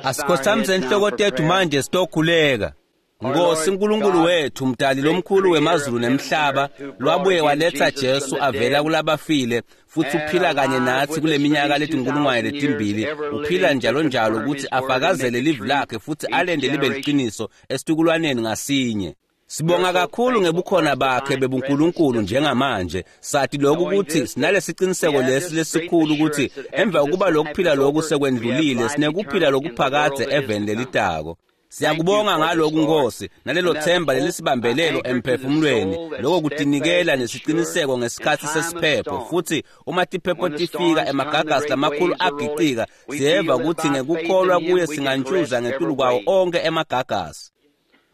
Asikhothamise inhloko tethu manje sitokhuleka. Nkosi uNkulunkulu wethu, mdali lomkhulu wemazulu nemhlaba, lwabuye waletha Jesu avela kulabafile, futhi uphila kanye nathi kule minyaka letinkulungwane letimbili, uphila njalo njalo ukuthi afakazele livi lakhe futhi alende libe liqiniso esitukulwaneni ngasinye. Sibonga kakhulu ngebukhona bakhe bebuNkulunkulu njengamanje. Sathi lokhu ukuthi sinalesiciniseko lesi lesikhulu ukuthi emva kokuba lokuphila lokhu sekwendlulile, sinekuphila lokuphakadze eveni lelitako. Siyakubonga ngalokhu Nkosi, nalelo themba lelisibambelelo emphefumulweni, lokho kutinikela nesiciniseko ngesikhathi sesiphepho. Futhi uma tiphepho tifika emagagasi lamakhulu agicika, siyeva ukuthi ngekukholwa kuye singantshuza ngetulu kwawo onke emagagasi.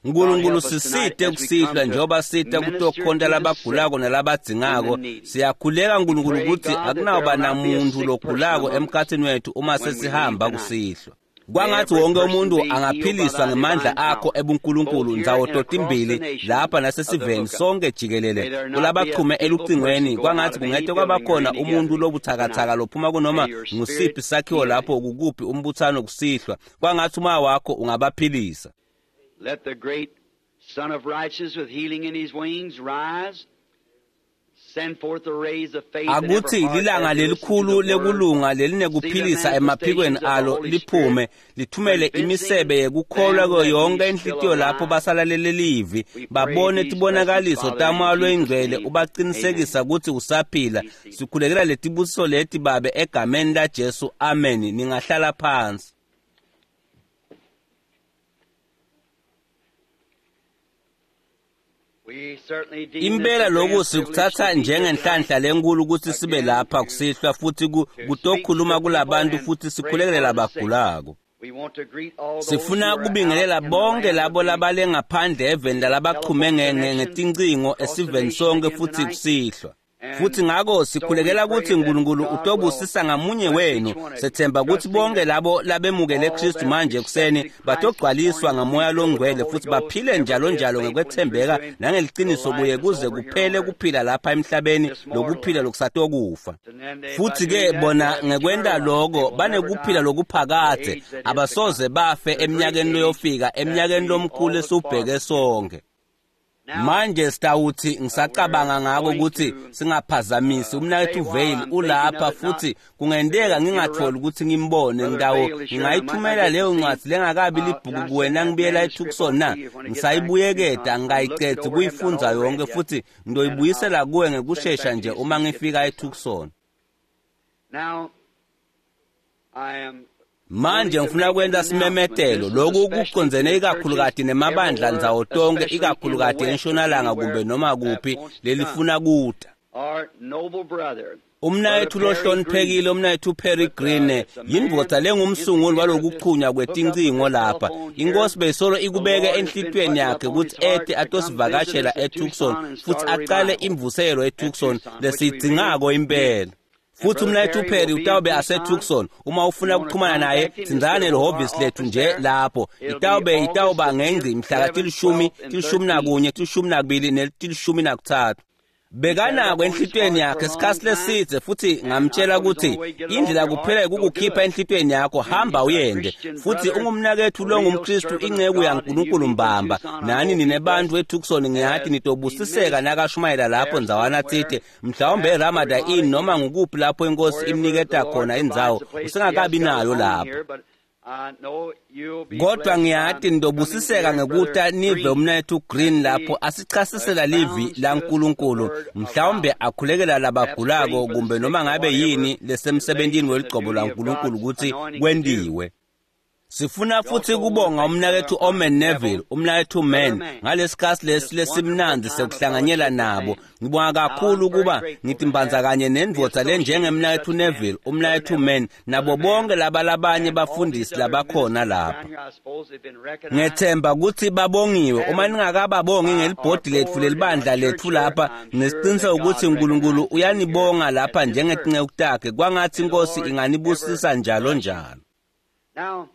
Nkulunkulu sisite kusihlwa njengoba sita kutokhonta labagulako nalabadzingako. Siyakhuleka Nkulunkulu ukuthi akunawuba namuntu logulako emkhathini wethu uma sesihamba kusihlwa. Kwangathi wonke umuntu angaphiliswa ngemandla akho ebuNkulunkulu ndzawo totimbili lapha nasesiveni sonke jikelele kulabachume elucingweni. Kwangathi kungete kwabakhona umuntu lobuthakathaka lophuma kunoma ngusiphi sakhiwo lapho kukuphi umbuthano kusihlwa. Kwangathi umoya wakho ungabaphilisa. Let the great Son of Righteousness with healing in his wings rise. Send forth the rays of faith in every Akuthi heart lilanga as they listen to lelikhulu the word. lekulunga lelinekuphilisa emaphikweni alo liphume, lithumele imisebe yekukholwa kuyo yonke inhlitiyo lapho basalalele livi, babone tibonakaliso taMoya loyiNgcwele ubaqinisekisa ukuthi usaphila. Sikhulekela letibusiso leti Babe egameni laJesu, amen. Ningahlala phansi. We certainly deem this Impela a lokhu grand sikuthatha privilege to be here njengenhlanhla tonight lenkulu ukuthi sibe again lapha to kusihlwa futhi speak to kutokhuluma the people kulabantu and futhi pray sikhulekele for the sick. labagulako. We want to greet all those who Sifuna are out kubingelela in the bonke land labo of the labale ngaphandle eveni lalabaqhume telephone connections ngetincingo across the esiveni nation sonke again futhi tonight. kusihlwa. Futhi And ngakho so we sikhulekela pray ukuthi that uNkulunkulu God will utobusisa ngamunye bless wenu. each one of you, Sethemba ukuthi trusting bonke that labo labemukele all Kristu that manje ekuseni accepted Christ this batogcwaliswa morning will be ngamoya filled with the longcwele Holy futhi Ghost baphile every njalo day njalo faithful and true ngekwethembeka to Him till nangeliciniso kuye life is kuze over here on kuphele earth, kuphila lapha emhlabeni this mortal lokuphila life. lokusatokufa. And then they, by Futhi doing ke that, bona they have ngekwenta eternal life. They lokho will never banekuphila die to the lokuphakadze, age that is to abasoze come, bafe to the great eminyakeni age leyofika, that eminyakeni we all lomkhulu look esiwubheke forward to. sonke. Now, Manje sitawuthi we're ngisacabanga ngako going ukuthi to singaphazamisi. say Umnakethu while Vale I'm thinking ulapha of it, not futhi to kungenteka ngingatholi interrupt ukuthi ngimbone. Brother Ngitawo Vale is here, and I might not ngingayithumela get to leyo see him. ncwadi lengakabi libhuku Can I kuwe send that nangibuyela manuscript eTucson on na? to you when I get back to Ngisayibuyeketa Tucson? I looked it ngingayicedzi over, haven't got kuyifundza all read yonke yet, futhi and I'll ngizoyibuyisela kuwe send it ngekushesha back to nje you as soon uma as I get to ngifika Tucson. eTucson. Now, I am Manje wanting to ngifuna make an kwenta announcement. simemetelo. This is Lokhu especially to kucondzene the churches ikakhulukati nemabandla everywhere, ndzawo tonke, especially in the ikakhulukati West or entshonalanga kumbe anywhere noma that kuphi wants to come. lelifuna kuta. Our noble brother, Brother Umnayethu Perry Green, lohloniphekile umnayethu Perry with Green it's a man yindvodza lengumsunguli instigator of this walokuchunywa hookup of kwetincingo this lapha. telephone here. Inkosi beyisolo The ikubeke Lord has been enhlitiyweni putting yakhe up on ukuthi his heart ete to come visit atosivakashela us at eTucson Tucson and futhi start a acale revival imvuselo at eTucson Tucson, which we really lesiyidzingako need. impela. And Futhi Brother umnayethu Perry will Perry be in utawube Tucson. aseTucson. Uma You ufuna want to ukuxhumana naye, contact him, just tsindzana get hold of our nelihhovisi lethu office nje there. lapho. It'll be Itawube August itawuba the 10th, ngengci mhla 11th, tilishumi, 12th, and tilishumi 13th. nakunye, tilishumi nakubili netilishumi nakutsatfu. He's had it up Bekanako on his enhlitiyweni heart for yakhe a long isikhathi time, lesidze futhi and I ngamtshela told him the ukuthi only way to get it off indlela your kuphela heart, go do ukukukhipha it. enhlitiyweni yakho And hamba he's a uyende. Christian Futhi brother, ungumnakethu a real longumKristu servant of inceku God, and you yaNkulunkulu people in mbamba. Tucson, I Nani hope be nine bantu blessed eTucson ngiyathi as he nitobusiseka ministers nakashumayela lapho there ndzawana somewhere, tsite mhlawumbe perhaps the eRamada Ramada Inn noma Inn, ngukuphi lapho inkosi wherever the imniketa Lord khona provides indzawo a place. He has usengakabi got it nayo on lapho. here, but I know you'll be Kodwa blessed by ngiyati coming to nitobusiseka hear ngekuta Brother nive Green umnayethu Green as lapho he asichasisela livi expounds to us the laNkulunkulu Word of mhlawumbe God. akhulekela Perhaps labagulako praying for the kumbe sick noma or ngabe whatever yini is laid lesemsebentini in the weligcobo duty of laNkulunkulu God's ukuthi anointing to do. kwendiwe. Sifuna We futhi also want to kubonga thank Brother umnakethu Omen Neville, Neville, umnakethu Brother Man, Mann, ngalesikhathi lesi this wonderful lesimnandzi time of sekuhlanganyela fellowship with nabo. them. Ngibonga Now, kakhulu I'm very ukuba grateful to ngithi mbanza have kanye be nendvodza associated with lenjengemnakethu such men, Neville, Brother umnakethu Neville, Man, nabo Brother Mann, bonke laba labanye and all these bafundisi other labakhona ministers lapha. around here. I suppose they've been recognized Ngethemba ukuthi babongiwe. Uma having ningakababongi by our ngelibhodi lethu board and our lelibandla church lethu here. lapha, I'm sure nesiqiniseko that ukuthi God uNkulunkulu recognizes them here uyanibonga lapha at this service. njengetinceku takhe. Kwangathi May the inkosi Lord ever inganibusisa njalo bless you. njalo. Now,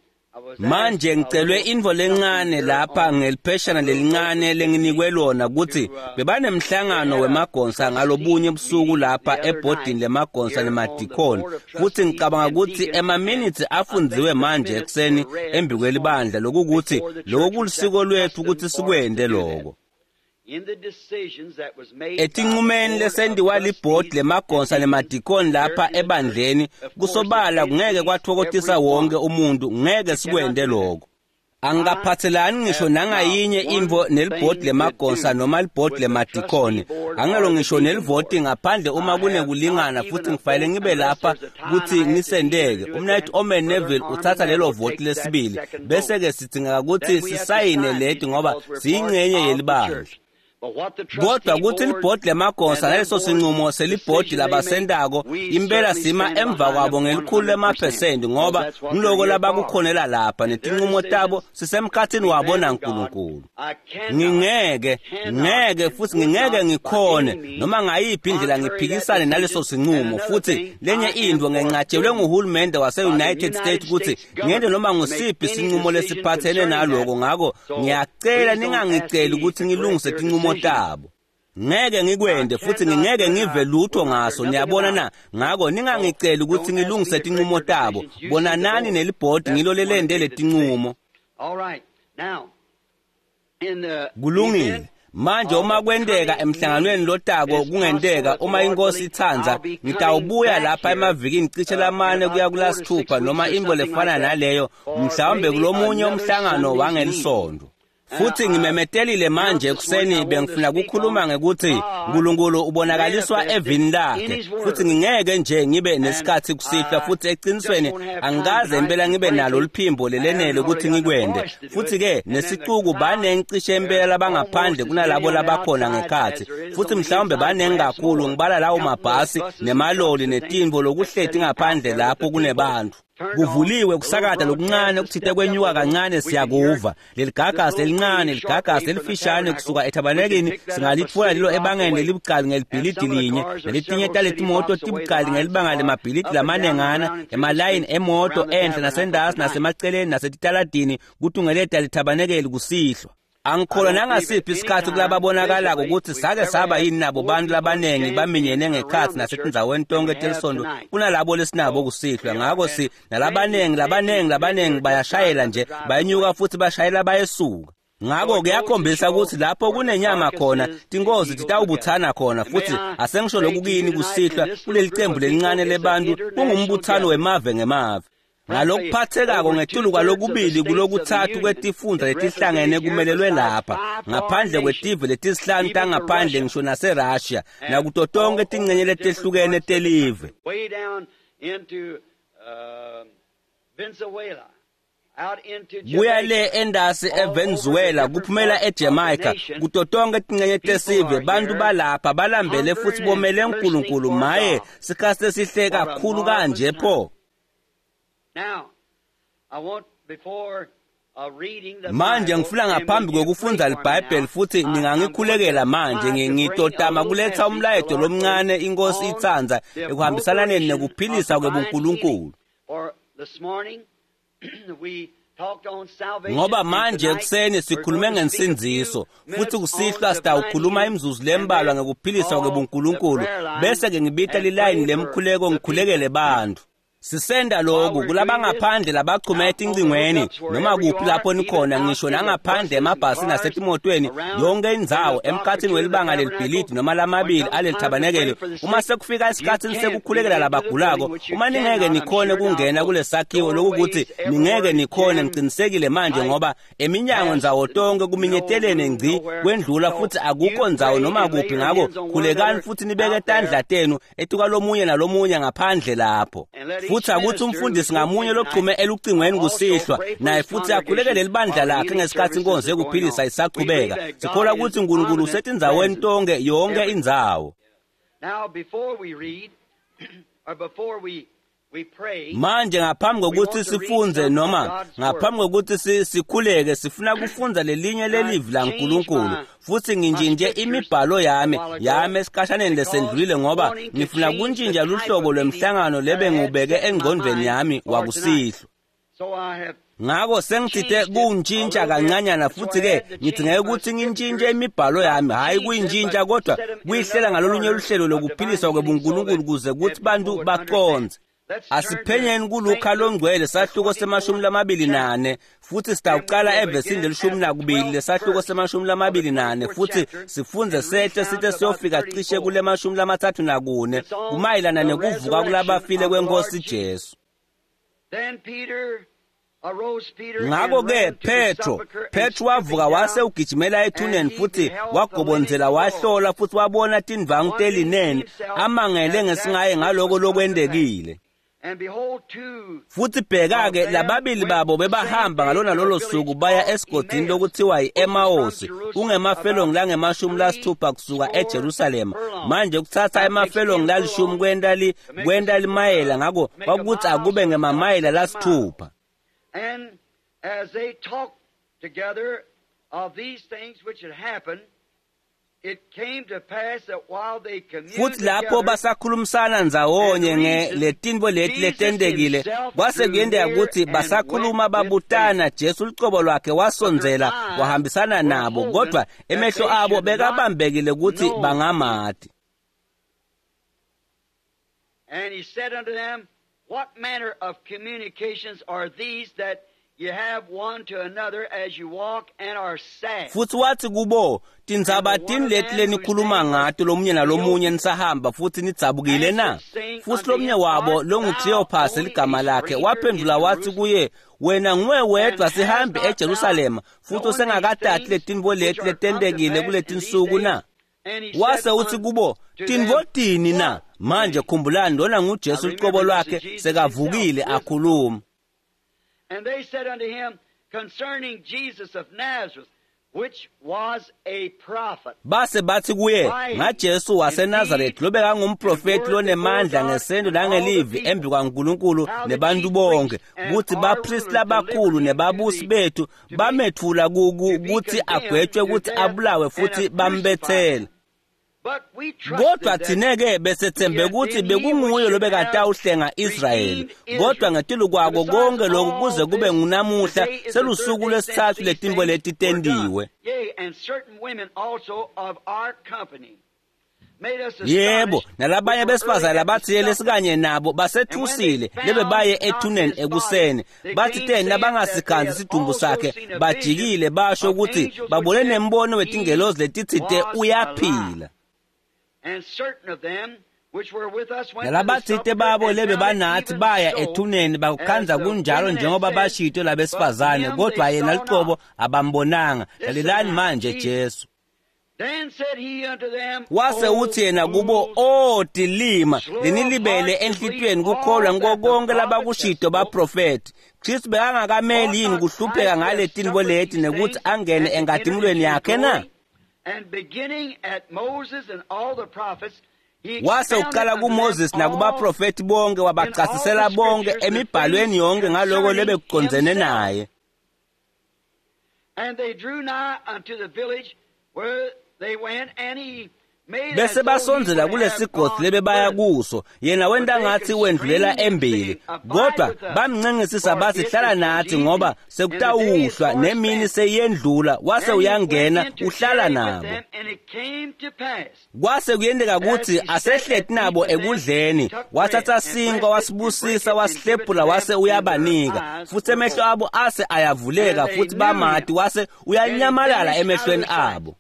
Manje ngicelwe intfo lencane lapha ngelipheshana lelincane lenginikwe lona kutsi bebanemhlangano wemagonsa ngalobunye busuku lapha ebhodini lemagonsa nemadikoni, futsi ngicabanga kutsi emaminitsi afundziwe manje ekuseni embikwelibandla, lokukuthi loko kulisiko lwetfu kutsi sikwente loko. Etinqumeni lesentiwa libhodi lemagonsa nemadikoni lapha ebandleni, kusobala kungeke kwatfokotisa wonke umuntu, ngeke sikwente loko. Angikaphathelani ngisho nangayinye intfo nelibhodi lemagonsa noma libhodi lemadikoni, angelo ngisho nelivoti ngaphandle uma kunekulingana, futhi ngifanele ngibe lapha kutsi ngisenteke. Umnayit Omen Neville utsatsa lelo voti lesibili, bese-ke sidzingeka kutsi sisayine leti ngoba siyingcenye yelibandla. Kodwa kutsi libhodi lemagonsa naleso sinqumo selibhodi labasentako, impela sima emva kwabo ngelikhulu lemaphesenti, ngoba ngiloko labakukhonela lapha netinqumo tabo sisemkhatsini wabo naNkulunkulu. Ngingeke, ngeke futhi ngingeke ngikhone noma ngayiphi indlela ngiphikisane naleso sinqumo. Futhi lenye intfo, ngenqatshelwe nguhulumende wase-United States kutsi ngente noma ngusiphi sinqumo lesiphathene naloko, ngako ngiyacela ningangiceli kutsi ngilungise tinqumo tabo. Ngeke ngikwente futhi ngingeke ngive lutho ngaso, niyabona na? Ngako ningangiceli kutsi ngilungise tinqumo tabo. Bonanani nelibhodi ngilo lelente letinqumo. Kulungile. Manje uma kwenteka emhlanganweni lotako, kungenteka uma inkosi itsandza, ngitawubuya lapha emavikini cishe lamane kuya kulasithupha noma intfo lefana naleyo, mhlawumbe kulomunye umhlangano wangelisonto. Futhi ngimemetelile manje ekuseni, bengifuna kukhuluma ngekuthi uNkulunkulu ubonakaliswa evini lakhe, futhi ngingeke nje ngibe nesikhathi kusihlwa, futhi eqinisweni angikaze impela ngibe nalo liphimbo lelenele ukuthi ngikwende. Futhi-ke nesicuku banengi cishe impela labangaphandle kunalabo labakhona ngekhathi, futhi mhlawumbe banengi kakhulu, ngibala lawo mabhasi nemaloli netintfo lokuhleti ngaphandle lapho kunebantu. Kuvuliwe kusakata lokuncane okuthite kwenyuka kancane, siyakuva leligagasi lelincane, ligagasi lelifishane kusuka ethabanekini, singalitfola lelo ebangeni lelibucali ngelibhilidi linye, naletinye taletimoto tibucali ngelibanga lemabhilidi lamanengana, emalayini emoto enhla nasendasi nasemaceleni nasetitaladini kutungeleta lithabanekeli kusihlwa. Angikholwa nangasiphi isikhathi kulababonakalako ukuthi sake saba yini nabo bantu labanengi baminyene ngekhathi nasetindzaweni tonke telisonto kunalabo lesinabo kusihlwa. Ngako si nalabanengi labanengi labanengi bayashayela nje, bayenyuka futhi bashayela bayesuka. Ngako kuyakhombisa ukuthi lapho kunenyama khona tinkozi titawubuthana khona. Futhi asengisho lokhu kini kusihlwa kuleli cembu lelincane lebantu, kungumbuthano wemave ngemave. Ngalokuphathekako ngetulu kwalokubili kulokuthathu kwetifundza letihlangene kumelelwe lapha, ngaphandle kwetive letisihlanu tangaphandle ngisho naseRussia, nakuto tonke tincenye letehlukene telive. Kuya le endasi eVenezuela, kuphumela eJamaica, kuto tonke tincenye tesive, bantu balapha balambele futhi bomele uNkulunkulu. Maye, sikhathi lesihle kakhulu kanje pho. Manje ngifuna ngaphambi kokufundza liBhayibheli, futhi ningangikhulekela manje, ngitotama kuletha umlayeto lomncane inkosi itsandza ekuhambisananeni nekuphilisa kwebuNkulunkulu. Ngoba manje ekuseni sikhulume ngensindziso, futhi kusihlwa sitawukhuluma imizuzu lembalwa ngekuphilisa kwebuNkulunkulu, bese-ke ngibita lilayini lemkhuleko ngikhulekele bantfu. Sisenda lokhu kulabangaphandle labachume etincingweni noma kuphi lapho nikhona, ngisho nangaphandle emabhasi nasetimotweni, yonke indzawo emkhathini welibanga lelibhilidi noma lamabili alelithabanekelo. Uma sekufika esikhathini sekukhulekela labagulako, uma ningeke nikhone kungena kulesakhiwo, lokukuthi ningeke nikhone, ngicinisekile manje, ngoba eminyango ndzawo tonke kuminyetelene ngci kwendlula, futhi akukho ndzawo noma kuphi. Ngako khulekani futhi nibeke tandla tenu etukwalomunye nalomunye ngaphandle lapho. Futhi akuthi umfundisi ngamunye lochume elucingweni kusihlwa naye futhi akhulekele libandla lakhe ngesikhathi inkonzo yekuphilisa isachubeka. Sikholwa ukuthi uNkulunkulu usetindzaweni tonke, yonke indzawo. Manje ngaphambi kokuthi sifunze noma ngaphambi kokuthi sikhuleke, sifuna kufundza lelinye lelivi laNkulunkulu. Futhi ngintshintshe imibhalo yami esikhashaneni lesendlulile, ngoba ngifuna kuntshintsha luhlobo lwemhlangano lebe ngiwubeke engqondweni yami wakusihlwa. Ngako sengitsite kuwuntshintsha kancanyana futhi-ke ngidingeke ukuthi ngintshintshe imibhalo yami, hhayi kuyintshintsha kodwa kuyihlela ngalolunye luhlelo lokuphiliswa kwebuNkulunkulu kuze kuthi bantu baqondze. Asiphenyeni kuLuka longcwele sahluko se-24 futhi sitawuqala evesini le-12 lesahluko se-24 futhi sifunze sehle sithe siyofika cishe kule 34 kumayelana nekuvuka kulabafile kwenkosi Jesu. Ngakho-ke Petro wavuka wase ugijimela ethuneni futhi wagobonzela wahlola futhi wabona tindvangu telineni amangele ngesingaye ngaloko lokwentekile. Futhi bheka-ke lababili babo bebahamba ngalona lolo suku baya esigodini lokuthiwa yi-Emawusi, kungemafelongi langema-60 kusuka eJerusalema. Manje kuthatha emafelongi lalishumi kwenta limayela, ngakho kwakuthi akube ngemamayela lasithupha. And as they talked together of these things which had happened, it came to pass that while they communed futhi lapho basakhulumisana ndzawonye ngeletintfo leti letentekile, kwase kuyenteka ukuthi basakhuluma babutana, Jesu lucobo lwakhe wasondzela wahambisana nabo, kodwa emehlo abo bekabambekile ukuthi bangamati. And he said unto them, What manner of communications are these that you have one to another as you walk and are sad? Futhi wathi kubo, tindzaba tini leti lenikhuluma ngato lomunye nalomunye nisahamba futhi nidzabukile na? Futhi lomunye wabo longuKleophasi ligama lakhe waphendula wathi kuye, wena nguwe wedwa sihambi eJerusalema futhi usengakatati letintfo leti letentekile kuletinsuku na? Wase uthi kubo, tintfo tini na? Manje khumbulani lona nguJesu lucobo lwakhe sekavukile akhuluma. And they said unto him concerning Jesus of Nazareth, which was a prophet. Base bathi kuye ngaJesu waseNazaretha lobekangumprofeti lonemandla ngesento nangelivi embi kwaNkulunkulu nebantu bonke, kuthi bapristi labakhulu nebabusi bethu bamethula kuthi agwetshwe ukuthi abulawe futhi bambethele. Kodwa thina-ke besethembe ukuthi bekunguye lobekatawuhlenga Israyeli, kodwa ngetulu kwako konke lokhu kuze kube ngunamuhla selusuku lwesithathu letintfo leti tentiwe. Yebo, nalabanye besifazane labathile lesikanye nabo basethusile lebebaye ethuneni ekuseni, bathi teni labangasikhanzi isidumbu sakhe bajikile basho ukuthi babone nembono wetingelozi letitsite uyaphila. Nalabathite babo lebebanathi baya ethuneni bakukhanza kunjalo njengoba bashito labesifazane, kodwa yena lucobo abambonanga. Lalelani manje Jesu. Wase uthi yena kubo, o tilima lenilibele enhlitiyweni kukholwa ngiko konke labakushito baprofeti. Kristu bekangakameli yini kuhlupheka ngale tintfo leti nekuthi angene enkatimulweni yakhe na? Wase uqala kuMoses nakubaprofeti bonke wabachasisela bonke emibhalweni yonke ngaloko lebekucondzene naye. And they drew nigh unto the village where they went, and he Bese basondzela kulesigodzi lebebaya kuso, yena wenta ngathi wendlulela embili, kodwa bamncengisisa bathi hlala nathi ngoba sekutawuhlwa nemini seyendlula. Wase uyangena uhlala nabo. Kwase kuyenteka ukuthi asehleti nabo ekudleni, wathatha sinkwa wasibusisa wasihlephula wase uyabanika, futhi emehlo abo ase ayavuleka futhi bamati, wase uyanyamalala emehlweni abo.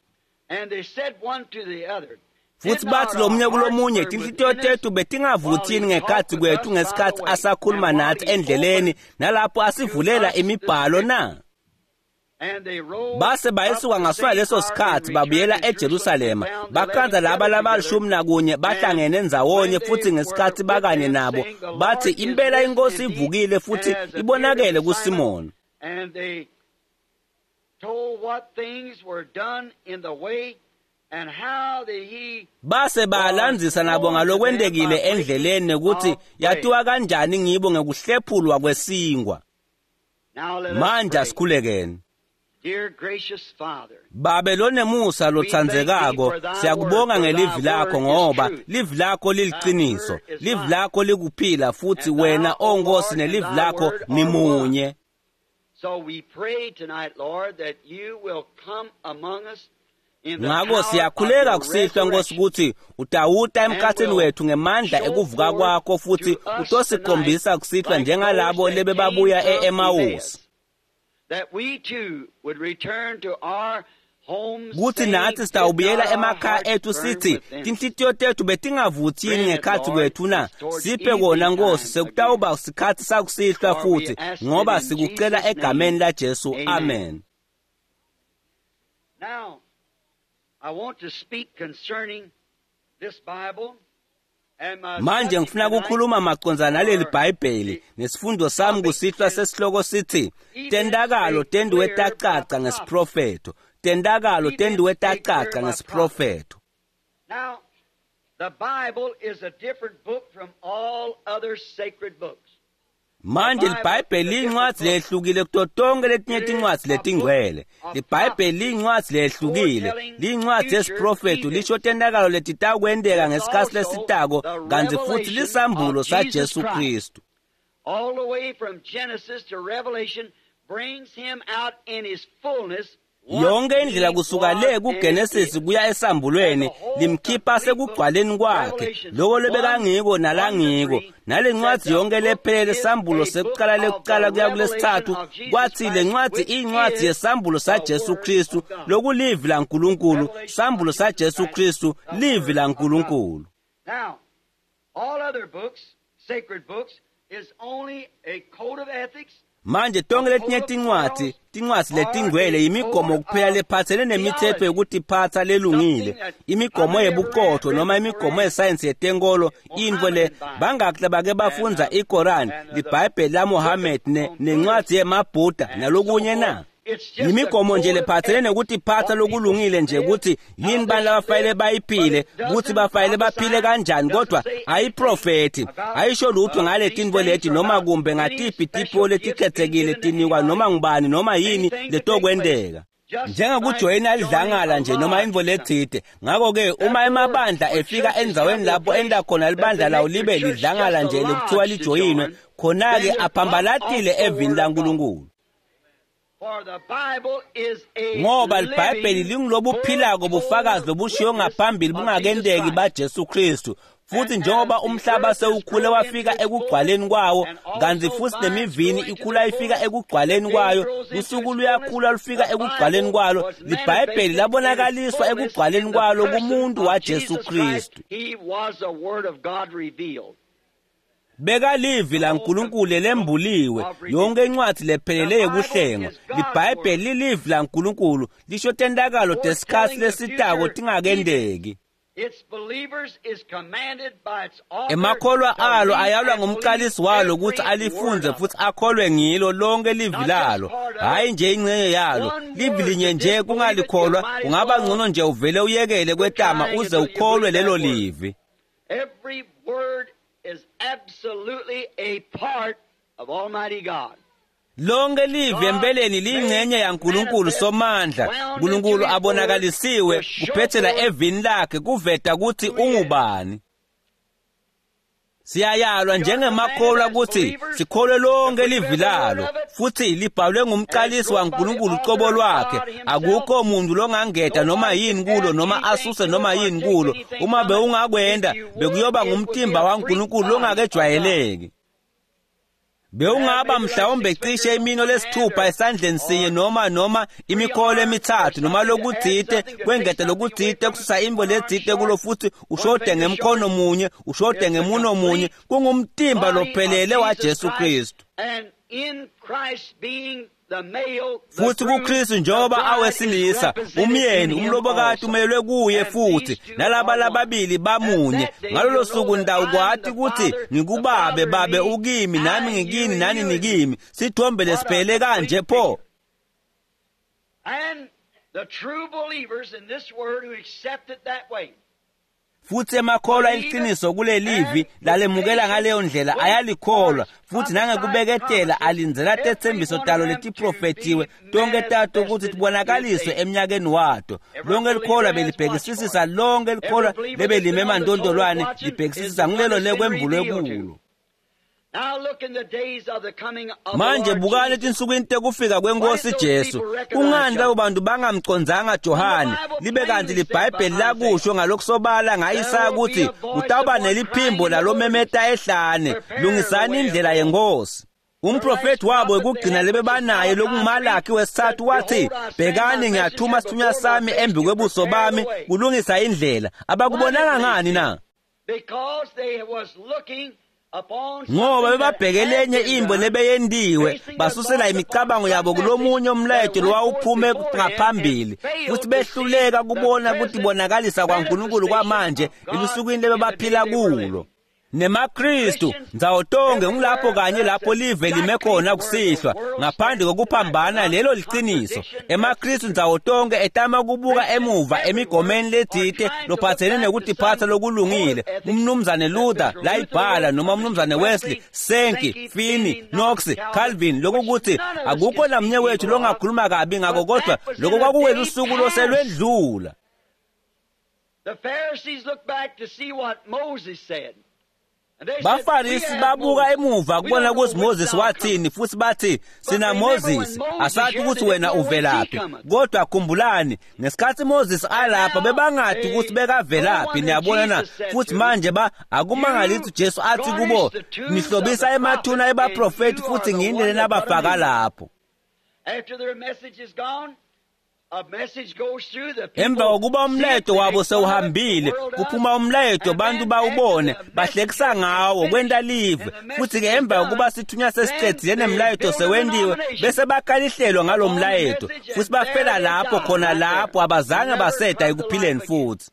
Futhi bathi lomunye kulomunye, tinhlitiyo tethu betingavuthini ngekhathi kwethu ngesikhathi asakhuluma nathi endleleni nalapho asivulela imibhalo na? Base bayisuka ngasona leso sikhathi babuyela eJerusalema, bakhanza laba labalishumi nakunye bahlangene ndzawonye, futhi ngesikhathi bakanye nabo bathi impela inkosi ivukile futhi ibonakele kuSimoni. Base balandzisa nabo ngalokwentekile endleleni nekuthi yatiwa kanjani ngibo ngekuhlephulwa kwesinkwa. Manje asikhulekeni. Babe lonemusa lotsandzekako, siyakubonga ngelivi lakho ngoba livi lakho liliqiniso, livi lakho likuphila, futhi wena o Nkosi nelivi lakho nimunye. So we pray tonight, Lord, that you will come among us. Ngako siyakhuleka kusihlwa Nkosi ukuthi utawuta emkhathini wethu ngemandla ekuvuka kwakho futhi utosikhombisa kusihlwa njengalabo lebebabuya e-Emawusi. Kuthi nathi sitawubuyela emakhaya ethu sithi tinhlitiyo tethu betingavuthi yini ngekhathi kwethu na? Siphe kona Nkosi, sekutawuba sikhathi sakusihlwa futhi ngoba sikucela egameni laJesu. Amen. Now I want to speak concerning this Bible. Manje ngifuna ukukhuluma macondzana naleli Bhayibheli nesifundo sami kusihlwa sesihloko sithi Tentakalo tendiwe tacaca ngesiprofetho. Tentakalo tendiwe tacaca ngesiprofetho. Now the Bible is a different book from all other sacred books. Manje liBhayibheli liyincwadzi lehlukile kuto tonke letinye tincwadzi letingcwele. LiBhayibheli liyincwadzi lehlukile, liyincwadzi yesiprofetho lisho tentakalo letitakwenteka ngesikhatsi lesitako kantsi futhi lisambulo saJesu Kristu. All the way from Genesis to Revelation brings him out in his fullness. Yonke indlela kusuka le kuGenesis kuya esambulweni limkhipha sekugcwaleni kwakhe loko lebekangiko nalangiko nalencwadzi yonke lephelele sambulo sekuqala lekuqala kuya kulesithathu kwathi lencwadzi iyincwadzi yesambulo saJesu Kristu lokulivi laNkulunkulu. Sambulo saJesu Kristu livi laNkulunkulu. Now all other books, sacred books, is only a code of ethics. Manje tonke letinye tincwadzi, tincwadzi letingcwele imigomo kuphela lephatselene nemithetho yekutiphatsa lelungile, imigomo yebuqotho noma imigomo yesayensi yetenkolo, intfo le bangaki bake bafundza iKoran, liBhayibheli laMohammed nencwadzi yemaBhuda nalokunye na? Yimigomo nje lephatselene nekutiphatsa lokulungile nje ukuthi yini bani labafanele bayiphile, ukuthi bafanele baphile kanjani, kodwa ayiprofethi ayisho lutho ngale tintfo leti noma kumbe ngatiphi tipho letikhethekile tinikwa noma ngubani noma yini letokwenteka. Njengokujoyina lidlangala nje noma intfo letsite. Ngako-ke uma emabandla efika endzaweni lapho enta khona libandla lawo libe lidlangala nje lekuthiwa lijoyinwe, khona-ke aphambalatile evini laNkulunkulu. Ngoba liBhayibheli lingulobuphilako bufakazi lobushiwo ngaphambili bungakenteki baJesu Kristu. Futhi njengoba umhlaba sewukhule wafika ekugcwaleni kwawo, kantsi futhi nemivini ikhula ifika ekugcwaleni kwayo, lusuku luyakhula lufika ekugcwaleni kwalo, liBhayibheli labonakaliswa ekugcwaleni kwalo kumuntu waJesu Kristu. Bekalivi laNkulunkulu lembuliwe, yonke incwadzi lephelele yekuhlengwa. LiBhayibheli lilivi laNkulunkulu lisho tentakalo tesikhatsi lesitako tingakenteki. Emakholwa alo ayalwa ngumqalisi walo ukuthi alifundze futhi akholwe ngilo lonke livi lalo, hhayi nje ingxenye yalo. Livi linye nje kungalikholwa kungaba ngcono nje uvele uyekele kwetama uze ukholwe lelo livi. Every word is absolutely a part of Almighty God. Lonke livi empeleni liyingxenye yaNkulunkulu Somandla. uNkulunkulu abonakalisiwe kuphethela evini lakhe kuveta ukuthi ungubani. Siyayalwa njengemakholwa ukuthi sikholwe lonke livi lalo futhi libhalwe ngumqalisi waNkulunkulu ucobo lwakhe. Akukho muntu longangeda noma yini kulo noma asuse noma yini kulo. Uma bewungakwenda bekuyoba ngumtimba waNkulunkulu longakejwayeleki. Bewungaba mhlawumbe cishe imino lesithupha esandleni sinye noma imikholo emithathu noma lokutsite kwengeta lokutsite kususa imbo letsite kulo futhi ushode ngemkhono munye ushode ngemuno munye. Kungumtimba lophelele waJesu Kristu. Futhi kuKristu njengoba awesilisa umyeni umlobokati umelwe kuye futhi nalaba lababili bamunye. Ngalolo suku ndawukwati ukuthi ngikubabe, babe ukimi, nami ngikini, nani nikimi. Sithombe lesiphele kanje pho. And the true believers in this word who accept it that way. Futhi emakholwa iqiniso kulelivi lalemukela ngaleyo ndlela ayalikholwa futhi nangekubeketela alindzela tetsembiso talo letiprofethiwe tonke tato ukuthi tibonakaliswe eminyakeni wato. Lonke likholwa belibhekisisisa, lonke likholwa lebelime emantondolwane libhekisisisa ngulelo lekwembulwe kulo. Manje bukani etinsukwini tekufika kwenkosi Jesu, kungani labo bantu bangamcondzanga Johane, libe kanti liBhayibheli lakusho ngalokusobala nga-Isaya ukuthi kutawuba neliphimbo lalomemeta ehlane, lungisani indlela yenkosi. Umprofeti wabo wekugcina lebebanaye lokunguMalaki wesithathu wathi, bhekani ngiyathuma sithunywa sami embi kwebuso bami kulungisa indlela. Abakubonanga ngani na? Ngoba bebabheke lenye imbo lebeyendiwe, basusela imicabango yabo kulomunye umlayeto lowawuphume ngaphambili, futhi behluleka kubona kutibonakalisa kwaNkulunkulu kwamanje elusukwini lebebaphila kulo. NemaKristu ndzawo tonke ngulapho kanye lapho live lime khona kusihlwa, ngaphandle kokuphambana lelo liciniso. EmaKristu ndzawo tonke etama kubuka emuva emigomeni letsite lophatsene nekutiphatsa lokulungile. Umnumzane Luther layibhala noma umnumzane Wesley, Sankey, Finney, Knox, Calvin, lokukuthi akukho namnye wethu longakhuluma kabi ngako, kodwa lokho kwakuwelusuku loselwedlula. The Pharisees looked back to see what Moses said. Bafarisi babuka emuva kubona ukuthi Moses wathini, futhi bathi sina Moses, asathi ukuthi wena uvelaphi. Kodwa khumbulani, ngesikhathi Moses alapha bebangathi ukuthi bekavelaphi, niyabona na? Futhi manje akumangalisi Jesu athi kubo, nihlobisa emathuna ebaprofeti futhi ngiyini nabafaka lapho. Emva kokuba umlayeto wabo sewuhambile, kuphuma umlayeto, abantu bawubone, bahlekisa ngawo, kwenta live. Futhi-ke emva kokuba sithunywa sesicedzile nemlayeto sewendiwe, bese bakhala ihlelo ngalo mlayeto, futhi bafela lapho khona lapho, abazange baseda ekuphileni futhi.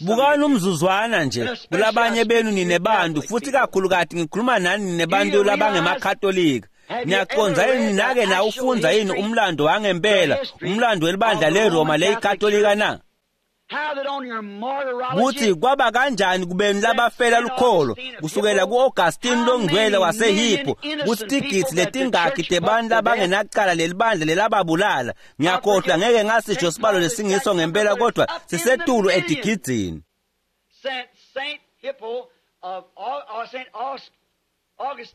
Bukani umzuzwana nje kulabanye benu ninebantu, futhi kakhulukati ngikhuluma nani ninebantu labangemakatolika. Niyaqonza yini nake nawufundza yini umlando wangempela, umlando welibandla leRoma leyikatolika na? Kuthi kwaba kanjani kubeni labafela lukholo kusukela ku-Augustine longcwele waseHippo, kuthi tigidzi letingakhi tebantu labangenacala lelibandla lelababulala. Ngiyakhohlwa, ngeke ngasisho sibalo lesingiso ngempela, kodwa sisetulu etigidzini.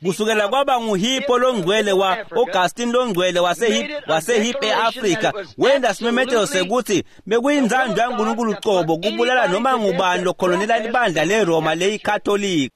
Kusukela kwaba nguHippo longcwele wa Augustine longcwele waseHippo eAfrika, wenda simemetelo sekuthi bekuyinzando yaNkulunkulu cobo kubulala noma ngubani lokholonela libandla leRoma leyikatolika.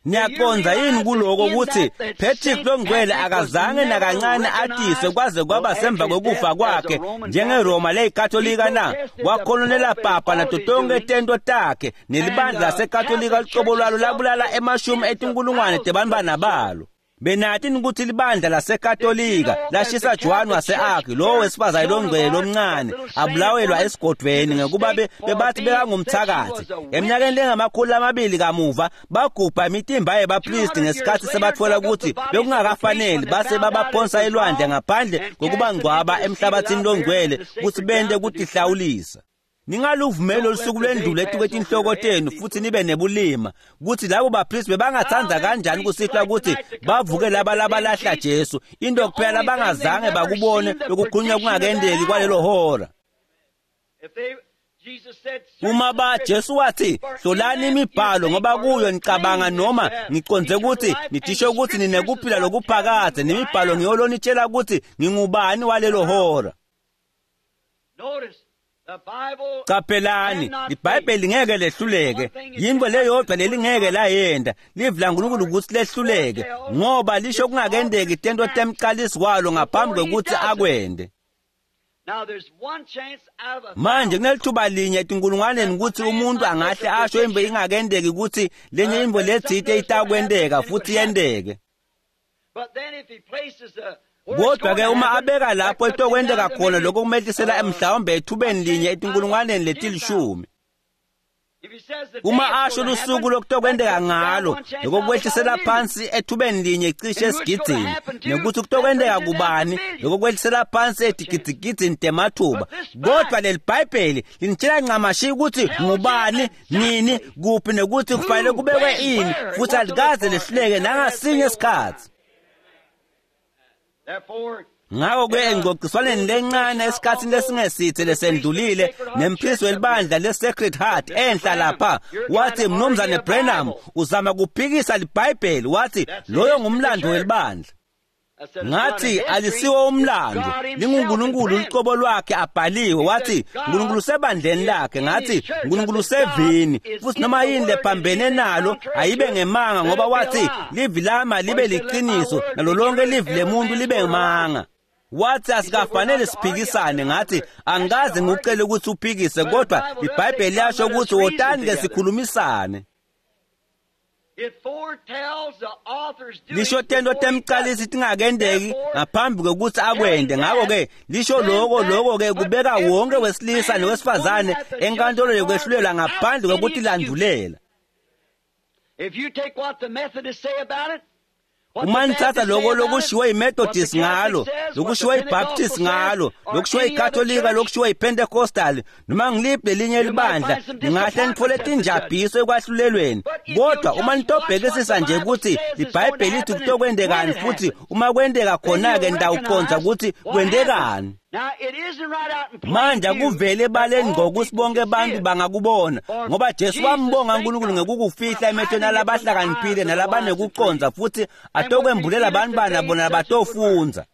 Niyaqonza yini kuloko ukuthi Patrick longcwele akazange nakancane atiswe kwaze kwaba semva kokufa kwakhe njengeRoma leyikatolika na? Wakholonela papa nato tonke tento takhe, nelibandla lasekatolika lucobo lwalo labulala emashumi etinkulungwane tebantfwana balo. Benathi ukuthi libandla lasekatolika lashisa Joan wase-Arc, lowo wesifazane longcwele lomncane, abulawelwa esigodvweni ngekuba bebathi bekangumthakathi. Eminyakeni lengama200 kamuva bagubha imitimba yebapristi ngesikhathi sebathola ukuthi bekungakafaneli, base babaphonsa elwandle ngaphandle kokubangcwaba emhlabathini longcwele ukuthi bente kutihlawulisa. Ningaluvumeli lolusuku lwendlule etikwetinhloko tenu futhi nibe nebulima, kuthi labo bapristi bebangathanda kanjani kusihlwa ukuthi bavuke laba labalahla Jesu, into kuphela labangazange bakubone lokukhulunywa kungakendeki kwalelo hora. Uma Jesu wathi, hlolani imibhalo ngoba kuyo nicabanga noma ngiconze ukuthi nidisho ukuthi ninekuphila lokuphakadze, nemibhalo ngiyo lonitshela ukuthi ngingubani walelo hora. Qaphelani, iBhayibheli ngeke lehluleke. Yinto leyodwa lelingeke layenda, livi laNkulunkulu ukuthi lehluleke, ngoba lisho kungakendeki tento temqalisi walo ngaphambi kokuthi akwende. Manje kunelithuba linye etinkulungwaneni ukuthi umuntu angahle asho imbo ingakendeki ukuthi lenye imbo letsite itakwendeka futhi yendeke. Kodwa-ke uma abeka lapho etokwenteka khona lokho kumehlisela mhlawumbe ethubeni linye etinkulungwaneni letilishumi. Uma asho lusuku lokutokwenteka ngalo, lokho kwehlisela phansi ethubeni linye cishe esigidzini, nekuthi kutokwenteka kubani, lokho kwehlisela phansi etigidzigidzini temathuba. Kodwa leli Bhayibheli linitshela ncamashi ukuthi ngubani, nini, kuphi nekuthi kufanele kubekwe ini, futhi alikaze lehluleke nangasinye isikhathi. Ngako-ke engcociswaneni lencane esikhatsini lesingesithe lesendlulile nemphisi welibandla le-Sacred Heart enhla lapha, wathi, Mnumzane Branham uzama kuphikisa liBhayibheli. Wathi loyo ngumlando welibandla. Ngathi alisiwo umlando, linguNkulunkulu luqobo lwakhe abhaliwe. Wathi uNkulunkulu usebandleni lakhe. Ngathi uNkulunkulu usevini, futhi noma yini lephambene nalo ayibe ngemanga, ngoba wathi livi lami libe liqiniso nalo lonke livi lemuntu libe ngemanga. Wathi asikafanele siphikisane. Ngathi angikaze ngikucele ukuthi uphikise, kodwa iBhayibheli liyasho ukuthi wotani ke sikhulumisane. Lisho tento temcalisi tingakendeki ngaphambi kokuthi akwende. Ngakho-ke lisho lokho-ke kubeka wonke wesilisa nowesifazane enkantolo yokwehlulelwa ngaphandle kokuthi landulela. Uma nithatha lokho lokushiwo yiMethodist ngalo, lokushiwo yiBaptist ngalo, lokushiwo yiKatolika, lokushiwo yiPentecostal, noma ngiliphi lelinye libandla, ningahle nithole tinjabhiso ekwahlulelweni. Kodwa uma nitobhekisisa nje ukuthi iBhayibheli lithi kutokwendekani, futhi uma kwendeka khona-ke nitawuqonda ukuthi kwendekani. Manje akuvele ebaleni ngokuthi bonke abantu bangakubona, ngoba Jesu wambonga uNkulunkulu ngekukufihla emehlweni alabahlakaniphile nalabanekuconza, futhi atokwembulela abantu bana bona batofundza.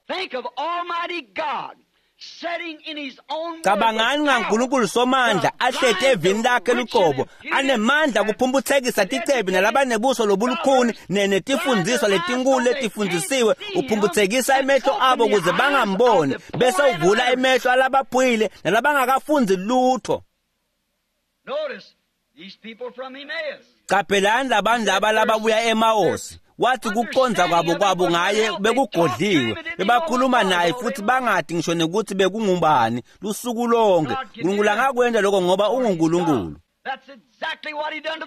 Cabangani ngaNkulunkulu somandla ahleti evini lakhe luqobo, anemandla kuphumputhekisa ticebi nalabanebuso lobulukhuni netifundiswa letinkulu letifundisiwe, uphumputhekisa emehlo abo ukuze bangamboni, bese uvula emehlo alabaphuyile nalabangakafundi lutho. Qaphelani labantu laba lababuya eMaosi. Wathi kuqonza kwabo ngaye bekugodliwe, bebakhuluma naye futhi bangathi ngisho nekuthi bekungubani lusuku lonke. uNkulunkulu angakwenda lokho ngoba unguNkulunkulu.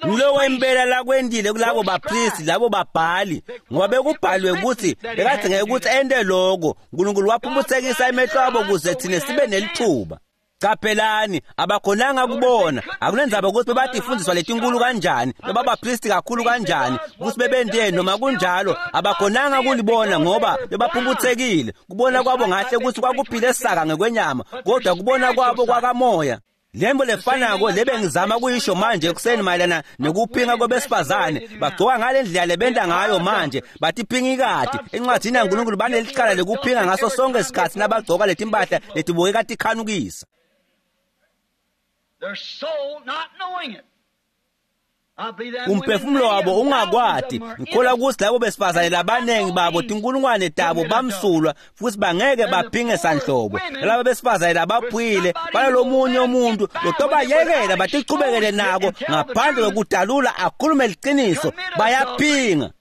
Ngulowo impela lakwendile kulabo bapristi, labo babhali, ngoba bekubhaliwe ukuthi bekadingeka ukuthi ente lokho. uNkulunkulu waphumputhekisa emehlo abo ukuze thina sibe nelithuba. Qaphelani, abakhonanga kubona. Akunenzaba ukuthi bebathi ifundiswa letinkulu kanjani, bebabapristi kakhulu kanjani, ukuthi bebendeni noma kunjalo, abakhonanga kulibona ngoba bebaphumputhekile. Kubona kwabo ngahle ukuthi kwakuphile saka ngekwenyama, kodwa kubona kwabo kwakamoya. Lembo lefanako lebe ngizama kuyisho manje ekuseni mayelana nekuphinga kwabesifazane. Bagcoka ngale ndlela lebenta ngayo manje, bathi phingikati. Encwadini yaNkulunkulu banelicala lekuphinga ngaso sonke isikhathi nabagcoka letimpahla letibukeka tikhanukisa. Umphefumulo wabo ungakwati. Ngikholwa ukuthi labo besifazane labaningi babo tinkulungwane tabo bamsulwa futhi bangeke baphinge sanhlobo. Laba besifazane labaphuyile balalomunye umuntu lotobayekela batichubekele nako ngaphandle kokudalula akhulume liqiniso, bayaphinga.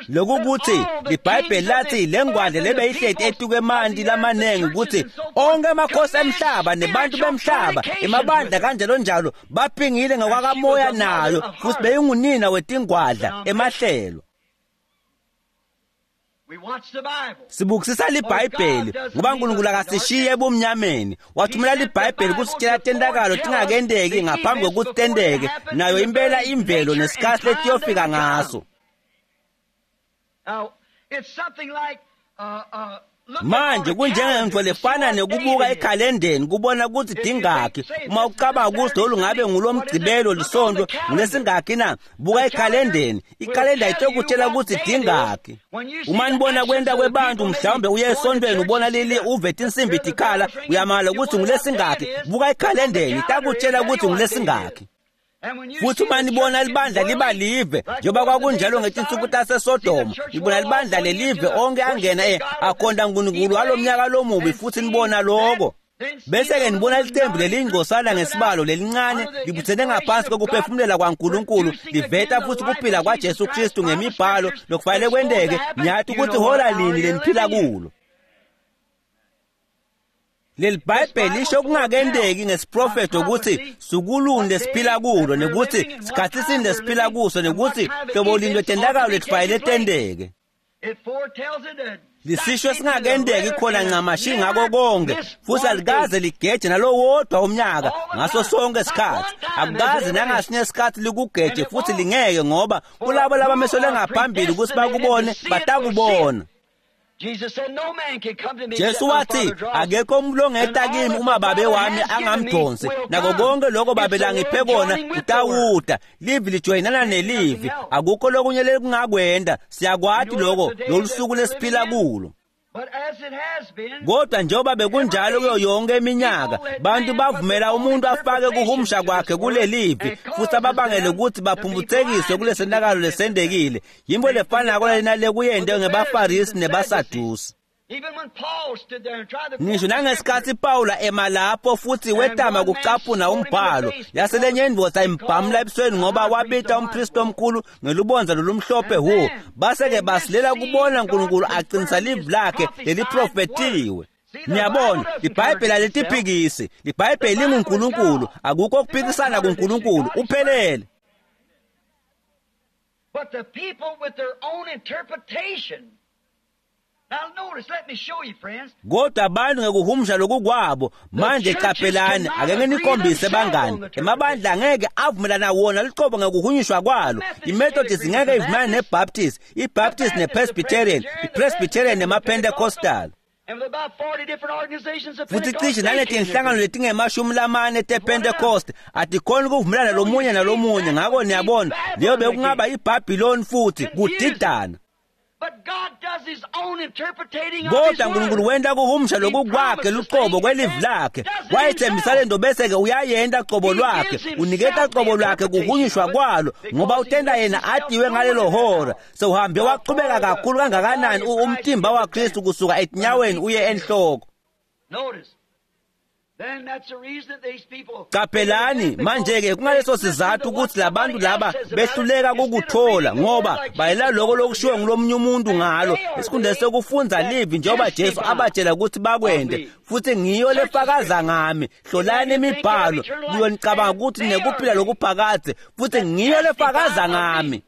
Lokukuthi iBhayibheli lathi lengwadle lebeyihleti etuke emanti lamanengi ukuthi onke amakhosi emhlaba nebantu bemhlaba emabandla kanjalo njalo baphingile ngokwakamoya nayo, futhi beyingunina wetingwadla emahlelo. Sibukisisa liBhayibheli ngoba uNkulunkulu akasishiye ebumnyameni. Wathumela liBhayibheli kusitshela tentakalo tingakendeki ngaphambi kokuthi tenteke, nayo impela imvelo nesikhathi letiyofika ngaso. Manje kunjengento lefana nekubuka ekhalendeni kubona ukuthi dingakhi. Uma ucabanga ukuthi lolu ngabe ngulomgcibelo lisonto ngulesingakhi na, buka ekhalendeni. Ikhalenda itokutshela ukuthi dingakhi. Uma nibona kwenta kwebantu, mhlawumbe uye esontweni ubona lili uve tinsimbi tikhala, uyamala ukuthi ngulesingakhi. Buka ekhalendeni, itakutshela ukuthi ngulesingakhi. Futhi uma nibona libandla liba live njengoba kwakunjalo ngetinsuku taseSodoma, nibona libandla lelive onke angena akhonda uNkulunkulu walomnyaka lomubi, futhi nibona lokho. Bese-ke nibona licembu lelingcosana ngesibalo lelincane libuthene ngaphansi kokuphefumulela kwaNkulunkulu, liveta futhi kuphila kwaJesu Kristu ngemibhalo lokufanele kwenteke. Ngiyathi ukuthi hola lini leniphila kulo. Leli Bhayibheli lisho kungakendeki ngesiprofeto ukuthi sukuluni lesiphila kulo, nekuthi sikhathi sini lesiphila kuso, nekuthi hlobo lini lwetentakalo letifanele tenteke. Lisisho singakendeki khona ncamashi ngako konke, futhi alikaze ligeje nalowodwa umnyaka ngaso sonke isikhathi. Akukaze nangasinye isikhathi likugeje futhi lingeke, ngoba kulabo labamiselwe ngaphambili ukuthi bakubone batakubona. Jesu wathi akekho umuntu ongeta kimi uma babe wami angamdonsi, nako konke lokho babe langiphe kona utawuda. Livi lijoyinana nelivi, akukho lokunye lekungakwenda. Siyakwati lokho lolusuku lesiphila kulo. Kodwa njengoba bekunjalo kuyo yonke iminyaka, bantu bavumela umuntu afake kuhumusha kwakhe kulelivi futhi ababangele ukuthi baphumputhekiswe kulesenakalo lesendekile. Yimbo lefanako lena lekuyente ngebaFarisi nebaSadusi. Ngisho nangesikhathi Pawula ema lapho futhi wetama kucaphuna umbhalo, yaselenye indvodza imbhamula ebusweni ngoba wabita umpristi omkhulu ngelubonza lolumhlophe hu. Base-ke basilela kubona uNkulunkulu aqinisa livi lakhe leliprofethiwe. Niyabona, iBhayibheli alitiphikisi. IBhayibheli linguNkulunkulu, akukho ukuphikisana kuNkulunkulu, uphelele. But the people with their own interpretation. Kodwa abantu ngekuhumusha lokukwabo manje qaphelani, ake nginikhombise bangani, emabandla angeke avumelana wona luqobo ngekuhunyushwa kwalo. IMethodist ngeke ivumelane neBaptist, iBaptist nePresbyterian, iPresbyterian nemaPentecostal. Futhi cishe naletinhlangano letingemashumi lamane tePentecost atikhoni ukuvumelana lomunye nalomunye. Ngako niyabona, leyo bekungaba iBhabhiloni futhi kudidana. Kodwa uNkulunkulu wenta kuhumusha lokukwakhe luqobo kwelivi lakhe. Wayethembisa lento bese-ke uyayenta qobo lwakhe, uniketa qobo lwakhe kuhunyushwa kwalo, ngoba utenda yena atiwe ngalelo hora. Sewuhambe waqhubeka kakhulu kangakanani umtimba waKristu kusuka etinyaweni uye enhloko. Qaphelani manje-ke, kungaleso sizathu ukuthi labantu laba behluleka kukuthola, ngoba bayela lokho lokushiwo ngulomunye umuntu ngalo esikhundleni sokufundza livi njengoba Jesu abatshela ukuthi bakwende. Futhi ngiyo lefakaza ngami, hlolani imibhalo kuyo nicabanga ukuthi nekuphila lokuphakadze, futhi ngiyo lefakaza ngami.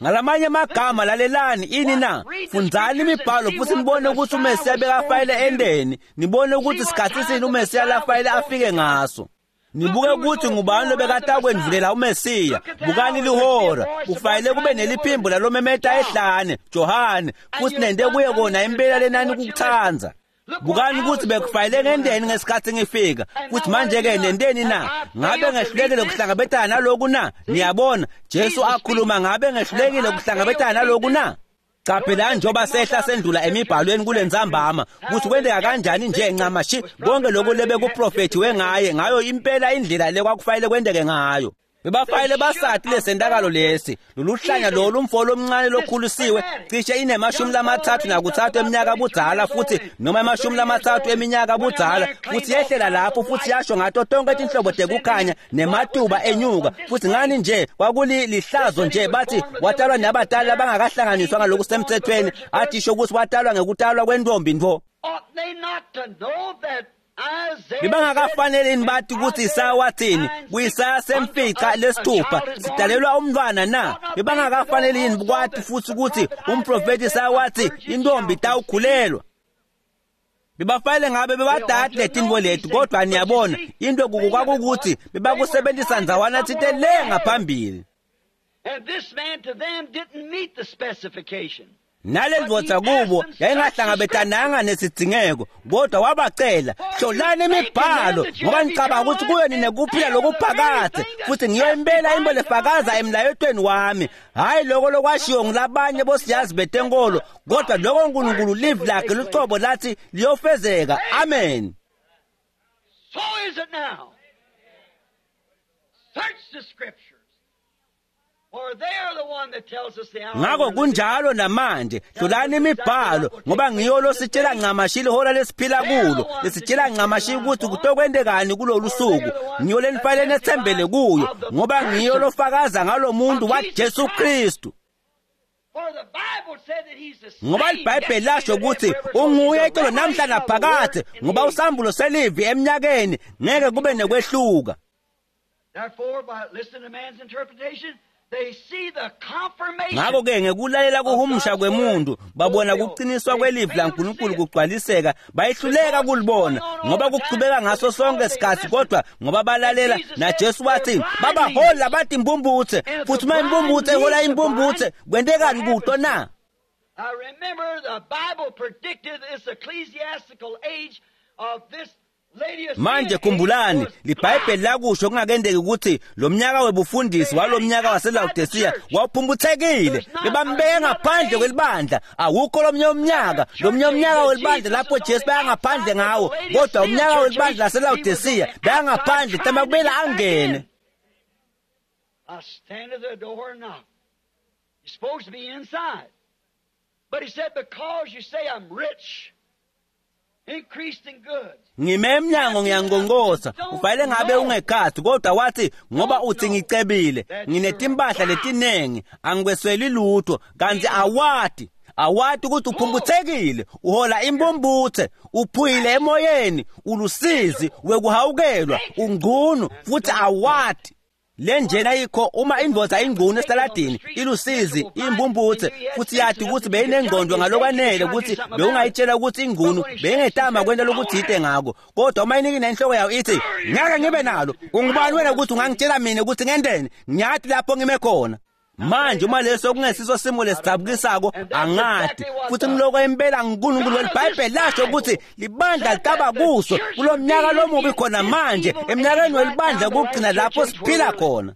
Ngalamanye amagama, lalelani ini na? Fundzani imibhalo futhi nibone ukuthi uMesiya bekafayele endeni, nibone ukuthi sikhathi sini uMesiya lafayele afike ngaso. Nibuke ukuthi ngubani lobekatakwendvulela uMesiya. Bukani lihora, kufanele kube neliphimbo lalomemeta ehlane, Johane, futhi nente kuye kona impela lenani kukutsandza. Bukani ukuthi bekufanele ngendeni ngesikhathi ngifika, futhi manje-ke nenteni na? Ngabe ngehlulekile kuhlangabetana naloku na? Niyabona, Jesu akhuluma, ngabe ngehlulekile kuhlangabetana naloku na? Qaphelani njengoba sehla sendlula emibhalweni kule ntsambama ukuthi kwenteka kanjani nje ncamashi konke lokhu lebekuprofethiwe ngaye, ngayo impela indlela le kwakufanele kwenteke ngayo. Bebafayele basati lesentakalo lesi, loluhlanya lolu umfo lomncane lokhulisiwe cishe inemashumi 33 eminyaka budzala, futhi noma 30 eminyaka budzala, futhi yehlela lapho futhi yasho ngato tonke tinhlobo tekukhanya nematuba enyuka. Futhi ngani nje kwakulihlazo nje, bathi watalwa nabatali abangakahlanganiswa ngalokusemthethweni, athisho ukuthi watalwa ngekutalwa kwentombi ntfo. Bebangakafanele bathi ukuthi Isaya wathini kuIsaya semfica lesithupha, sidalelwa umntwana na? Bebangakafanele yini kwathi futhi ukuthi umprofeti Isaya wathi intombi itawukhulelwa? Bebafanele ngabe bebadadi letinto leti, kodwa niyabona into kwakukuthi bebakusebenzisa ndzawana thite le ngaphambili. Nale ndvodza kubo yayingahlangabetananga nesidzingeko, kodwa wabacela, hlolani imibhalo ngoba nicabanga ukuthi kuyo ninekuphila lokuphakadze, futhi ngiyo impela into lefakaza emlayetweni wami. Hhayi lokho lokwashiwo ngulabanye bosiyazi betenkolo, kodwa lokho uNkulunkulu livi lakhe lucobo lathi liyofezeka. Amen. So is it now. Search the scriptures. Ngakho kunjalo namanje, hlolani imibhalo ngoba ngiyo lositshela ncamashi ihora lesiphila kulo, lesitshela ncamashi ukuthi kutokwendekani kulolu suku. Ngiyo lenifanele nethembele kuyo ngoba ngiyo lofakaza ngalo muntu waJesu Kristu. Ngoba iBhayibheli lasho ukuthi unguye itolo namhla naphakadze, ngoba usambulo selivi eminyakeni ngeke kube nekwehluka. Therefore, by listening to man's interpretation, Ngakho-ke ngekulalela kuhumusha kwemuntu babona kuqiniswa kwelivi laNkulunkulu kugcwaliseka, bayehluleka kulibona ngoba kuchubeka ngaso sonke isikhathi, kodwa ngoba balalela. NaJesu wathi babahola bathi impumputhe, futhi uma impumputhe ihola impumputhe, kwentekani kuto na? I remember the Bible predicted this ecclesiastical age of this Manje khumbulani, liBhayibheli lakusho kungakendeki ukuthi lo mnyaka webufundisi walo mnyaka waseLaodicea wawuphumputhekile. Bebambeke ngaphandle kwelibandla. Awukho lomnye umnyaka, lomnye umnyaka welibandla lapho Jesu bayangaphandle ngawo, kodwa umnyaka welibandla laseLaodicea bayangaphandle tama kumele angene. I stand at the door and knock. You're supposed to be inside. But he said, because you say I'm rich, increased in goods. Ngime emnyango ngiyangongosa, ufanele ngabe ungekhathi, kodwa wathi ngoba uthi ngicebile, nginetimpahla letinengi, angikwesweli lutho, kanti awati ukuthi uphumputhekile, uhola impumputhe, uphuyile emoyeni, ulusizi wekuhawukelwa, ungcunu futhi awati. Le njena yikho uma indvodza ingcunu esitaladini ilusizi impumputhe futhi yathi ukuthi beyinengqondo ngalokwanele ukuthi bewungayitshela ukuthi ingcunu beyingetama kwenta lokuthite ngako, kodwa uma inikina inhloko yayo ithi ngeke ngibe nalo, ungubani wena ukuthi ungangitshela mina ukuthi ngendeni, ngiyathi lapho ngime khona. Manje uma leso kungesiso simo lesidzabukisako angati, futhi ngiloko impela nguNkulunkulu weliBhayibheli lasho ukuthi libandla litaba kuso kulo mnyaka lomubi khona manje, emnyakeni welibandla kugcina lapho siphila khona.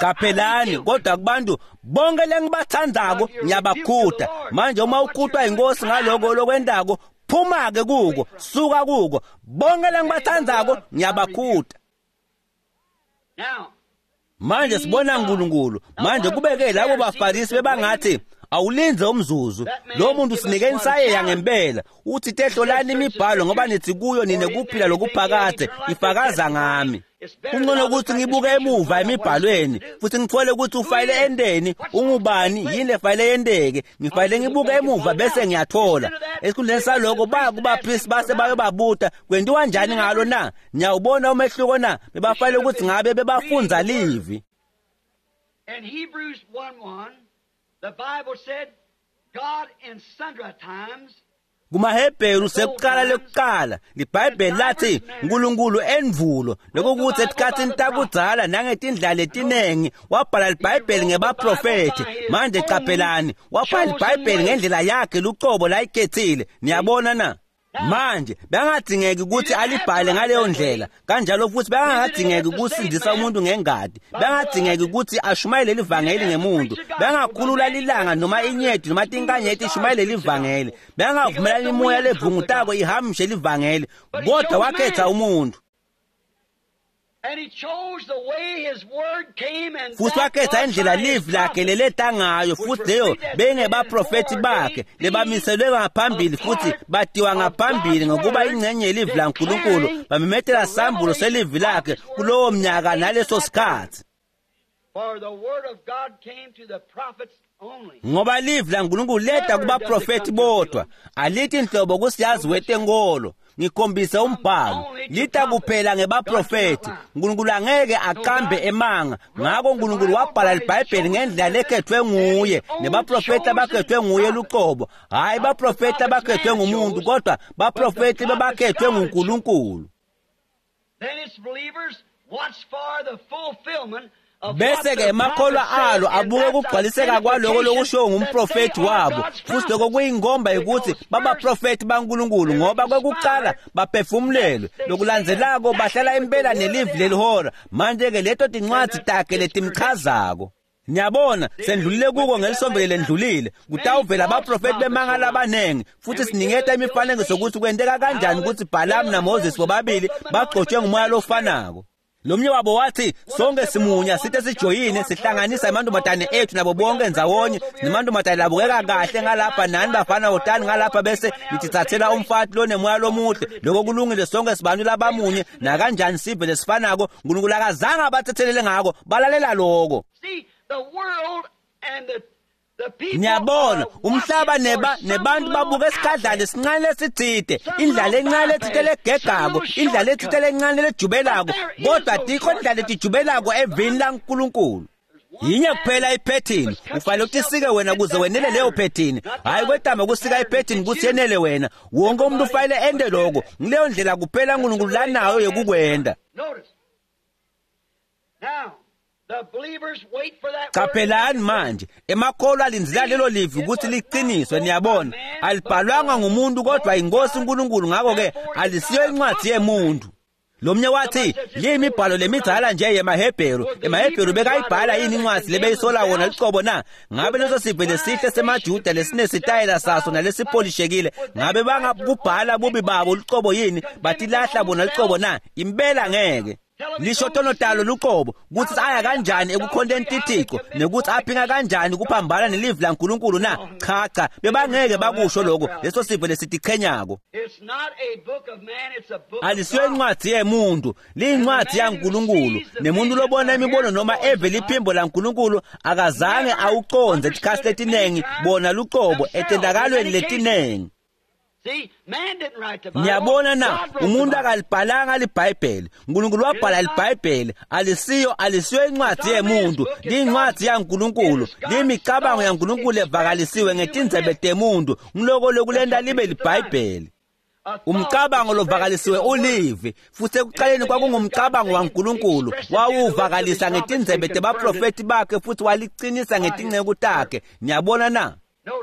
Qaphelani, kodwa kubantu bonke lengibathandzako ngiyabakhuta. Manje uma ukhutwa inkosi ngaloko lokwentako, phuma-ke kuko, suka kuko. Bonke lengibathandzako ngiyabakhuta. Manje sibona uNkulunkulu. Manje kubeke labo baFarisi bebangathi awulinze umzuzu, lo muntu sinike insayeya ngempela, uthi tehlolani imibhalo ngoba nithi kuyo nine kuphila lokuphakade, ifakaza ngami. Kungcono ukuthi ngibuke emuva emibhalweni futhi ngithole ukuthi ufayile endeni, ungubani, yini lefayile yendeke, ngifayile ngibuke emuva bese ngiyathola. Esikhundleni saloko baya kubaphristi base bayobabuta kwentiwa njani ngalo na? Niyawubona umehluko na? Bebafayile ukuthi ngabe bebafundza livi. In Hebrews 1:1, the Bible said, God in sundry times. KumaHebheru sekuqala lekuqala liBhayibheli lathi uNkulunkulu endvulo, lokukuthi etikhatsini takudzala nangetindlela letinengi wabhala liBhayibheli ngebaprofethi. Manje qaphelani, wabhala liBhayibheli ngendlela yakhe lucobo layikhethile. Niyabona na? Manje bengadingeki ukuthi alibhale ngaleyo ndlela, kanjalo futhi bengadingeki ukusindisa umuntu ngengadi, bengadingeki ukuthi ashumayele livangeli ngemuntu, bengakhulula lilanga noma inyeti noma tinkanyeti ishumayele livangeli, bengavumelani imoya levungutako ihamshe livangeli, kodwa wakhetha umuntu. Futhi wakhetha indlela livi lakhe leleta ngayo, futhi leyo bengebaprofethi bakhe lebamiselwe ngaphambili futhi batiwa ngaphambili ngokuba ingcenye yelivi laNkulunkulu, bamemetela sambulo selivi lakhe kulowo mnyaka naleso sikhathi. Ngoba livi laNkulunkulu leta kubaprofethi bodwa, alithi inhlobo kusiyazi wetenkolo. Ngikhombise umbhalo, lita kuphela ngebaprofethi. uNkulunkulu angeke aqambe emanga, ngakho uNkulunkulu wabhala liBhayibheli ngendlela lekhethwe nguye, nebaprofethi abakhethwe nguye luqobo, hhayi baprofethi abakhethwe ngumuntu, kodwa baprofethi bebakhethwe nguNkulunkulu. Bese-ke emakholwa alo abuke kugcwaliseka kwaloko lokushiwo ngumprofethi wabo, futhi lokho kuyingomba ukuthi babaprofethi baNkulunkulu, ngoba kwekuqala baphefumulelwe, lokulandzelako bahlala impela nelivi lelihora. Manje-ke leto tincwadzi takhe letimchazako. Niyabona, sendlulile kuko ngelisombele lendlulile. Kutawuvela abaprofethi bemanga labanengi, futhi siniketa imifanekiso ukuthi kwenteka kanjani ukuthi Balamu naMoses bobabili bagcotshwe ngumoya lofanako. Lomnye wabo wathi sonke simunya sithe sijoyine sihlanganisa amantombazane ethu nabo bonke ndzawonye, nemantombazane labukeka kahle ngalapha nani bafana wotani ngalapha, bese nitithathela umfati lonemoya lomuhle. Lokho kulungile, sonke sibantu labamunye nakanjani sive lesifanako. uNkulunkulu akazange abathethelele ngako, balalela lokho. Niyabona umhlaba nebantu babuka esikhadlana esincane lesitsite, indlala encane letsite legegako, indlala letsite lencane lejubelako, kodwa tikho indlala letijubelako evini laNkulunkulu. Yinye kuphela iphethini, ufanele utisike wena kuze wenele leyo phethini. Hayi kwetama kusika iphethini kutsi yenele wena. Wonke umuntu ufanele ente lokho. Ngileyo ndlela kuphela uNkulunkulu lanayo yekukwenta. Caphelani manje, emakholwa alindzela lelo livi ukuthi liqiniswe. Niyabona, alibhalwanga ngumuntu kodwa inkosi uNkulunkulu, ngakho-ke alisiyo incwadi yemuntu. Lomnye wathi liyimibhalo lemidzala nje yemaHebheru. EmaHebheru bekayibhala yini incwadi lebeyisola wona licobo na? Ngabe leso sive lesihle semaJuda lesinesitayela saso nalesipolishekile, ngabe bangabubhala bubi babo licobo yini? Batilahla bona licobo na? Impela ngeke. Lisho tono talo luqobo kutsi aya kanjani ekukhonteni tithixo nekuthi aphinga kanjani kuphambana nelivi laNkulunkulu na? Cha cha, bebangeke bakusho lokho leso sive lesitichenyako. Alisiyo incwadi yemuntu, liyincwadi yaNkulunkulu. Nemuntu lobona imibono noma eve liphimbo laNkulunkulu akazange awucondze tikhatsi letinengi bona luqobo etendakalweni letinengi. Niyabona na, umuntu akalibhalanga liBhayibheli. uNkulunkulu wabhala liBhayibheli. Alisiyo incwadi yemuntu, liyincwadi yaNkulunkulu. Liyimicabango yaNkulunkulu evakalisiwe ngetindzebe temuntu. Ngiloko lokulenta libe liBhayibheli. Umcabango lovakalisiwe ulivi, futhi ekuqaleni kwakungumcabango waNkulunkulu. Wawuvakalisa ngetindzebe tebaprofeti bakhe futhi waliqinisa ngetinceku takhe. Niyabona na?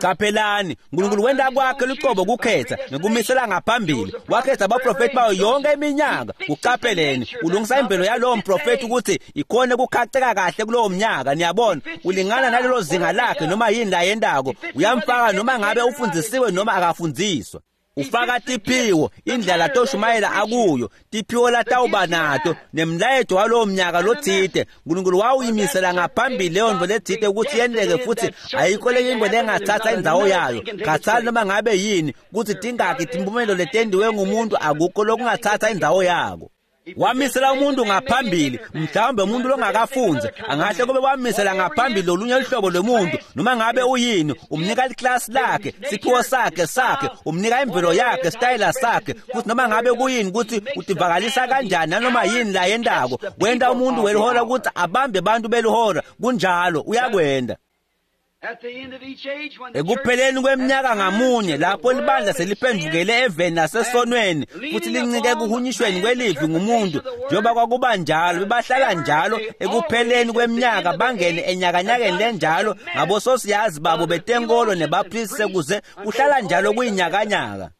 Caphelani, uNkulunkulu wenta kwakhe lucobo kukhetha ngekumisela ngaphambili. Wakhetha abaprofeti bayo yonke iminyaka. Uqapheleni, ulungisa imvelo yalowo mprofeti ukuthi ikhone kukhaceka kahle kulowo mnyaka. Niyabona, ulingana nalelo zinga lakhe noma yini layentako. Uyamfaka noma ngabe ufundzisiwe noma akafundziswa. Ufaka tiphiwo, indlela toshumayela akuyo, tiphiwo latawuba nato nemlayeto walowo mnyaka lotsite. uNkulunkulu wawuyimisela ngaphambili leyo nto letsite ukuthi yenteke, futhi ayikho lenye into lengathatha indzawo yayo. Khathali noma ngabe yini kutsi tingaki timphumelo letendiwe ngumuntu, akukho lokungathatha indzawo yako. Wamisela umuntu ngaphambili, mhlawumbe umuntu longakafundzi angahle kube wamisela ngaphambili lolunye luhlobo lwemuntu, noma ngabe uyini. Umnika liklasi lakhe, siphiwo sakhe, umnika imvelo yakhe, sitayela sakhe, futhi noma ngabe kuyini ukuthi utivakalisa kanjani nanoma yini la yentako, wenta umuntu welihora ukuthi abambe abantu belihora. Kunjalo, uyakwenda. Ekupheleni kweminyaka ngamunye lapho libandla seliphendvukele eveni nasesonweni futhi lincike ekuhunyishweni kwelivi ngumuntu, njengoba kwakuba njalo, bebahlala njalo ekupheleni kweminyaka bangene enyakanyakeni lenjalo ngabososiyazi babo betenkolo nebapristi, kuze kuhlala njalo kuyinyakanyaka.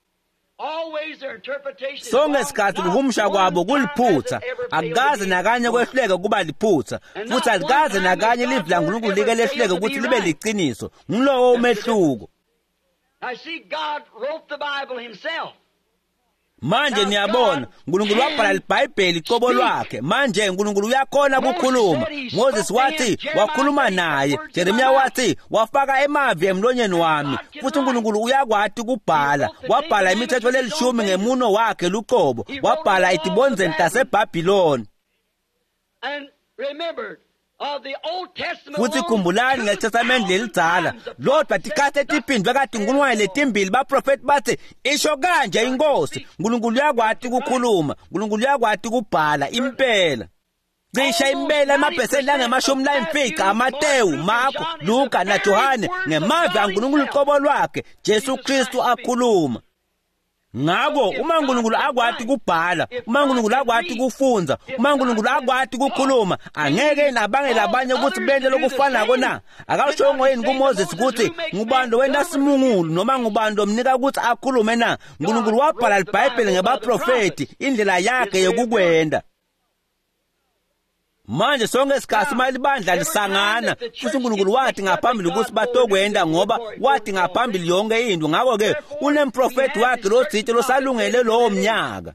Sonke isikhathi kuhumusha kwabo kuliphutha, akukaze nakanye kwehluleke kuba liphutha, futhi alikaze nakanye livi laNkulunkulu like lehluleke ukuthi libe liqiniso. Ngilowo umehluko. Manje niyabona, uNkulunkulu wabhala liBhayibheli cobo lwakhe. Manje uNkulunkulu uyakhona ukukhuluma. Moses wathi wakhuluma naye, Jeremiah wathi wafaka emavi emlonyeni wami. Futhi uNkulunkulu uyakwati kubhala. Wabhala imithetho lelishumi ngemuno wakhe lucobo. Wabhala etibondzeni taseBhabhiloni. Futhi khumbulani ngeTestamente lelidzala, lodwa tikhatsi letiphindvwe katinkhulungwane letimbili baprofeti bathi isho kanje inkosi. uNkulunkulu uyakwati kukhuluma, uNkulunkulu uyakwati kubhala impela. Cishe impela emaphesenti langama-50 aMatewu, Marko, Luka naJohane ngemavi aNkulunkulu uqobo lwakhe, Jesu Kristu akhuluma. Ngakho uma uNkulunkulu akwati kubhala, uma uNkulunkulu akwati kufundza, uma uNkulunkulu akwati kukhuluma, angeke nabangela abanye ukuthi bente lokufanako na? Akashongo yini kuMoses ukuthi ngubani lowenta simungulu noma ngubani lomnika ukuthi akhulume na? uNkulunkulu wabhala liBhayibheli ngebaprofeti, indlela yakhe yokukwenda. Manje sonke isikhathi uma libandla lisangana, futhi uNkulunkulu wathi ngaphambili ukuthi batokwenda, ngoba wathi ngaphambili yonke into. Ngakho-ke unemprofeti wakhe lotsite losalungele lowo mnyaka.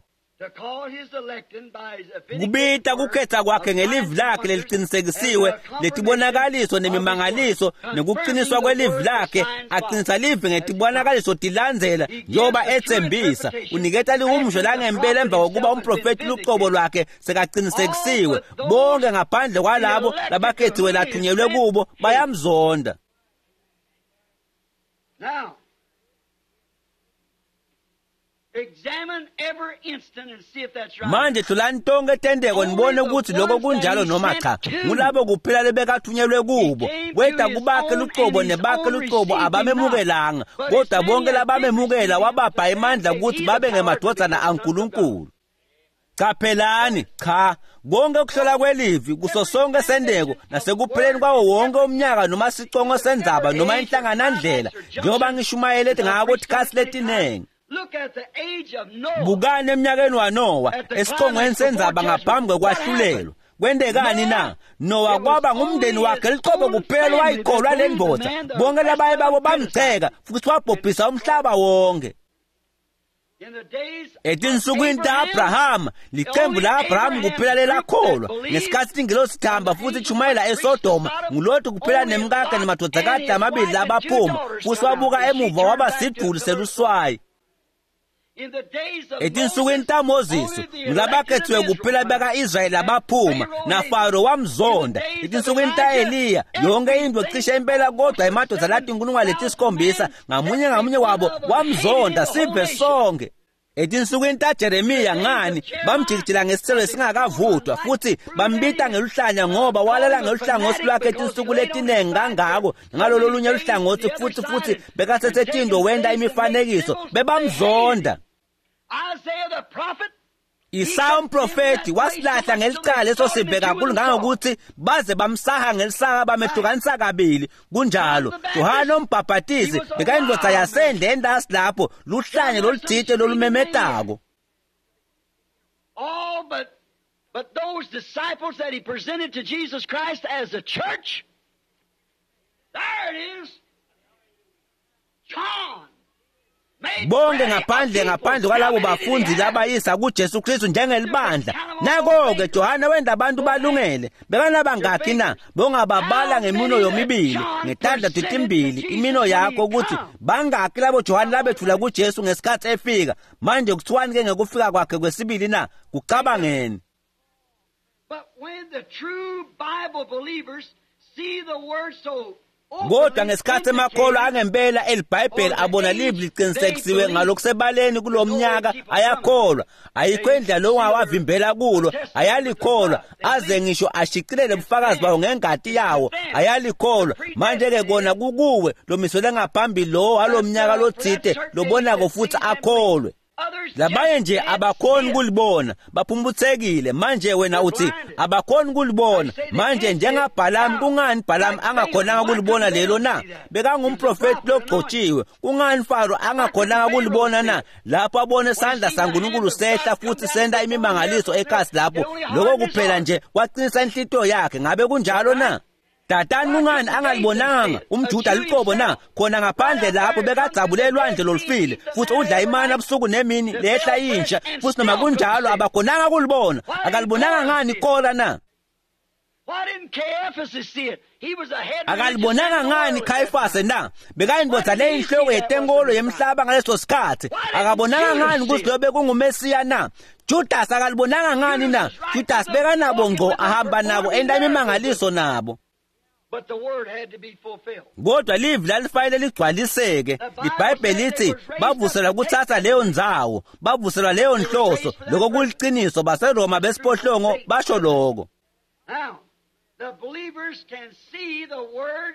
Kubita kukhetha kwakhe ngelivi lakhe leliqinisekisiwe, letibonakaliso nemimangaliso nekuqiniswa kwelivi lakhe, aqinisa livi ngetibonakaliso tilandzela njengoba etsembisa. Uniketa lihumusho langempela emva kokuba umprofeti lucobo lwakhe sekaqinisekisiwe. Bonke ngaphandle kwalabo labakhethiwe lathunyelwe kubo bayamzonda. Now, examine every instant and see if that's right. Manje hlolani tonke tenteko nibone ukuthi lokho kunjalo noma cha. Ngulabo kuphela lebekathunyelwe kubo. Weda kubakhe lucobo nebakhe lucobo abamemukelanga, kodwa bonke labamemukela wabapha emandla ukuthi babe ngemadvodzana aNkulunkulu. Qaphelani, cha, konke ukuhlola kwelivi kuso sonke sendeko nasekupheleni kwawo wonke umnyaka noma sicongo sendzaba noma inhlanganandlela, njengoba ngishumayele ngako tikhatsi letinengi. Look at the age of Noah. Bukani eminyakeni waNowa esiqongweni sendzaba ngaphambi kokwahlulelwa. Kwentekani na? Nowa kwaba ngumndeni wakhe licobo kuphela wayikholwa le ndvodza. Bonke labanye babo bamgceka futhi wabhubhisa umhlaba wonke. In the days Etinsukwini ta-Abrahama, licembu la-Abrahama kuphela lelakholwa. Ngesikhatsi ingelosi ihamba futhi ishumayela eSodoma, nguLoti kuphela nemkakhe nemadvodzakati lamabili labaphuma, futhi wabuka emuva waba sidvuli seluswayi. In the days of Etinsukwini taMoses, Moses, ngulabakhethiwe kuphela baka-Israyeli abaphuma, naFaro wamzonda. Etinsukwini ta-Eliya, yonke into cishe impela kodwa emadoda latinkulungwane letisikhombisa, ngamunye ngamunye wabo wamzonda sive sonke. Etinsukwini taJeremiya ngani bamjikijela ngesithelo esingakavuthwa futhi bambita ngeluhlanya ngoba walala ngeluhlangothi lwakhe tinsuku letinengi kangako ngalolo lunye luhlangothi futhi bekasethe wenta imifanekiso bebamzonda. Isaiah the prophet, Isaya umprofeti wasilahla ngelicala leso sive kakhulu ngangokuthi baze bamsaha ngelisaka bamehlukanisa kabili. Kunjalo Yohane umbhaphatisi bekayindvodza yasendle entasi lapho, luhlanye lolutsite lolumemetako. all but those disciples that he presented to Jesus Christ as a church. There it is. John made Bonke ready a ngaphandle people ngaphandle kwalabo bafundi labayisa kuJesu Kristu njengelibandla. Nako-ke Johane wenda abantu balungele. Bekanabangakhi na? Bongababala ngemino yomibili, ngetandla titimbili, imino yakho ukuthi bangakhi labo Johane labethula kuJesu ngesikhathi efika. Manje kuthiwani ke ngekufika kwakhe kwesibili na? Kucabangeni. But when the true Bible believers see the word so Kodwa ngesikhathi emakholwa angempela eliBhayibheli abona livi liqinisekisiwe ngalokusebaleni kulomnyaka ayakholwa. Ayikho indlela longawavimbela kulo, ayalikholwa aze ngisho ashicilele ubufakazi bawo ngengati yawo, ayalikholwa. Manje ke kona kukuwe lomisele ngaphambili lo walomnyaka lotsite lobonako futhi akholwe. Labanye nje abakhoni kulibona, baphumputhekile. Manje wena uthi abakhoni kulibona. Manje njengaBhalamu, kungani Bhalamu angakhonanga kulibona lelo na? Bekangumprofeti logcotshiwe. Kungani Faro angakhonanga kulibona na? Lapho abone isandla saNkulunkulu sehla futhi senta imimangaliso ekhasi lapho, lokho kuphela nje kwaqinisa inhlitiyo yakhe. Ngabe kunjalo na? Datani kungani angalibonanga umJuda liqobo na? Khona ngaphandle lapho bekadzabule elwandle lolufile futhi udla imana busuku nemini lehla intsha, futhi noma kunjalo abakhonanga kulibona. Akalibonanga ngani Kora na? Why didn't Caiaphas see it? He was a head Akalibonanga ngani Khayifase na? Bekayindvodza leyinhloko yetenkolo yemhlaba ngaleso sikhathi. Akabonanga ngani ukuthi lo bekungumesiya na? Judas akalibonanga ngani na? Judas bekanabo ngco, ahamba nabo enta imimangaliso nabo. But the word had to be fulfilled. Kodwa livi lalifanele ligcwaliseke. IBhayibheli lithi bavuselwa kuthatha leyo ndzawo, bavuselwa leyo nhloso. Lokho kuliciniso, baseRoma besiphohlongo basho lokho. Now, the believers can see the word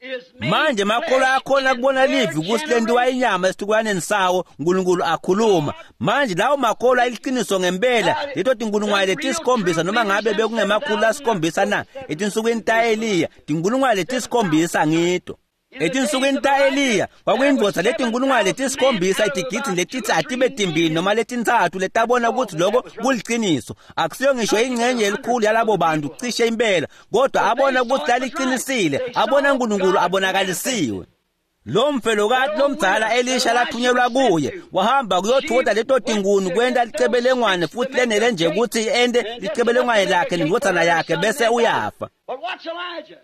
is made Manje makholwa flesh akhona in kubona their livi ukuthi lentiwa generation. inyama esitukulwaneni sawo, uNkulunkulu akhuluma. Manje lawo makholwa aliciniso ngempela, leto tinkulungwane letisikhombisa noma ngabe bekungemakhulu lasikhombisa na, etinsukwini ta-Eliya, tinkulungwane letisikhombisa ngito. Etinsukwini ta-Eliya kwakuyindvodza letinkulungwane letisikhombisa etigidini letithi atibe timbili noma letintsatfu letabona ukuthi lokho kuliciniso. Akusiyo ngisho ingcenye yelikhulu yalabo bantu cishe impela, kodwa abona ukuthi laliqinisile, abona uNkulunkulu abonakalisiwe. Lo mfelokati lomdzala Elisha lathunyelwa kuye wahamba kuyothuta leto tinkuni kwenta licebelengwane futhi lenele nje ukuthi ente licebelengwane lakhe nendvodzana yakhe bese uyafa. But watch Elijah.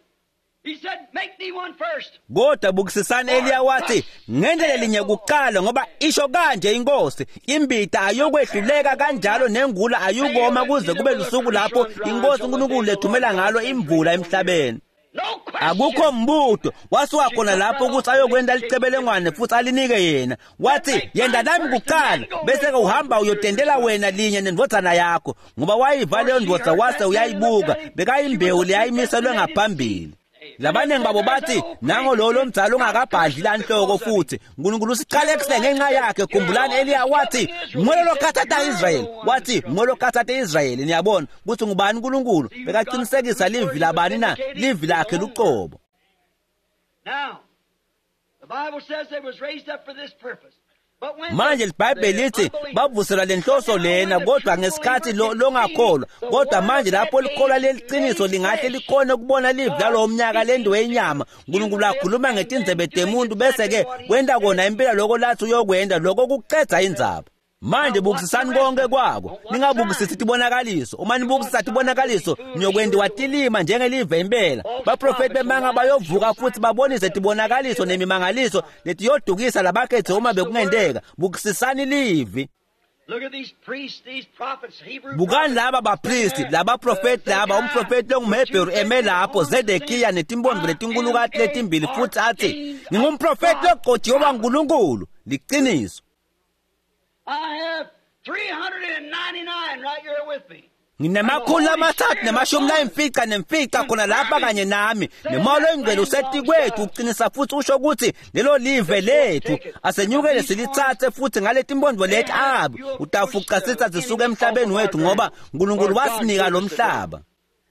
He said, Make thee one first. Kodwa bukisisani Eliya wathi ngendlela linye kuqala, ngoba isho kanje inkosi, imbita ayokwehluleka kanjalo nengula ayukoma kuze kube lusuku lapho inkosi uNkulunkulu lethumela ngalo imvula emhlabeni. No question. Akukho mbuto wasuka khona lapho ukuthi ayokwenda licebelengwane futhi alinike yena. Wathi yenda nami kuqala bese-ke uhamba uyotendela wena linye nendvodzana yakho, ngoba wayiva leyo ndvodza wase uyayibuka, bekayimbewu leyayimiselwe ngaphambili. Labaningi babo bathi nango lo lomdzala ungakabhadli lanhloko futhi uNkulunkulu usiqalekise ngenxa yakhe. Khumbulani Eliya wathi nguwe lokhathatha Israyeli, wathi nguwe lokhathatha Israyeli. Niyabona ukuthi ngubani uNkulunkulu bekaqinisekisa livi labani na? Livi lakhe luqobo. Now, the Bible says they was raised up for this purpose. Manje iBhayibheli lithi bavuselwa lenhloso lena, kodwa ngesikhathi longakholwa. Kodwa manje lapho likholwa leliqiniso lingahle likhone ukubona livi lalowo mnyaka lento yenyama, uNkulunkulu akhuluma ngetindzebe temuntu bese-ke wenta kona impela lokho lathi uyokwenta, lokho kucedza indzaba. Manje bukisisani konke kwako, ningabukisisi tibonakaliso. Uma nibukisisa tibonakaliso niyokwentiwa tilima njengelive impela. Baprofeti bemanga bayovuka futhi babonise tibonakaliso nemimangaliso letiyodukisa labakhethe uma bekungenteka. Bukisisani livi. Bukani laba bapristi, labaprofeti laba, umprofeti longumHebheru eme lapho, Zedekiya netimbondvo letinkulukati letimbili, futhi athi ngingumprofeti logcotshiwe waNkulunkulu. Liqiniso. I have 399 right here with me. Nginama-395 khona lapha kanye nami, nemoya oyingcwele usetikwethu uqinisa futhi usho ukuthi lelo live lethu asenyukele silitsatse futhi ngaletimbondvo leti abe utafuca sitsa sisuka emhlabeni wethu, ngoba uNkulunkulu wasinika lo mhlaba.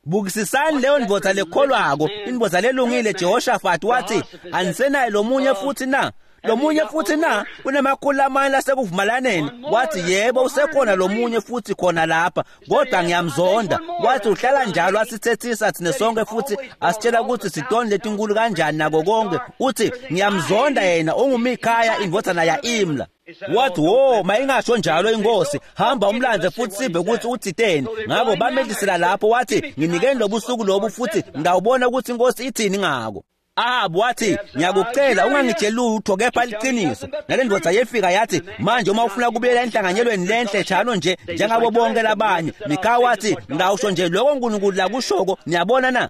Bukisisani leyo ndvodza lekholwako, indvodza lelungile. Jehoshaphat wathi anisenaye lomunye futhi na? Lomunye futhi na? Kunama-400 lasekuvumelaneni. Wathi yebo usekhona lomunye futhi khona lapha, kodwa ngiyamzonda. Wathi uhlala njalo asithethisa thina sonke futhi asitshela ukuthi sitoni letinkulu kanjani nako konke. Uthi ngiyamzonda yena, unguMikhaya indvodzana ya-Imla. Wathi wo, mayingasho njalo inkosi, hamba umlandze futhi sive ukuthi uthiteni. Ngakho bamehlisela lapho, wathi nginikeni lobusuku lobu futhi ngawubona ukuthi inkosi ithini ngako. Ahabu wathi ngiyakucela ungangitsheli lutho kepha liqiniso. Nale ndvodza yefika yathi manje uma ufuna kubuyela enhlanganyelweni lenhle njalo nje njengabo bonke labanye. Mikaya wathi ngawusho nje lokho uNkulunkulu lakushoko. Niyabona na?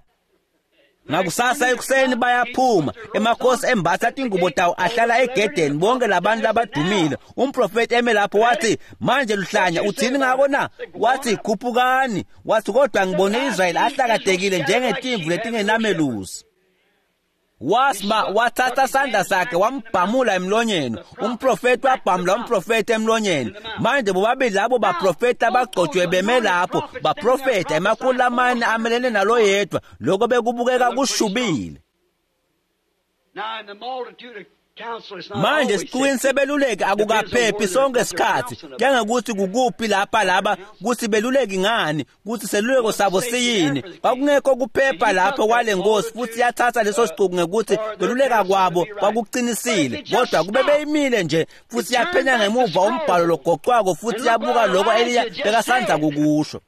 Ngakusasa ekuseni bayaphuma, emakhosi embatha tingubo tawo ahlala egedeni, bonke labantu labadumile. Umprofeti eme lapho wathi manje luhlanya uthini ngako na? Wathi khuphukani. Wathi kodwa ngibone Israyeli ahlakadekile njengetimvu letingenamelusi. Wasma wathatha sandla sakhe wambhamula emlonyeni. Umprofeti wabhamula umprofeti emlonyeni. Manje bobabili labo baprofeti abagcotshwe beme lapho baprofeta ema-400 amelene nalo yedwa. Lokho bekubukeka kushubile. Manje sicuwini sebeluleki akukaphephi sonke isikhathi, njengokuthi kukuphi lapha laba kuthi beluleki ngani, kuthi seluleko sabo siyini. Kwakungekho kuphepha lapho kwale nkosi, futhi yathatha leso sicuku ngekuthi kweluleka kwabo kwakuqinisile, kodwa kube beyimile nje futhi yaphenya ngemuva umbhalo logocwako futhi yabuka lokho Eliya bekasandza kukusho.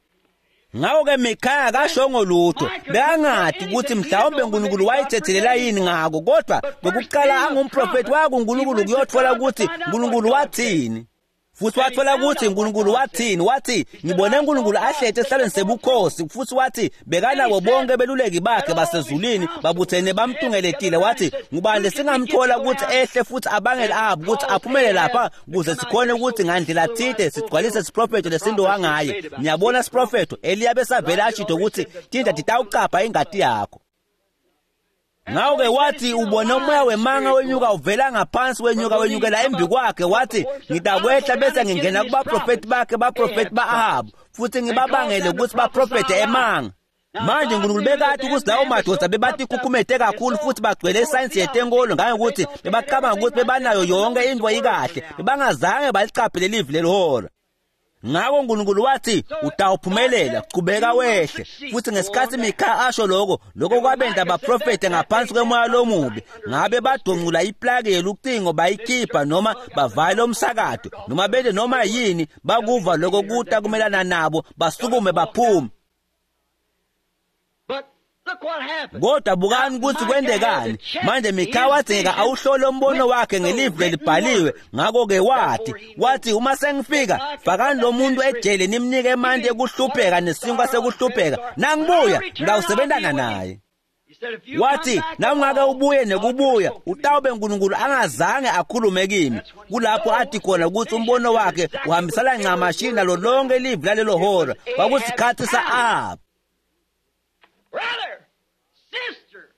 Ngakho-ke Mikhaya akashongo lutho, bekangadi ukuthi mhlawumbe uNkulunkulu wayithethelela yini ngako, kodwa ngokuqala angumprofeti waya kuNkulunkulu kuyothola ukuthi uNkulunkulu wathini. Futhi wathola ukuthi uNkulunkulu wathini. Wathi ngibone uNkulunkulu ahleti esihlalweni sebukhosi, futhi wathi bekanabo bonke beluleki bakhe basezulwini babuthene bamtungeletile. Wathi ngubani lesingamthola ukuthi ehle futhi abangele abo ukuthi aphumele lapha ukuze sikhone ukuthi ngandlela thide sigcwalise isiprofetho lesinto wangaye. Niyabona isiprofetho Eliya besavele ashito ukuthi tinja titawucapha ingati yakho. Ngakho-ke wathi ubone umoya wemanga wenyuka uvela ngaphansi wenyuka wenyukela embi kwakhe. Wathi ngitakwehla bese ngingena kubaprofeti bakhe, baprofeti ba-Ahabu, futhi ngibabangele ukuthi baprofethe emanga. Manje uNkulunkulu bekathi ukuthi lawo madoda bebathi khukhumete kakhulu futhi bagcwele isayensi yetenkolo ngangokuthi bebacabanga ukuthi bebanayo yonke into ikahle, bebangazange baliqaphele livi lelihora. Ngakho uNkulunkulu wathi utawuphumelela, qhubeka wehle. Futhi ngesikhathi Mikhaya asho lokho, lokho kwabenta abaprofete ngaphansi kwemoya lomubi. Ngabe badongcula iplaki yelucingo bayikhipha noma bavale umsakato noma bede noma yini, bakuva lokho kuta kumelana nabo, basukume baphume. Kodwa bukani ukuthi kwendekani. Manje Mikhaya wadzingeka awuhlole umbono wakhe ngelivi lelibhaliwe. Ngakho-ke wathi uma sengifika fakani lo muntu ejele nimnike emanti ekuhlupheka nesinkwa sekuhlupheka, nangibuya ngitawusebentana naye. Wathi nawungake ubuye nekubuya utawube uNkulunkulu angazange akhulume kimi. Kulapho athi khona ukuthi umbono wakhe uhambisana ncamashi nalo lonke livi lalelo hora. Kwakusikhathi sa-Ahab. Brother, sister,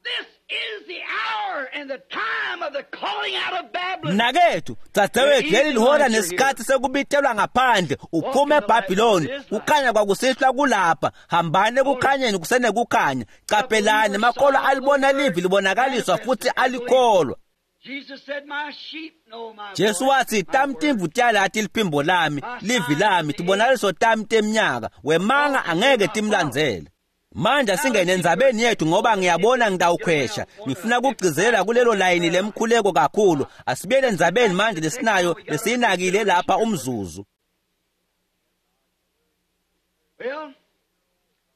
this is the hour and the time of the calling out of Babylon. Mnakethu, dzadzewethu, leli lihora nesikhathi sekubitelwa ngaphandle uphume eBhabhiloni. Kukhanya kwakusihlwa kulapha. Hambani ekukhanyeni kusenekukhanya. Caphelani, makholwa alibona livi libonakaliswa futhi alikholwa. Jesus said, "My sheep know my Jesu voice, wathi my tami word." timvu tiyalati liphimbo lami, livi lami, tibonakaliso tami temnyaka. Wemanga angeke timlandzele. Manje asingene endzabeni yethu ngoba ngiyabona ngitawukhwesha. Ngifuna kugcizelela kulelo layini lemkhuleko kakhulu. Asibuyele endzabeni manje lesinayo lesiyinakile lapha umzuzu. Well,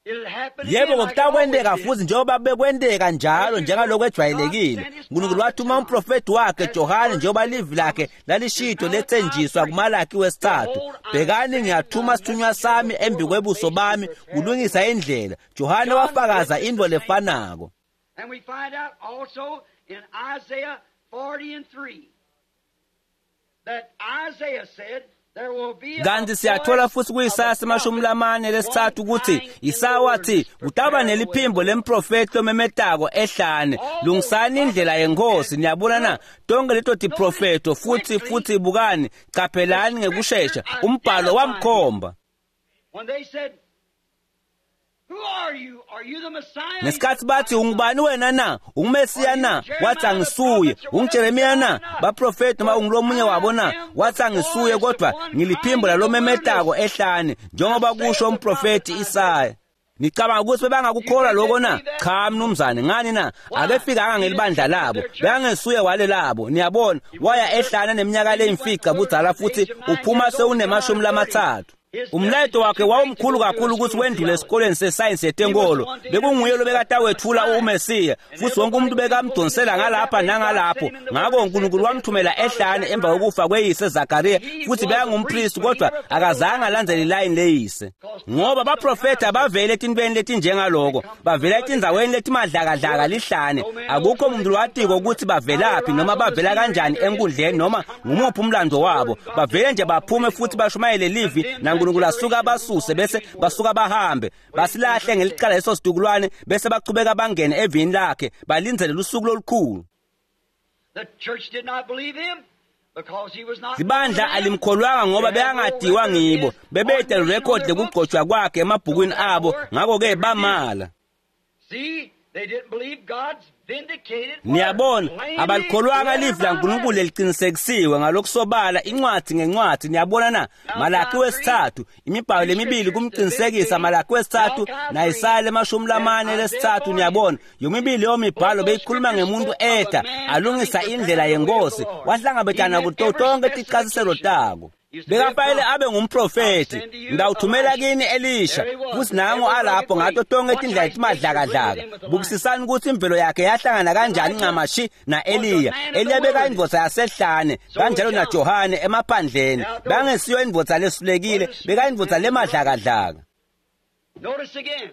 it'll happen Yebo again like it ngokutakwenteka always did. futhi njengoba bekwenteka njalo njengalokho ejwayelekile. uNkulunkulu wathuma umprofeti wakhe Johane njengoba livi lakhe lalishito lethenjiswa kuMalaki wesithathu. Bhekani ngiyathuma sithunywa sami embi kwebuso bami kulungisa indlela. Johane wafakaza into lefanako. And we find out also in Isaiah 40:3 that Isaiah said there will be a Kanti siyathola voice futhi of a kuYisaya prophet, 43 one ukuthi crying in the Isaya wathi wilderness, kutaba prepare the way of neliphimbo the Lord. lemprofeti lomemetako ehlane, lungisani indlela yenkosi. Niyabona na tonke leto tiprofeto futhi bukani, caphelani ngekushesha umbhalo wamkhomba. When they said, "Who are you? Are you the Messiah?" Ngesikhathi bathi ungubani wena na, ungumesiya na, wathi angisuye. UnguJeremiya na, baprofeti noma ungulomunye wabo na, wathi angisuye, kodwa ngiliphimbo lalomemetako ehlane, njengoba kusho umprofeti Isaya. Nicabanga ukuthi bebangakukholwa lokho na? Cha mnumzane, ngani na? Akefikanga ngelibandla labo, bekangesuye wale labo. Niyabona, waya ehlane neminyaka leyimfica budzala futhi uphuma sewunemashumi lamathathu. Umlayeto wakhe wawumkhulu kakhulu ukuthi wendlule esikoleni sesayensi yetenkolo. Bekunguye lobekatawetfula uMesiya, futhi wonke umuntu bekamdonsela ngalapha nangalapho. Ngakho uNkulunkulu wamthumela ehlane emva kokufa kweyise Zakariya, futhi bekangumpristi kodwa akazange alandzele ilayini leyise. Ngoba baprofeti abavele etintweni letinjengaloko, bavela etindzaweni letimadlakadlaka lihlane. Akukho muntu lowatiko ukuthi bavelaphi noma bavela kanjani enkundleni noma ngumuphi umlando wabo. Bavele nje baphume futhi bashumayele livi naNkulunkulu asuka abasuse bese basuka bahambe. Basilahle ngelicala leso situkulwane bese bachubeka bangene evini lakhe balindzele lusuku lolukhulu. The church did not believe him because he was not Libandla known to them. alimkholwanga ngoba They had no bekangadiwa record of ngibo. his Bebede ordination on record their books. lekugcotshwa kwakhe emabhukwini abo, ngakho-ke bamala. See, they didn't believe God's vindicated word. Niyabona, Plainly, abalikholwanga letter livi by laNkulunkulu letter. leliqinisekisiwe ngalokusobala incwadi ngencwadi. Niyabona na? Malaki wesithathu, imibhalo lemibili kumqinisekisa. Malaki wesithathu naIsaya 43. Niyabona, yomibili leyo mibhalo beyikhuluma ngemuntu etha alungisa indlela yenkosi, wahlangabetana kuto tonke tichasiselo tako. Bekafanele abe ngumprofeti. Ngitawuthumela kini Elisha, futhi nangu alapho ngato tonke tindlela timadlakadlaka. Bukisisani ukuthi imvelo yakhe yahlangana kanjani ncamashi na-Eliya. Eliya bekayindvodza yasehlane, kanjalo naJohane emaphandleni. Bekangesiyo indvodza lesulekile, bekayindvodza lemadlakadlaka. Notice again.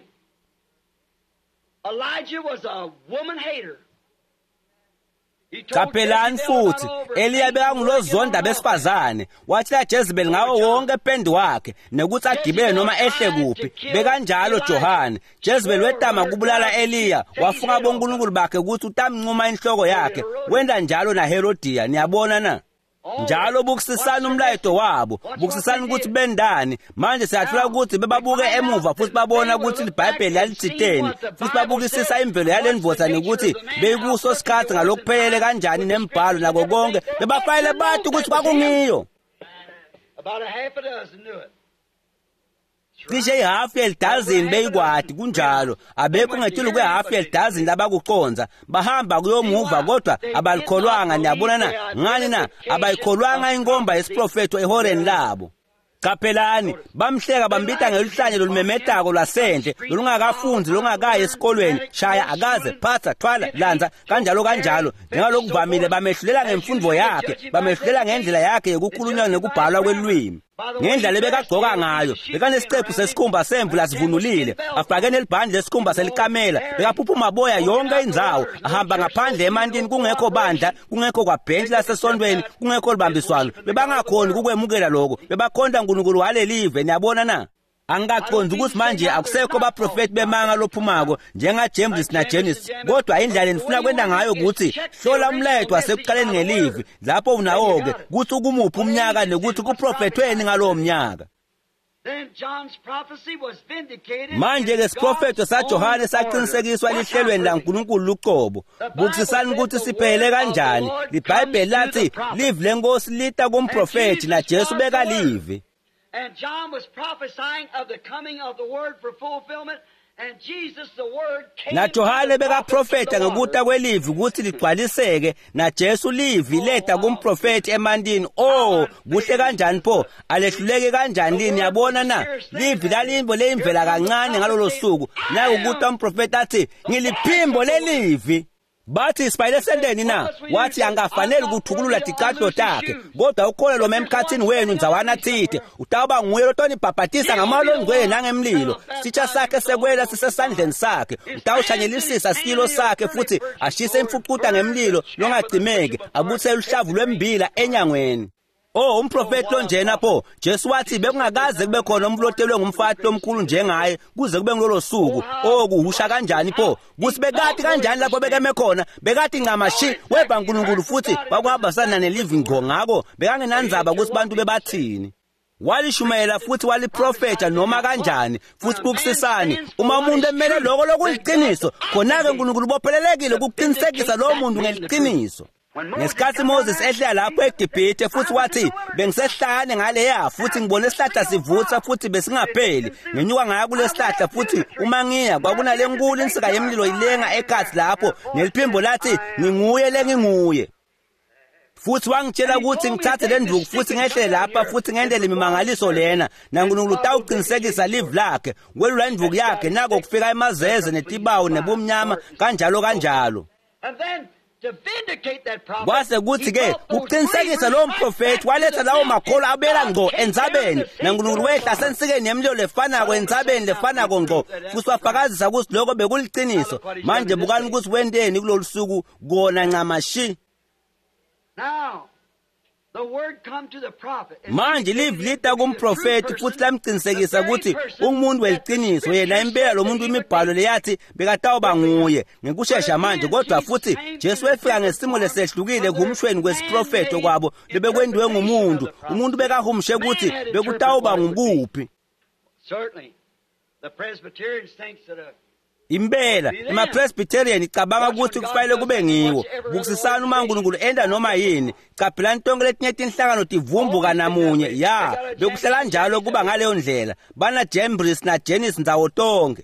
Elijah was a woman hater. He told Caphelani Jezebel about futhi, all her Eliya things bekangulozonda working on besifazane. Watshela Jezebel ngawo wonke ependi wakhe nekuthi agibele noma ehle kuphi. Bekanjalo Johane. Jezebel wetama kubulala Eliya, wafunga bonkulunkulu bakhe ukuthi utamncuma inhloko yakhe. Wenda njalo naHerodiya, niyabona na? Njalo bukisisani umlayeto wabo, bukisisani ukuthi bendani. Manje siyathola ukuthi bebabuke emuva futhi babona ukuthi iBhayibheli lalithiteni, futhi babukisisa imvelo yale ndvodza nekuthi beyikuso sikhathi ngalokuphelele kanjani nembhalo nako konke. Bebafanele bathi ukuthi kwakungiyo. About a half a dozen knew it. Cishe ihafu yelidazini beyikwadi kunjalo. Abekho ngetulu kwehafu yelidazini labakuconza. Bahamba kuyomuva kodwa abalikholwanga. Niyabona na? Ngani na? Abayikholwanga inkomba yesiprofetho ehoreni labo. Qaphelani, bamhleka bambita ngeluhlanye lolumemetako lwasendle, lolungakafundi, lolungakayi esikolweni, shaya akaze, phatha, thwala, lanza, kanjalo kanjalo. Njengalokuvamile bamehlulela ngemfundo yakhe, bamehlulela ngendlela yakhe yokukhulunywa nekubhalwa kwelwimi. Ngendlela lebekagqoka ngayo, bekanesiqephu sesikhumba semvu lasivunulile, afake nelibhandi lesikhumba selikamela, bekaphuphuma boya yonke indzawo, ahamba ngaphandle emantini kungekho bandla, kungekho kwabhentshi lasesontweni, kungekho libambiswano. Bebangakhoni kukwemukela lokho, bebakhonta uNkulunkulu walelive. Niyabona na? Angikaqondi ukuthi manje akusekho baprofeti bemanga lophumako njengaJames naJenis, kodwa indlela enifuna kwenta ngayo ukuthi hlola umlayeto wasekuqaleni ngelivi lapho unawo-ke kuthi ukumuphi umnyaka nekuthi kuprofethweni ngalowo mnyaka. Manje-ke siprofetho saJohane saqinisekiswa lihlelweni laNkulunkulu luqobo. Bukisisani ukuthi siphele kanjani. LiBhayibheli lathi livi lenkosi lita kumprofethi naJesu bekalivi. And John was prophesying of the coming of the word for fulfillment, and Jesus the word came. NaJohane bekaprofetha ngekuta kwelivi ukuthi ligcwaliseke, naJesu livi leta kumprofethi emantini. Oh, kuhle kanjani pho, alehluleke kanjani lini? Yabona na? Livi lalimbo leyimvela kancane ngalolo suku. Nakukuta umprofethi athi ngiliphimbo lelivi. Bathi sibayile senteni na? Wathi angafanele ukuthukulula ticathulo takhe, kodwa ukhona lo emkhathini wenu ndzawana thide utawuba nguye lotonibhabhatisa ngamoya ongcwele nangemlilo. Sitsha sakhe sekwela sisesandleni sakhe, utawushanyelisisa silo sakhe futhi ashise imfucuta ngemlilo longacimeki, abuthe luhlavu lwembila enyangweni. Oh, umprofeti lonjena pho. Jesu wathi bekungakaze kube khona umuntu otelwe ngumfati lomkhulu njengaye kuze kube ngilolo suku. Oh, kuhusha kanjani pho, kuthi bekati kanjani lapho bekeme khona, bekati ncamashi weba uNkulunkulu futhi kwakuhambisana nelivi ngqo. Ngako bekangenandzaba ukuthi bantu bebathini. Walishumayela futhi waliprofetha noma kanjani. Futhi bukusisani, uma umuntu emele lokho lokuliqiniso, khona-ke uNkulunkulu ubophelelekile ukuqinisekisa lowo muntu ngeliqiniso. Ngesikhathi Moses ehlela lapho eGibhithe futhi wathi bengisehlane ngaleya futhi ngibone isihlahla sivutha futhi besingapheli, ngenyuka ngaya kulesihlahla futhi uma ngiya kwakunale nkulu insika yemlilo ilenga ekhathi lapho, neliphimbo lathi nginguye lenginguye. Futhi wangitshela ukuthi ngithathe le nduku futhi ngehle lapha futhi ngendele imimangaliso lena, naNkulunkulu utawuqinisekisa livi lakhe. Welula induku yakhe nako kufika emazeze netibawu nebumnyama kanjalo kanjalo. Kwase kuthi-ke kuqinisekisa lowo mprofethi waletha lawo makholo abela ngqo entsabeni, naNkulunkulu wehla sensikeni yemlilo lefanako entsabeni lefanako ngqo, futhi wafakazisa ukuthi lokho bekuliqiniso. Manje bukani ukuthi wenteni kulolu suku kona ncamashi. Manje livi lita kumprofethi futhi lamqinisekisa ukuthi ungumuntu weliqiniso, yena impela lo muntu imibhalo leyathi bekatawuba nguye ngekushesha manje. Kodwa futhi Jesu wefika ngesimo lesehlukile ekuhumshweni kwesiprofetho kwabo lebekwendiwe ngumuntu. Umuntu bekahumushe ukuthi bekutawuba ngukuphi. Impela emaPresbyterian icabanga ukuthi kufanele kube ngiwo. Bukusisani uma uNkulunkulu enda noma yini. Caphelani tonke letinye tinhlangano tivumbuka namunye. Ya, bekuhlala njalo kuba ngaleyo ndlela. Bana Jambres na Jenis ndzawo tonke.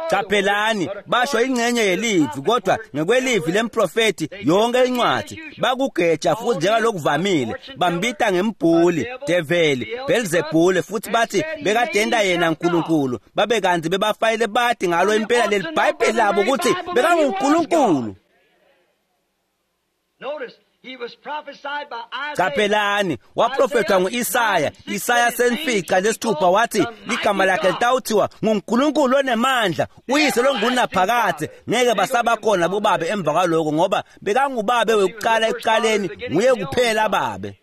Caphelani basho ingcenye yelivi, kodwa ngekwelivi lemprofethi yonke incwadi bakugeja futhi njengalokuvamile bambita ngembhuli, develi, Belzebule, futhi bathi bekadenda yena uNkulunkulu. Babe kanti bebafayile bathi ngalo impela leli Bhayibheli labo ukuthi bekanguNkulunkulu. Caphelani waprofethwa ngu-Isaya. Isaya senfica lesithupha wathi ligama lakhe litawuthiwa nguNkulunkulu onemandla, uyise longunaphakade. Ngeke basabakhona bobabe emva kwaloko, ngoba bekangubabe wekuqala ekuqaleni, nguye kuphela babe.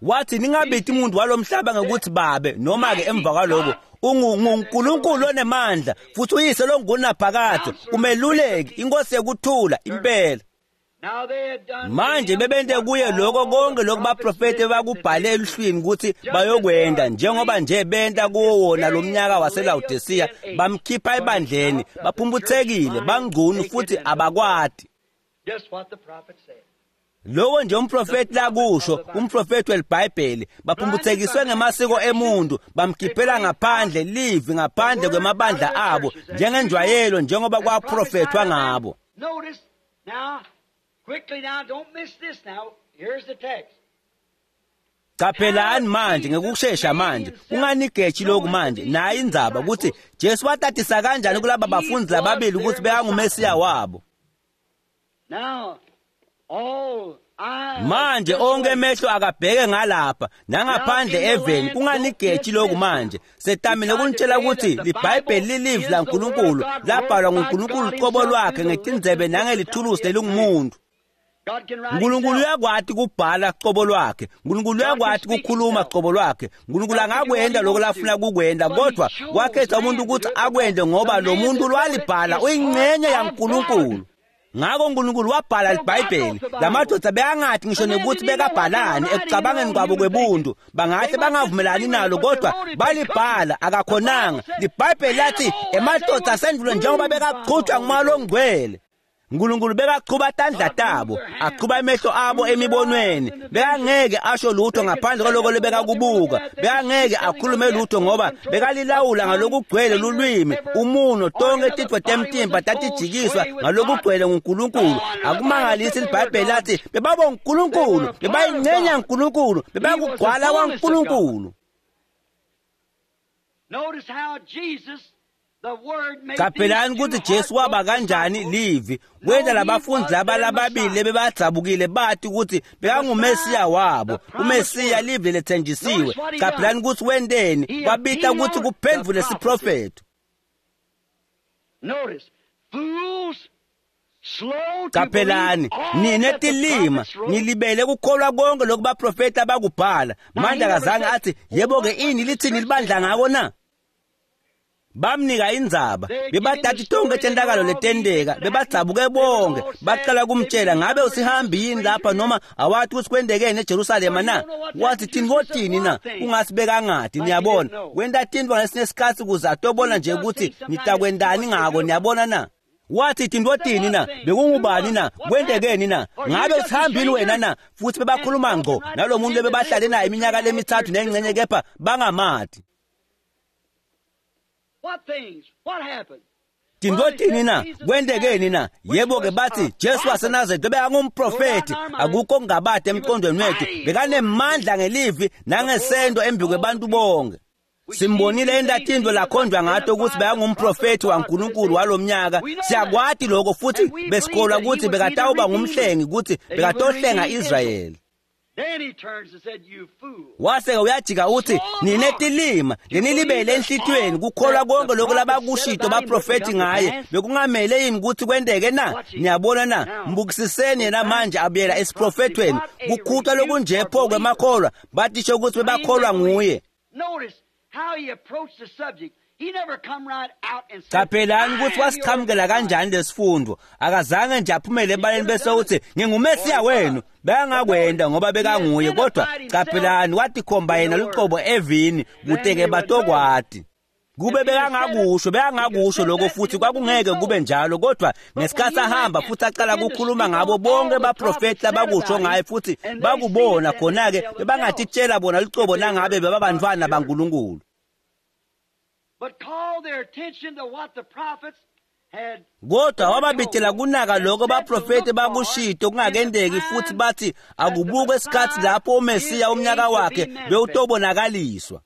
Wathi ningabiti umuntu walomhlaba ngekuthi babe, noma ke emva kwaloko unguNkulunkulu onemandla futhi uyise longunaphakade, umeluleki, inkosi yekuthula impela. Manje bebente kuye lokho konke lokhu baprofeti bakubhale eluhlwini ukuthi bayokwenda, njengoba nje benta kuwo wona lo mnyaka waseLawodisiya. Bamkhipha ebandleni, baphumputhekile, bangcunu futhi abakwati. Lokho nje umprofeti lakusho, umprofeti welibhayibheli, baphumputhekiswe ngemasiko emuntu, bamkhiphela ngaphandle livi ngaphandle kwemabandla abo njengenjwayelo, njengoba kwaprofethwa ngabo. Caphelani manje ngekushesha manje, unganigeji lokhu manje. Nayi indzaba ukuthi Jesu watatisa kanjani kulaba bafundi lababili ukuthi bekanguMesiya wabo. Now all Manje onke emehlo akabheke ngalapha nangaphandle eveni kunganigeji lokhu manje. Setamile ukunitshela ukuthi liBhayibheli lilivi laNkulunkulu, labhalwa nguNkulunkulu qobo lwakhe ngetindzebe nangelithulusi lelingumuntu. uNkulunkulu uyakwati kubhala qobo lwakhe, uNkulunkulu uyakwati kukhuluma qobo lwakhe, uNkulunkulu angakwenda lokho lafuna kukwenda, kodwa wakhetha umuntu ukuthi akwende ngoba lo muntu lwalibhala uyingxenye yaNkulunkulu. Ngakho uNkulunkulu wabhala iBhayibheli. Lamadoda beyangathi ngisho nokuthi bekabhalani ekucabangeni kwabo kwebuntu, bangahle bangavumelani nalo, kodwa balibhala akakhonanga. LiBhayibheli lathi emadoda asendulo njengoba bekaqhutshwa ngumoya ongcwele, uNkulunkulu bekachuba tandla tabo, achuba emehlo abo emibonweni. Bekangeke asho lutho ngaphandle kwaloko lebekakubuka, bekangeke akhulume lutho ngoba bekalilawula ngalokugcwele lulwimi, umuno, tonke titfo temtimba tatijikiswa ngalokugcwele nguNkulunkulu. Akumangalisi liBhayibheli lathi bebaba uNkulunkulu, bebayingxenye uNkulunkulu, bebakugcwala kwaNkulunkulu. Notice how Jesus Qaphelani ukuthi Jesu waba kanjani livi wenza labafundi laba lababili lebebadzabukile bathi ukuthi bekangumesiya wabo, umesiya livi lethenjisiwe. Qaphelani ukuthi wenteni, wabita ukuthi kuphendvule siprofetho. Qaphelani nine tilima nilibele kukholwa konke lokhu baprofeti abakubhala. Manje akazange athi yebo-ke ini lithini libandla ngako na? Bamnika indzaba, bebathatha tonke tentakalo letenteka, bebadzabuke bonke, baqala kumtshela ngabe usihambi yini lapha noma awathi ukuthi kwentekeni eJerusalema na? Wathi tintfo tini na? Ungasi bekangati, niyabona. Wenta tintfo ngesinye sikhatsi ukuze atobona nje ukuthi nitakwentani ngako, niyabona na? Wathi tintfo tini na? Bekungubani na? Kwentekeni na? Ngabe usihambini wena na? Futhi bebakhuluma ngqo nalo muntu lebebahlale naye iminyaka lemithathu nengxenye kepha bangamati. Tintfo tini na? Kwentekeni na? Yebo-ke bathi Jesu waseNazaretha bekangumprofethi, akukho kungabade emqondweni wethu, bekanemandla ngelivi nangesento embi kwebantu bonke. Simbonile enta tintfo lakhonjwa ngato ukuthi bekangumprofethi waNkulunkulu walomnyaka. Siyakwati lokho futhi besikholwa ukuthi bekatawuba ngumhlengi, ukuthi bekatohlenga Israyeli. Wase uyajika uthi nine tilima lenilibele enhlitiyweni kukholwa konke lokho labakushito baprofethi ngaye bekungamele yini ukuthi kwenteke na? Niyabona na? Mbukisiseni yena manje abuyela esiprofethweni kukhutha lokunje pho kwemakholwa batisho ukuthi bebakholwa nguye. Qaphelani ukuthi wasichamukela kanjani lesifundo. Akazange nje aphumele ebaleni bese uthi ngingumesiya wenu, bekangakwenda ngoba bekanguye, kodwa qaphelani watikhomba yena luqobo evini kute-ke batokwati. Kube bekangakusho, bekangakusho lokho futhi kwakungeke kube njalo, kodwa ngesikhathi ahamba futhi aqala ukukhuluma ngabo bonke baprofeti labakusho ngaye futhi bakubona khona-ke bebangatitshela bona luqobo nangabe bebabantwana baNkulunkulu. Kodwa wababitela kunaka lokho baprofeti bakushito kungakendeki futhi bathi akubukwe isikhathi lapho uMesiya umnyaka wakhe bewutobonakaliswa.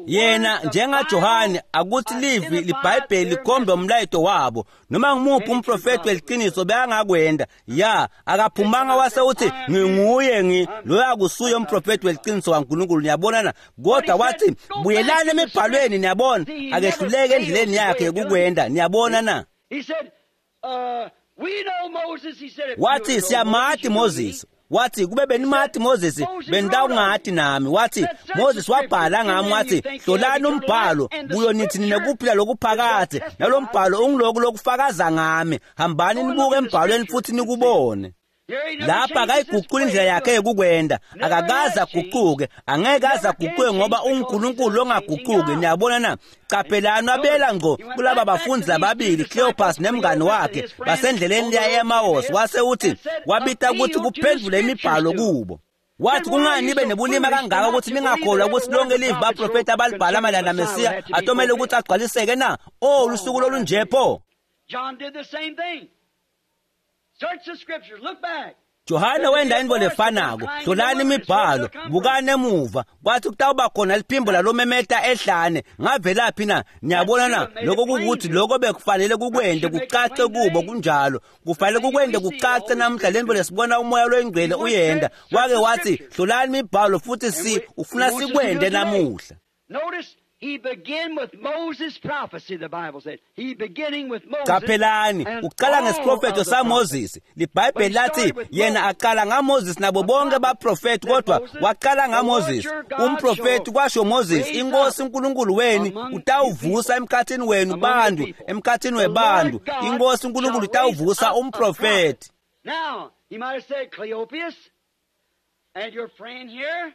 Yena njengaJohane akuthi livi liBhayibheli likhombe umlayeto wabo noma ngimuphi umprofeti weliqiniso bekangakwenda. Ya akaphumanga wase uthi nginguye ngi loyo akusuye umprofeti weliqiniso kaNkulunkulu, niyabona na? Kodwa wathi buyelani emibhalweni, niyabona, akehluleke endleleni yakhe yokukwenda, niyabona na? Wathi siyamati Moses, wathi kube benimati Moses benitawungati nami. Wathi Moses wabhala ngami, wathi hlolani umbhalo kuyo nithi ninekuphila lokuphakade, nalo mbhalo ungiloku lokufakaza ngami, hambani nibuke embhalweni futhi nikubone. Lapha akayiguquli indlela yakhe yokukwenda, akakaze aguquke, angeke aze aguquke ngoba unguNkulunkulu ongaguquki, niyabona na? Qaphelani wabela ngqo kulaba bafundi lababili, Cleopas nemngani wakhe, basendleleni leya e-Emmaus, wase uthi wabita ukuthi kuphendvule imibhalo kubo. Wathi kungani nibe nebulima kangaka ukuthi ningakholwa ukuthi lonke livi baprofeti abalibhala mayelana naMesiya atomele ukuthi agcwaliseke na? Oh, lusuku olunje pho! Johane wenda intfo lefanako. Hlolani imibhalo, bukani emuva. Kwathi kutawuba khona liphimbo lalomemeta ehlane. Ngavelaphi na? Niyabona na? Lokho kukuthi lokho bekufanele kukwente kucace kubo kunjalo. Kufanele kukwente kucace namhla lentfo lesibona umoya loyingcwele uyenda. Wake wathi hlolani imibhalo futhi si ufuna sikwente namuhla. Notice he began with Moses' prophecy, the Bible said. He beginning with Moses. Qaphelani, and uqala all ngesiprofetho of the saMoses. LiBhayibheli lathi yena aqala ngaMoses nabo bonke baprofeti kodwa waqala ngaMoses. Umprofeti kwasho Moses, inkosi uNkulunkulu wenu utawuvusa emkhathini wenu bantu, emkhathini webantu. Inkosi uNkulunkulu utawuvusa umprofeti. Now, he might have said, Cleopas and your friend here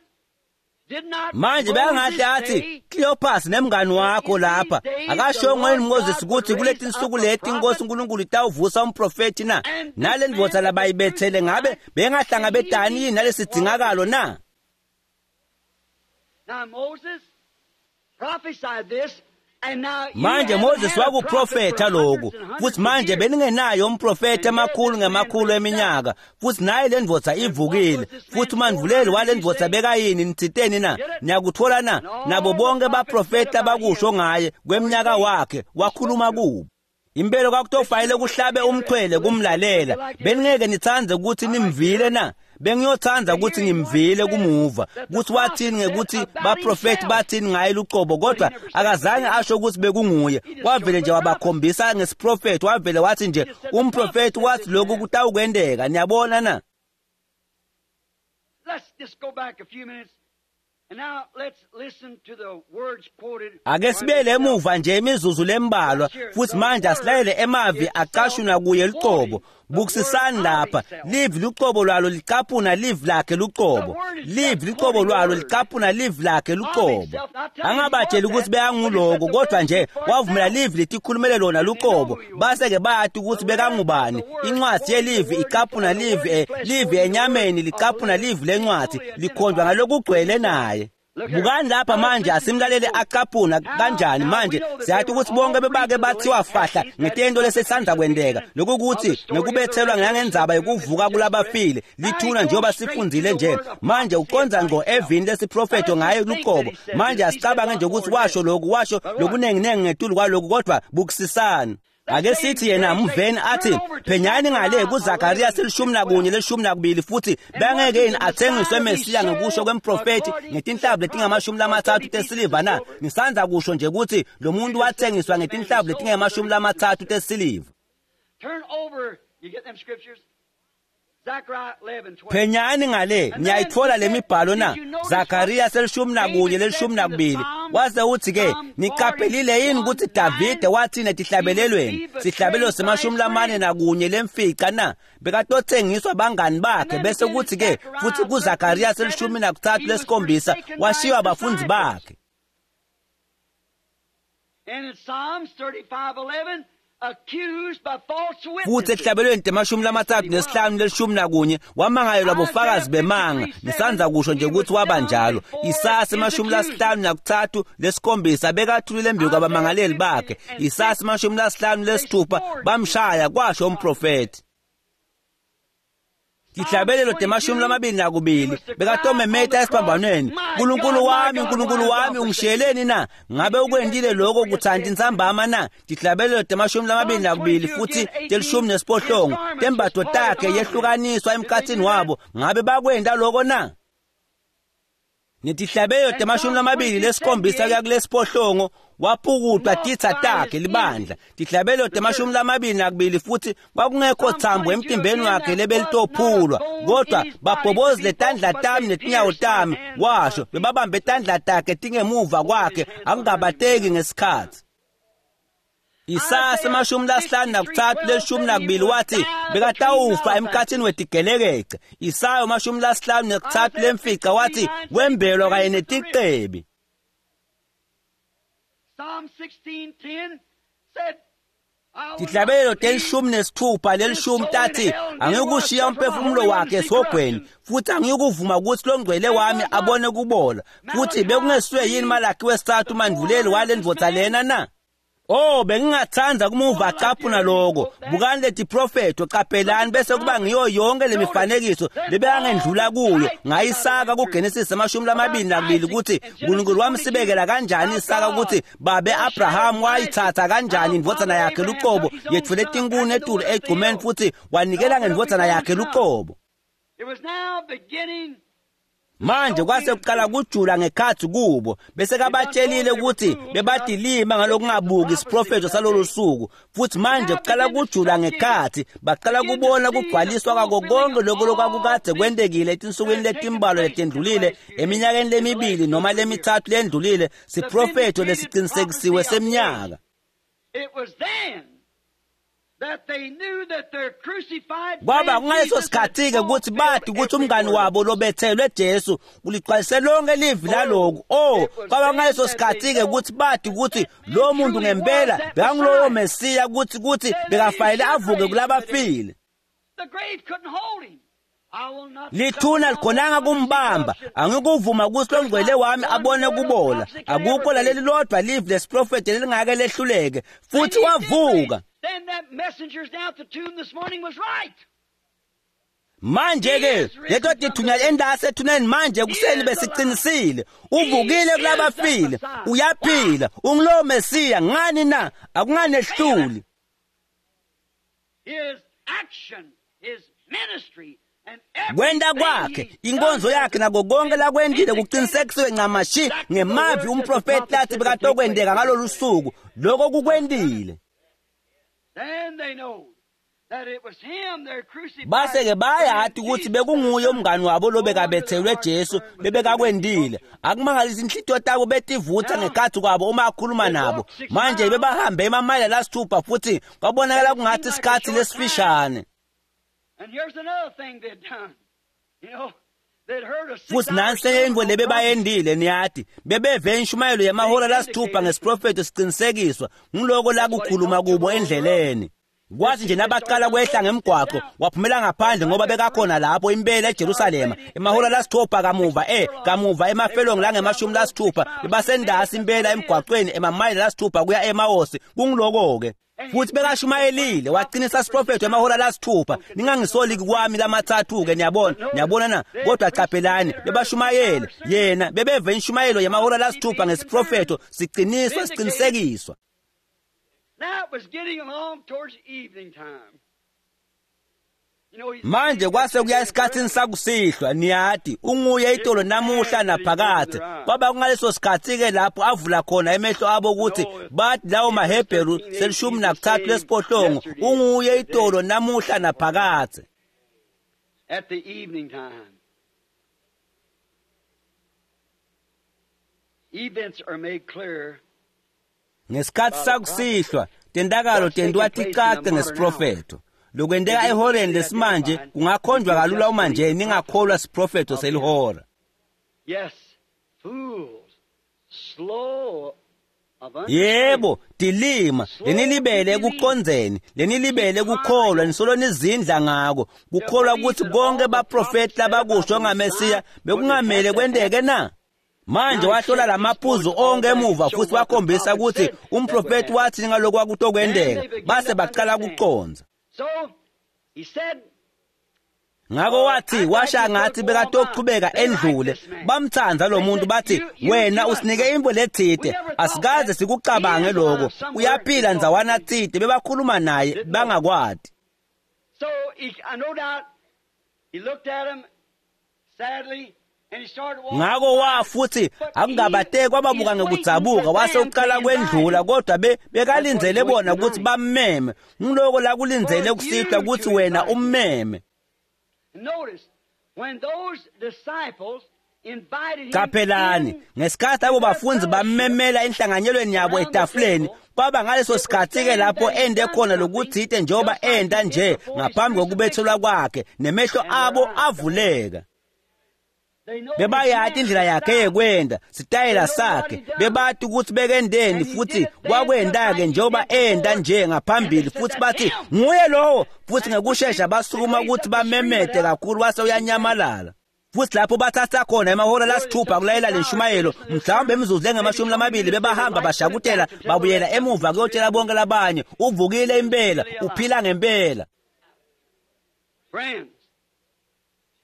did not Manje beyangahle athi Cleopas nemngani wakho lapha akasho yini Moses ukuthi kuleti nsuku leti inkosi uNkulunkulu itawuvusa umprofeti na nale ndvodza labayibethele ngabe bengahlangabetani yini nalesidingakalo na? Now Moses prophesied this, and now you Manje haven't Moses had a prophet wakuprofetha for lokhu hundreds and hundreds futhi of manje years. beningenayo umprofeti emakhulu ngemakhulu eminyaka futhi naye le ndvodza ivukile futhi umandvuleli wale ndvodza bekayini nitsiteni na? Niyakuthola na? Nabo bonke baprofeti abakusho ngaye kweminyaka wakhe wakhuluma kubo. Impela kwakutofanele kuhlabe umxhwele kumlalela. Beningeke nitsandze ukuthi nimvile na? Bengiyotsandza ukuthi ngimvile kumuva ukuthi wathini ngekuthi baprofeti bathini ngaye lucobo, kodwa akazange asho ukuthi bekunguye. Wavele nje wabakhombisa ngesiprofeti, wavele wathi nje umprofeti wathi lokhu kutawukwenteka. Niyabona na? Let's just go back a few minutes. And now let's listen to the words quoted. Ake sibele emuva nje imizuzu lembalwa futhi manje asilalele emavi acashunwa kuye lucobo. Bukisisani lapha, livi lucobo lwalo licaphuna livi lakhe lucobo. Livi lucobo lwalo licaphuna livi lakhe lucobo. Angabatsheli ukuthi bekanguloko kodwa nje wavumela livi letikhulumele lona lucobo. Base-ke bayati ukuthi bekangubani. Incwadi yelivi icaphuna livi, livi enyameni licaphuna livi lencwadi likhonjwa ngalokugcwele naye. Bukani lapha manje asimlalele acaphuna kanjani manje siyathi ukuthi bonke bebake bathiwa fahla ngetento lesesandla kwenteka lokukuthi ngekubethelwa ngangendzaba yokuvuka kulabafile lithuna njengoba sifundzile nje manje uqondza ngqo evini lesiprofetho ngaye luqobo manje asicabange nje ukuthi washo lokhu washo lokunenginengi ngetulu kwalokhu kodwa bukisisani. Ake sithi yena mveni athi phenyani ngale kuZakaria 11 12 futhi bangeke yini athengiswe Mesiya ngokusho kwemprofeti ngetinhlavu letingama-30 tesiliva na? Ngisanza kusho nje ukuthi lo muntu wathengiswa ngetinhlavu letingama-30 tesiliva. Turn over, you get them scriptures? Zechariah 11, 12. Phenyani ngale niyayithola lemibhalo na? Zakaria 11 12 wase uthi ke niqaphelile yini ukuthi Davide wathi netihlabelelweni sihlabelo se-41 lemfica na bekatothengiswa bangani bakhe bese kuthi ke futhi kuZakaria 13 lesikhombisa washiywa abafundi bakhe. And in Psalms 35:11 accused by false Futhi witnesses. ehlabelweni 35 11 wamangalelwa bofakazi bemanga. Nisanza kusho nje ukuthi waba njalo. Isaya 53 lesikhombisa bekathulile embi kwabamangaleli bakhe. Isaya 56 bamshaya kwasho umprofeti. Tihlabelelo 22 bekatomemeta esiphambanweni, uNkulunkulu wami, uNkulunkulu wami ungishiyeleni na? Ngabe ukwendile lokho kuthanti insambama na? Tihlabelelo 22 futhi 18 tembatho takhe yehlukaniswa emkhathini wabo. Ngabe bakwenda lokho na? Netihlabelelo 27 kuya kulesiphohlongo waphukutwa titsa takhe libandla. Tihlabelelo 22 futhi kwakungekho thambo emtimbeni wakhe lebelitophulwa kodwa babhobozile tandla tami netinyawo tami washo bebabambe tandla takhe tingemuva kwakhe akungabateki ngesikhathi. Isaya 53 12 wathi bekatawufa emkhathini wetigelekece. Isaya 53 lemfica wathi wembelwa kanye neticebi. Psalm 16:10 said, Tihlabelelo 16 lelishumi tathi angikushiya umphefumulo wakhe esihogweni futhi angikuvuma ukuthi longcwele wami abone kubola futhi bekungesuye yini Malaki wesithathu mandvuleli wale ndvodza lena na? Oh, bengingathanda kumuva acaphuna lokho. Bukani leti profetho, qaphelani bese kuba ngiyo yonke lemifanekiso lebeyangendlula kuyo. Ngayisaka kuGenesis 22 ukuthi uNkulunkulu wamsibekela kanjani Isaka, ukuthi babe Abraham wayithatha kanjani indvodzana yakhe luqobo, yetfule tinkuni etulu egcumeni futhi wanikela ngendvodzana yakhe luqobo. It was now beginning Manje kwase kuqala kujula ngekhathi kubo, bese kabatshelile ukuthi bebadilima ngalokungabuki isiprofetho salolu suku, futhi manje kuqala kujula ngekhathi, baqala kubona kugcwaliswa kwako konke lokho lokwakukade kwentekile etinsukwini letimbalwa letendlulile, eminyakeni lemibili noma lemithathu lendlulile, siprofetho lesiqinisekisiwe seminyaka. It was then that they knew that their crucified Kwaba friend kungaleso Jesus had sikhathi-ke ukuthi bathi fulfilled ukuthi every umngani word. wabo lobethelwe Jesu uligcwalise lonke livi laloku. Oh, kwaba kungaleso sikhathi-ke ukuthi bathi ukuthi lo muntu ngempela bekangulowo Mesiya, ukuthi bekafanele avuke kulabafile. The grave couldn't hold him. I will not Lithuna likhonanga kumbamba, angikuvuma ukuthi lo ngcwele wami abone kubola. Akukho laleli lodwa livi lesiprofethi lelingake lehluleke. Futhi wavuka. Then that messengers down at the tomb this morning was right. Manje ke leto tithunya endase ethuneni manje kuseni besiqinisile, uvukile kulabafile, uyaphila, ungulowo Mesiya. Ngani na? Akunganehluli. His action, his ministry, and Kwenta everything kwakhe, he's inkonzo done yakhe nako konke lakwendile kuqinisekisiwe ncamashi ngemavi umprofeti lathi bekatokwendeka ngalolu suku. Lokho kukwendile. Then they know that it was him their crucified. Base-ke bayati ukuthi bekunguye umngani wabo lobekabethelwe Jesu bebekakwendile. Akumangalisi inhlitiyo tabo betivutha ngekhathi kwabo uma akhuluma nabo. Manje bebahambe emamayela lasithupha futhi kwabonakala kungathi isikhathi lesifishane. And here's another thing they'd done. You know, they'd heard a Futhi nansi enye intfo lebebayendile, niyati, bebeve inshumayelo yamahora lasithupha ngesiprofetho siqinisekiswa ngiloko lakukhuluma kubo endleleni. Kwathi nje nabaqala kwehla ngemgwaqo, waphumela ngaphandle ngoba bekakhona lapho impela eJerusalema emahora lasithupha kamuva, kamuva emafelongi langemashumi lasithupha, bebasendasi impela emgwaqweni emamayela lasithupha kuya eMaosi. Kungiloko-ke futhi bekashumayelile, waqinisa siprofetho emahora lasithupha. Ningangisoli kwami lamathathu-ke, niyabona, niyabona na? Kodwa qaphelani, bebashumayele yena, bebeve inshumayelo yamahora lasithupha ngesiprofetho siqiniswa, siqinisekiswa. Now it was getting along towards evening time. You know, he's Manje kwase kuya esikhathini sakusihlwa, niyati, unguye itolo namuhla naphakade. Kwaba kungaleso sikhathi-ke lapho avula khona emehlo abo ukuthi bathi lawo maHebheru 13 lesiphohlongo, unguye itolo namuhla naphakade. At the evening time. Events are made clear Ngesikhathi sakusihlwa, tentakalo tentiwa ticace ngesiprofetho. Lokwenteka ehoreni lesimanje kungakhonjwa kalula uma nje ningakholwa siprofetho selihora. Yes, fools, slow of Yebo, dilima, lenilibele ekuqondzeni, lenilibele ekukholwa, nisolo nizindla ngako. Kukholwa ukuthi konke baprofeti labakusho ngaMesiya bekungamele kwenteke na? Manje wahlola lamaphuzu onke emuva futhi wakhombisa ukuthi umprofeti wathi ngalokhu kwakutokwenteka, base baqala kucondza. So he said, Ngakho wathi washa ngathi bekatochubeka endlule, bamthanza lo muntu bathi wena usinike imvo lethide, asikaze sikucabange lokho, uyaphila ndzawana thide. Bebakhuluma naye bangakwati. So he, I no doubt he looked at him sadly and he started walking. Ngakho wa futhi akungabateki kwababuka ngekudzabuka, wase uqala kwendlula, kodwa bekalindzele bona ukuthi bammeme. Ngiloko la kulindzele kusihlwa ukuthi wena ummeme. Notice when those disciples invited him Qaphelani, in, ngesikhathi abo bafundi bammemela enhlanganyelweni yabo etafuleni, kwaba ngaleso sikhathi-ke lapho ende khona lokuthite njengoba enda nje ngaphambi kokubethelwa kwakhe, nemehlo abo avuleka. they know Bebayati indlela yakhe yekwenda, sitayela sakhe, bebati ukuthi bekendeni futhi kwakwenda-ke njengoba enda nje ngaphambili, futhi bathi nguye lowo, futhi ngekushesha basukuma ukuthi bamemete kakhulu, wase uyanyamalala. Futhi lapho bathatha khona emahora lasithupha kulayela lenshumayelo, mhlawumbe imizuzu engamashumi lamabili bebahamba bashakutela babuyela emuva kuyotshela bonke labanye, uvukile impela, uphila ngempela. Friends,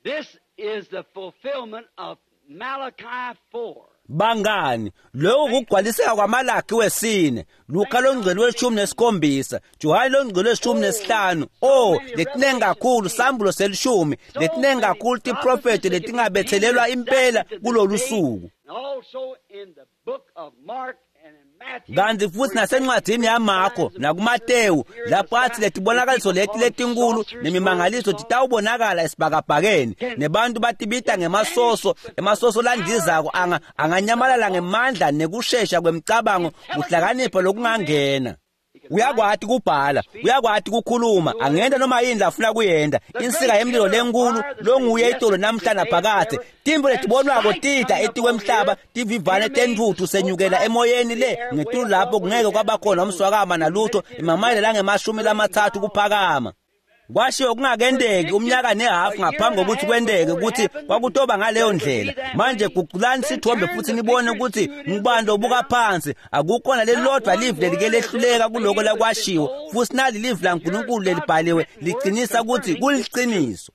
this is the fulfillment of Malachi 4. Bangani, lokhu kugcwaliseka kwaMalaki wesine, Luka longcwele 17, Johane longcwele 15. Oh, letinengi kakhulu sambulo selishumi, letinengi kakhulu tiprofethi letingabethelelwa impela kulolu suku. And also in the book of Mark and in Matthew. Kanti futhi nasencwadini yaMarko nakuMatewu lapho athi letibonakaliso leti letinkulu nemimangaliso titawubonakala esibhakabhakeni, nebantu batibita ngemasoso, emasoso landizako anganyamalala ngemandla nekushesha kwemcabango, kuhlakanipha lokungangena. Uyakwati kubhala, uyakwati kukhuluma, angenta noma yini lafuna kuyenta. Insika yemlilo lenkulu longuye itolo namhla naphakadze, tintfo letibonwako tita etikwemhlaba, tivivane tentfutfu senyukela emoyeni le ngetulu lapho kungeke kwabakhona umswakama nalutho, emamayela langama-30 kuphakama. Kwashiwo kungakenteki umnyaka nehafu ngaphambi kokuthi kwenteke ukuthi kwakutoba ngaleyo ndlela. Manje guculani sithombe futhi nibone ukuthi ngubani lobuka phansi. Akukhona lelilodwa livi lelike lehluleka kuloko lakwashiwo, futhi nali livi laNkulunkulu lelibhaliwe liqinisa ukuthi kuliciniso.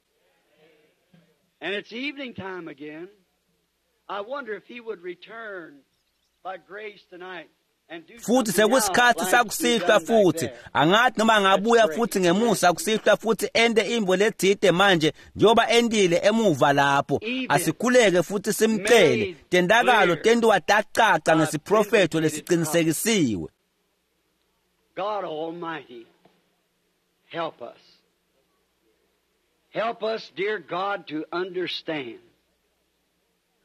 And it's evening time again. I wonder if he would return by grace tonight and do Futhi something now sekusikhathi like sakusihlwa he done back futhi. there. Angathi noma angabuya futhi ngemusa kusihlwa futhi ente imvo letsite manje njengoba entile emuva lapho. Asikhuleke futhi simcele. Tentakalo tentiwa tacaca ngesiprofetho lesicinisekisiwe. God Almighty, help us. Help us, dear God, to understand.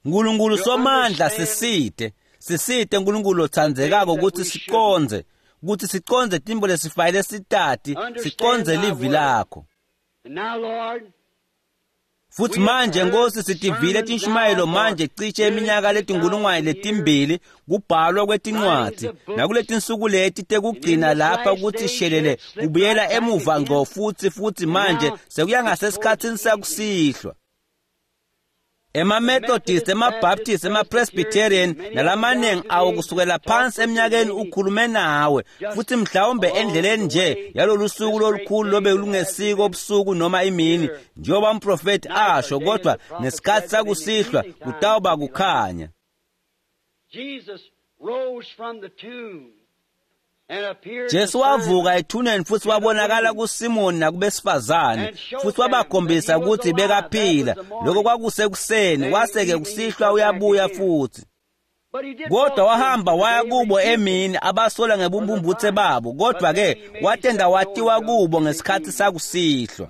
Nkulunkulu somandla, sisite. Sisite Nkulunkulu lotsandzekako ukuthi siqondze, ukuthi siqondze tintfo lesifayele sitati, siqondze livi lakho. And now, Lord, Futhi manje Nkosi, sitivile tinshumayelo manje cishe iminyaka letinkulungwane 2 kubhalwa kwetincwadzi, nakuletinsuku leti tekugcina lapha kuthi shelele kubuyela emuva ngco futhi manje sekuya ngasesikhatsini sakusihlwa. Ema-Methodist, ema-Baptist, ema-Presbyterian nalamaningi awo kusukela phansi eminyakeni ukhulume nawe futhi mhlawumbe endleleni nje yalolu suku lolukhulu lobe lungesiko ubusuku noma imini njengoba umprofethi asho, kodwa ngesikhathi sakusihlwa kutawuba kukhanya. Jesus rose from the tomb and appeared to Jesu Simon. Wavuka ethuneni futhi wabonakala kuSimoni nakubesifazane futhi wabakhombisa ukuthi bekaphila. Lokho kwakusekuseni, kwase-ke kusihlwa uyabuya futhi. But he did Kodwa walk wahamba to them. waya They kubo repented. emini, abasola ngebumpumputhe babo, kodwa-ke watenda watiwa kubo ngesikhathi sakusihlwa.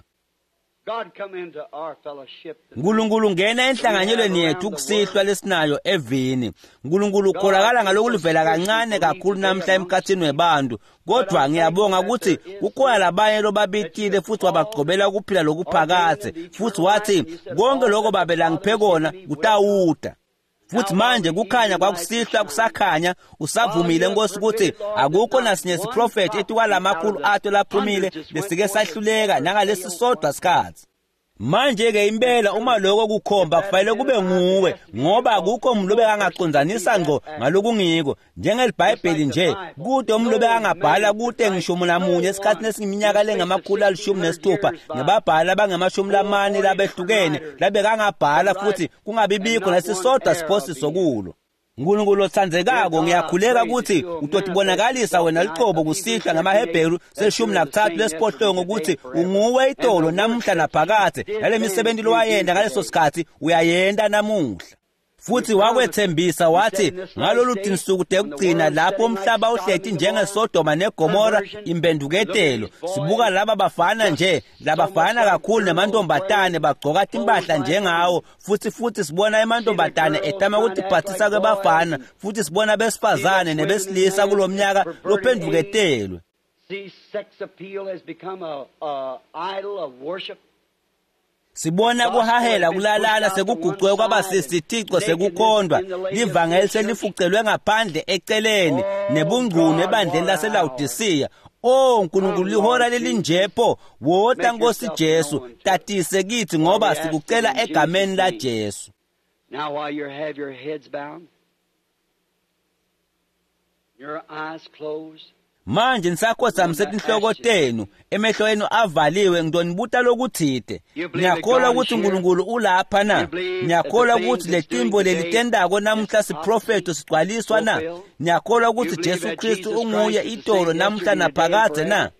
God, come into our fellowship tonight. Nkulunkulu, ngena enhlanganyelweni yethu kusihlwa lesinayo evini. Nkulunkulu, ukholakala ngalokulivela kancane kakhulu namhla emkhathini webantu, kodwa ngiyabonga ukuthi kukhona labanye lobabitile futhi wabagcobela ukuphila lokuphakadze, futhi wathi konke lokho Babe langiphe kona kutawuta. Futhi manje kukhanya kwakusihlwa kusakhanya. Usavumile Nkosi ukuthi akukho nasinye siprofethi etikwalamakhulu ato laphumile lesike sahluleka nangalesi sodwa sikhathi. Manje-ke impela uma lokho kukhomba kufanele kube nguwe, ngoba akukho umuntu lobekangacondzanisa ngco ngalokungiko njengelibhayibheli nje, kute umuntu lobekangabhala kute ngisho namunye esikhathini esingiminyaka lengama-160 ngebabhali abangama-40 labehlukene labekangabhala futhi kungabibikho nesisodwa siphosiso kulo. Nkulunkulu otsandzekako, ngiyakhuleka ukuthi utotibonakalisa wena lucobo kusihlwa ngamaHebheru 13:8 ukuthi unguwe itolo namuhla naphakadze, nale misebenti lowayenta ngaleso sikhathi uyayenta namuhla. Futhi wakwethembisa wathi ngalolu tinsuku tekugcina lapho umhlaba uhleti njengeSodoma neGomora, impenduketelo. Sibuka laba bafana nje labafana kakhulu nemantombatane bagcoka timpahla njengawo, futhi sibona emantombatane etama kutiphathisa kwebafana, futhi sibona besifazane nebesilisa kulomnyaka lophenduketelwe. See, sex appeal has become a idol of worship. Sibona kuhahela kulalana sekugucwe kwaba sisithico sekukhondwa, livangeli selifucelwe ngaphandle eceleni nebungcunu ebandleni laseLawodisiya. O Nkulunkulu, lihora lelinjepho, wota Nkosi Jesu, tatise kithi ngoba sikucela egameni la Jesu. Now while you have your heads bowed, your eyes closed, Manje nisakhothamise tinhloko tenu, emehlo enu avaliwe, ngidonibuta lokuthite. Ngiyakholwa ukuthi uNkulunkulu ulapha na? Ngiyakholwa ukuthi letimbo lelitendako namuhla siprofeto sigcwaliswa na? Ngiyakholwa ukuthi Jesu Kristu unguye itolo namuhla naphakadze na?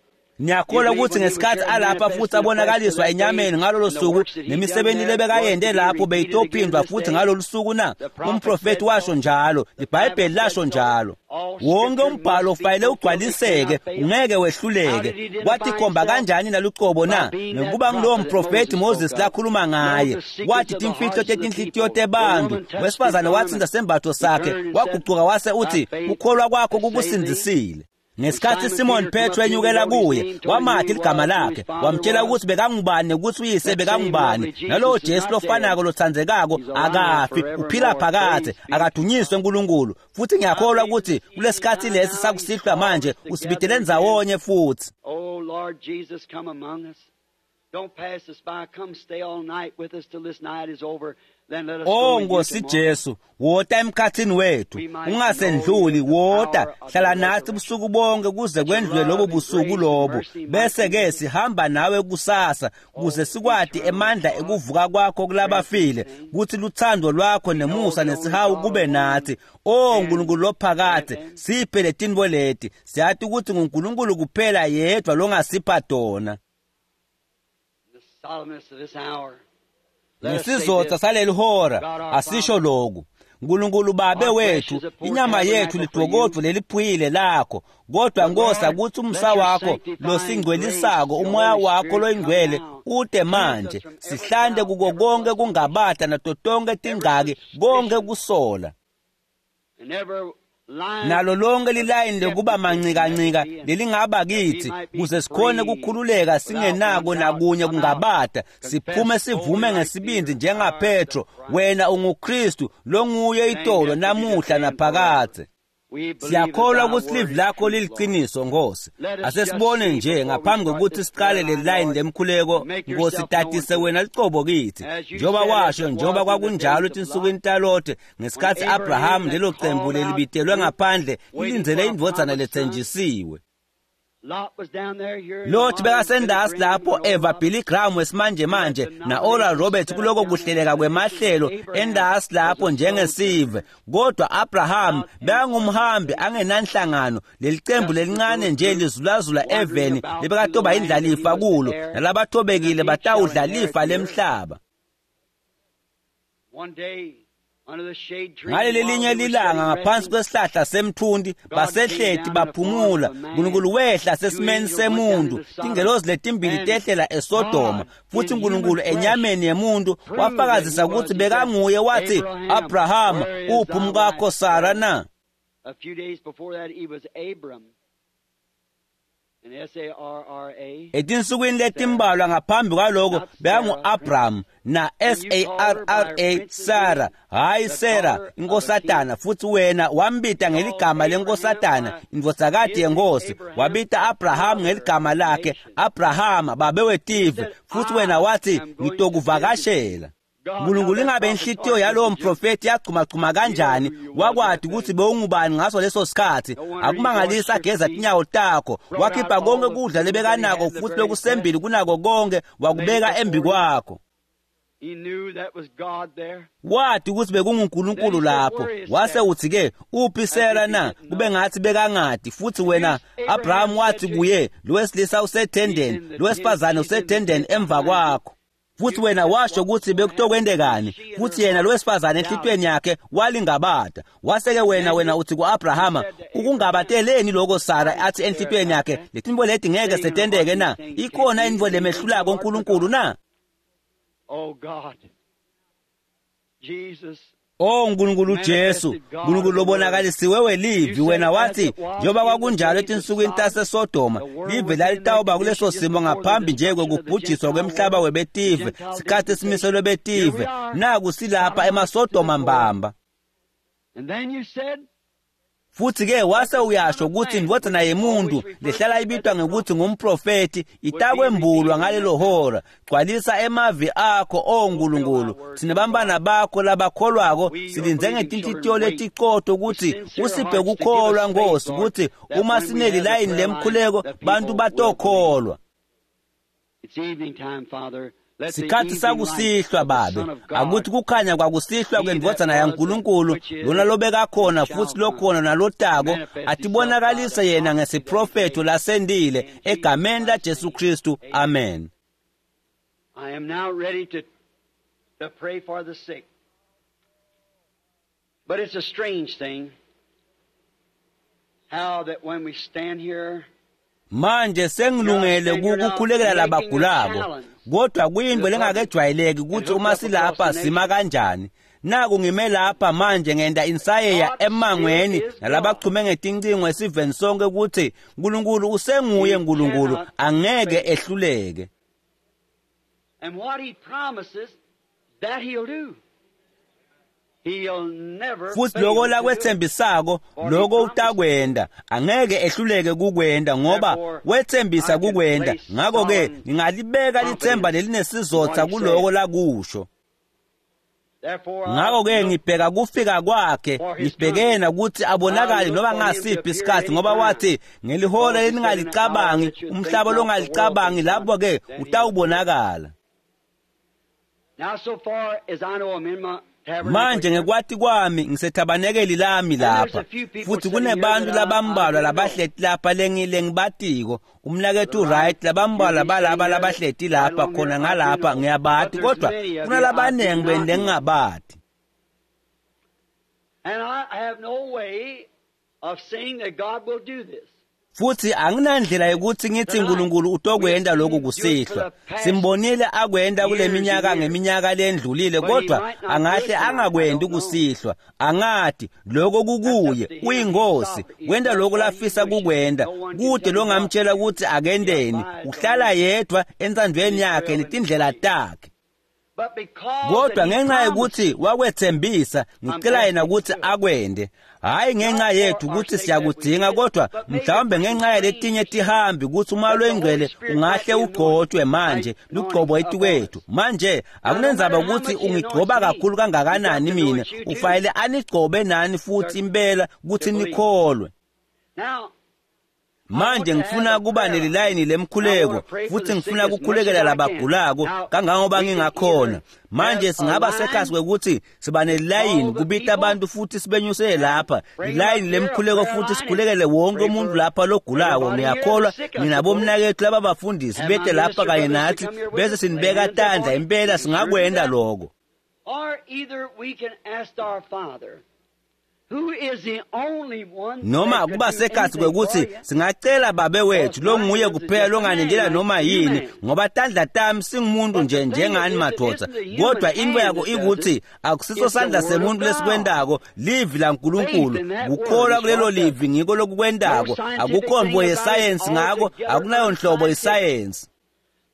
Ngiyakholwa ukuthi ngesikhathi alapha futhi abonakaliswa enyameni ngalolo suku nemisebenzi lebekayende lapho beyitophindwa futhi ngalolu suku na? Umprofeti washo njalo, iBhayibheli lasho njalo. Wonke umbhalo ufanele ugcwaliseke, ungeke wehluleke. Kwathi khomba kanjani nalucobo na? Ngekuba ngulowo mprofeti Moses lakhuluma ngaye, wathi timfihlo tetinhlitiyo tebantu. Wesifazane wathinta sembatho sakhe, wagucuka wase uthi, ukholwa kwakho kukusindzisile. Ngesikhathi Simon Petro enyukela kuye, wamathi ligama lakhe, wamtshela ukuthi bekangubani nokuthi uyise bekangubani. Nalowo Jesu lofanako lotsandzekako akafi, uphila phakadze, akadunyiswe uNkulunkulu. Futhi ngiyakholwa ukuthi kulesikhathi lesi sakusihlwa manje usibidele ndzawonye futhi. Oh Lord Jesus, come among us. Don't pass us by. Come stay all night with us till this night is over. Then let us Oh go with you Nkosi tomorrow. Jesu, wota emkhathini wethu, ungasendluli, wota, hlala nathi ubusuku bonke kuze kwendlule lobo busuku lobo. Bese ke sihamba nawe kusasa kuze sikwati emandla ekuvuka kwakho kulabafile, kuthi luthando lwakho nemusa nesihawu kube nathi. Oh Nkulunkulu lophakade, siphe letinto leti. Siyati ukuthi nguNkulunkulu kuphela yedwa longasipha tona. The solemnness of this hour. Let us say Ngesizotha this. saleli hora asisho lokhu. Nkulunkulu babe wethu, inyama yethu lidokodvo leliphuyile lakho, kodwa Nkosi akuthi umsa wakho losingcwelisako, umoya wakho loyingcwele ute manje, sihlante kuko konke kungabata nato tonke tingaki, konke kusola. And every line Nalo lonke lilayini lekuba mancikancika lelingaba kithi kuze sikhone ukukhululeka singenako nakunye kungabata, siphume sivume ngesibindi njengaPetro, wena unguKristu longuye itolo namuhla naphakadze. we believe Siyakholwa that thy ukuthi word livi is lakho truth, Lord. liliqiniso Nkosi. Asesibone nje ngaphambi kokuthi siqale le line lemkhuleko, Nkosi tatise wena licobo kithi. Njengoba washo, njengoba kwakunjalo etinsukwini taLote, ngesikhathi Abraham lelo cembu lelibitelwe ngaphandle lilindzele indvodzana letsenjisiwe. Lot was down there here in Lot the modern bekasendasi Billy lapho Graham and eva Oral Billy Graham wesimanje manje na Oral Roberts kuloko kuhleleka kwemahlelo endasi lapho njengesive, kodwa Abraham bekangumhambi angenanhlangano, lelicembu lelincane nje lizulazula eveni lebekatoba indlalifa kulo, nalabathobekile batawudla lifa lemhlaba. One day, under the shade tree, Ngaleli while linye they were lilanga sitting ngaphansi resting, kwesihlahla semthunti basehleti baphumula, uNkulunkulu wehla sesimeni semuntu, tingelozi letimbili tehlela eSodoma, futhi uNkulunkulu enyameni yemuntu wafakazisa ukuthi bekanguye, wathi, Abrahama, uphi umkakho Sara na? A few days before that, he was Abram. And S-A-R-R-A. Etinsukwini letimbalwa ngaphambi kwaloko bekangu-Abraham na S-A-R-R-A Sara, hhayi Sara inkosatana, futhi wena wambita ngeligama lenkosatana, indvodzakati yenkosi. Wabita Abraham ngeligama lakhe, Abrahama babe wetive, futhi wena wathi ngitokuvakashela. Nkulunkulu ingabe inhlitiyo yalowo mprofeti yagcumagcuma kanjani, wakwati ukuthi bewungubani ngaso leso sikhathi. Akumangalisi ageza tinyawo takho, wakhipha konke kudla lebekanako futhi lokusembili kunako konke wakubeka embi kwakho. He knew that was God there. Wathi ukuthi bekunguNkulunkulu lapho, wase uthi ke uphi Sara na? Kube ngathi bekangadi. Futhi wena Abraham wathi kuye, lo wesilisa usethendeni, lo wesifazane usethendeni emva kwakho. Futhi wena washo ukuthi bekutokwentekani, futhi yena lo wesifazane enhlitiyweni yakhe walingabata. Waseke wena uthi ku-Abrahama, ukungabateleni lokho Sara athi enhlitiyweni yakhe, letinto leti ngeke setenteke na? Ikhona intfo lemehlulako uNkulunkulu na? Oh God. Jesus. Oh Nkulunkulu Jesu, Nkulunkulu lobonakalisiwe welivi, wena wathi njengoba kwakunjalo etinsukwini taseSodoma, live lalitawuba kuleso simo ngaphambi nje kwekubhujiswa kwemhlaba webetive, sikhathi esimiselwe betive. Naku silapha emaSodoma mbamba. And then you said, Futhi-ke wase uyasho ukuthi indvodzana yemuntu lehlala ibitwa ngekuthi ngumprofethi itakwembulwa ngalelo hora. Gcwalisa emavi akho, o Nkulunkulu. Thina bantwana bakho labakholwako silindze ngetinhlitiyo letiqotho ukuthi usiphe kukholwa, Nkosi, ukuthi uma sinelilayini lemkhuleko bantu batokholwa. Sikhathi sakusihlwa, Babe, akuthi kukhanya kwakusihlwa kwendvodzana yaNkulunkulu, lona lobekakhona futhi lokhona nalotako, atibonakalise yena ngesiprofetho lasendile, egameni laJesu Kristu, amen. I am now ready to pray for the sick. But it's a strange thing how that when we stand here, Manje sengilungele ukukhulekela labagulako, kodwa kuyinto lengakejwayeleki ukuthi uma silapha sima kanjani. Naku ngime lapha manje ngenta insayeya emangweni nalabachume ngetincingo esiveni sonke ukuthi uNkulunkulu usenguye uNkulunkulu, angeke ehluleke. And what he promises, that he'll do. He'll never Futhi fail lokho to do it. lakwetsembisako lokho utakwenda, angeke ehluleke kukwenda ngoba wetsembisa kukwenda. Ngakho-ke ngingalibeka lithemba lelinesizotha kuloko lakusho. Therefore, I Ngakho-ke look ngibheka kufika kwakhe, ngibhekena ukuthi abonakale noma ngasiphi isikhathi, ngoba wathi ngelihora leningalicabangi, umhlaba longalicabangi, lapho-ke utawubonakala. Now, so far as I know, I'm in my tabernacle Manje here. ngekwati kwami ngisethabanekeli lami lapha, futhi kunebantu labambalwa labahleti lapha lengibatiko, umnakethu Wright, labambalwa balaba labahleti lapha khona ngalapha ngiyabati, kodwa kunalabaningi beni lengingabati. And I have no way of saying that God will do this. Futhi anginandlela yokuthi ngithi uNkulunkulu utokwenda lokhu kusihlwa. Simbonile akwenda kule minyaka ngeminyaka lendlulile, kodwa angahle angakwendi kusihlwa. Angati lokho kukuye, uyinkosi, wenda lokho lafisa kukwenda. Kude longamtshela ukuthi akendeni, uhlala yedwa entsandvweni yakhe netindlela takhe. But because Kodwa that he ngenxa promised, yokuthi wakwethembisa, ngicela yena ukuthi akwende, hhayi ngenxa yethu ukuthi siyakudinga, kodwa mhlawumbe ngenxa yaletinye tihambi ukuthi umoya lwengcwele ungahle ugcotshwe manje, lugcobo etikwethu manje. Akunenzaba ukuthi ungigcoba kakhulu kangakanani mina, ufanele anigcobe nani futhi impela ukuthi nikholwe. Now, Manje ngifuna kuba nelilayini lemkhuleko, futhi ngifuna ukukhulekela labagulako kangangoba ngingakhona. Manje singaba sekhasi kwekuthi siba nelilayini kubita abantu futhi sibenyusele lapha lilayini lemkhuleko, futhi sikhulekele wonke umuntu lapha logulako. Ngiyakholwa ninabomnakethu laba bafundisi bete lapha kanye nathi, bese sinibeka tandla. Impela singakwenda lokho. Or either we can ask our Father, who is the only one Noma that could kuba do sekhathi anything kwekuthi for you. singacela Babe wethu longuye kuphela longanendela noma yini, ngoba tandla tami singumuntu nje njengani madvodza, kodwa into yako ikuthi akusiso sandla semuntu lesikwendako, livi laNkulunkulu. Kukholwa kulelo livi ngiko lokukwendako. Akukho mvo yesayensi ngako, akunayo nhlobo isayensi.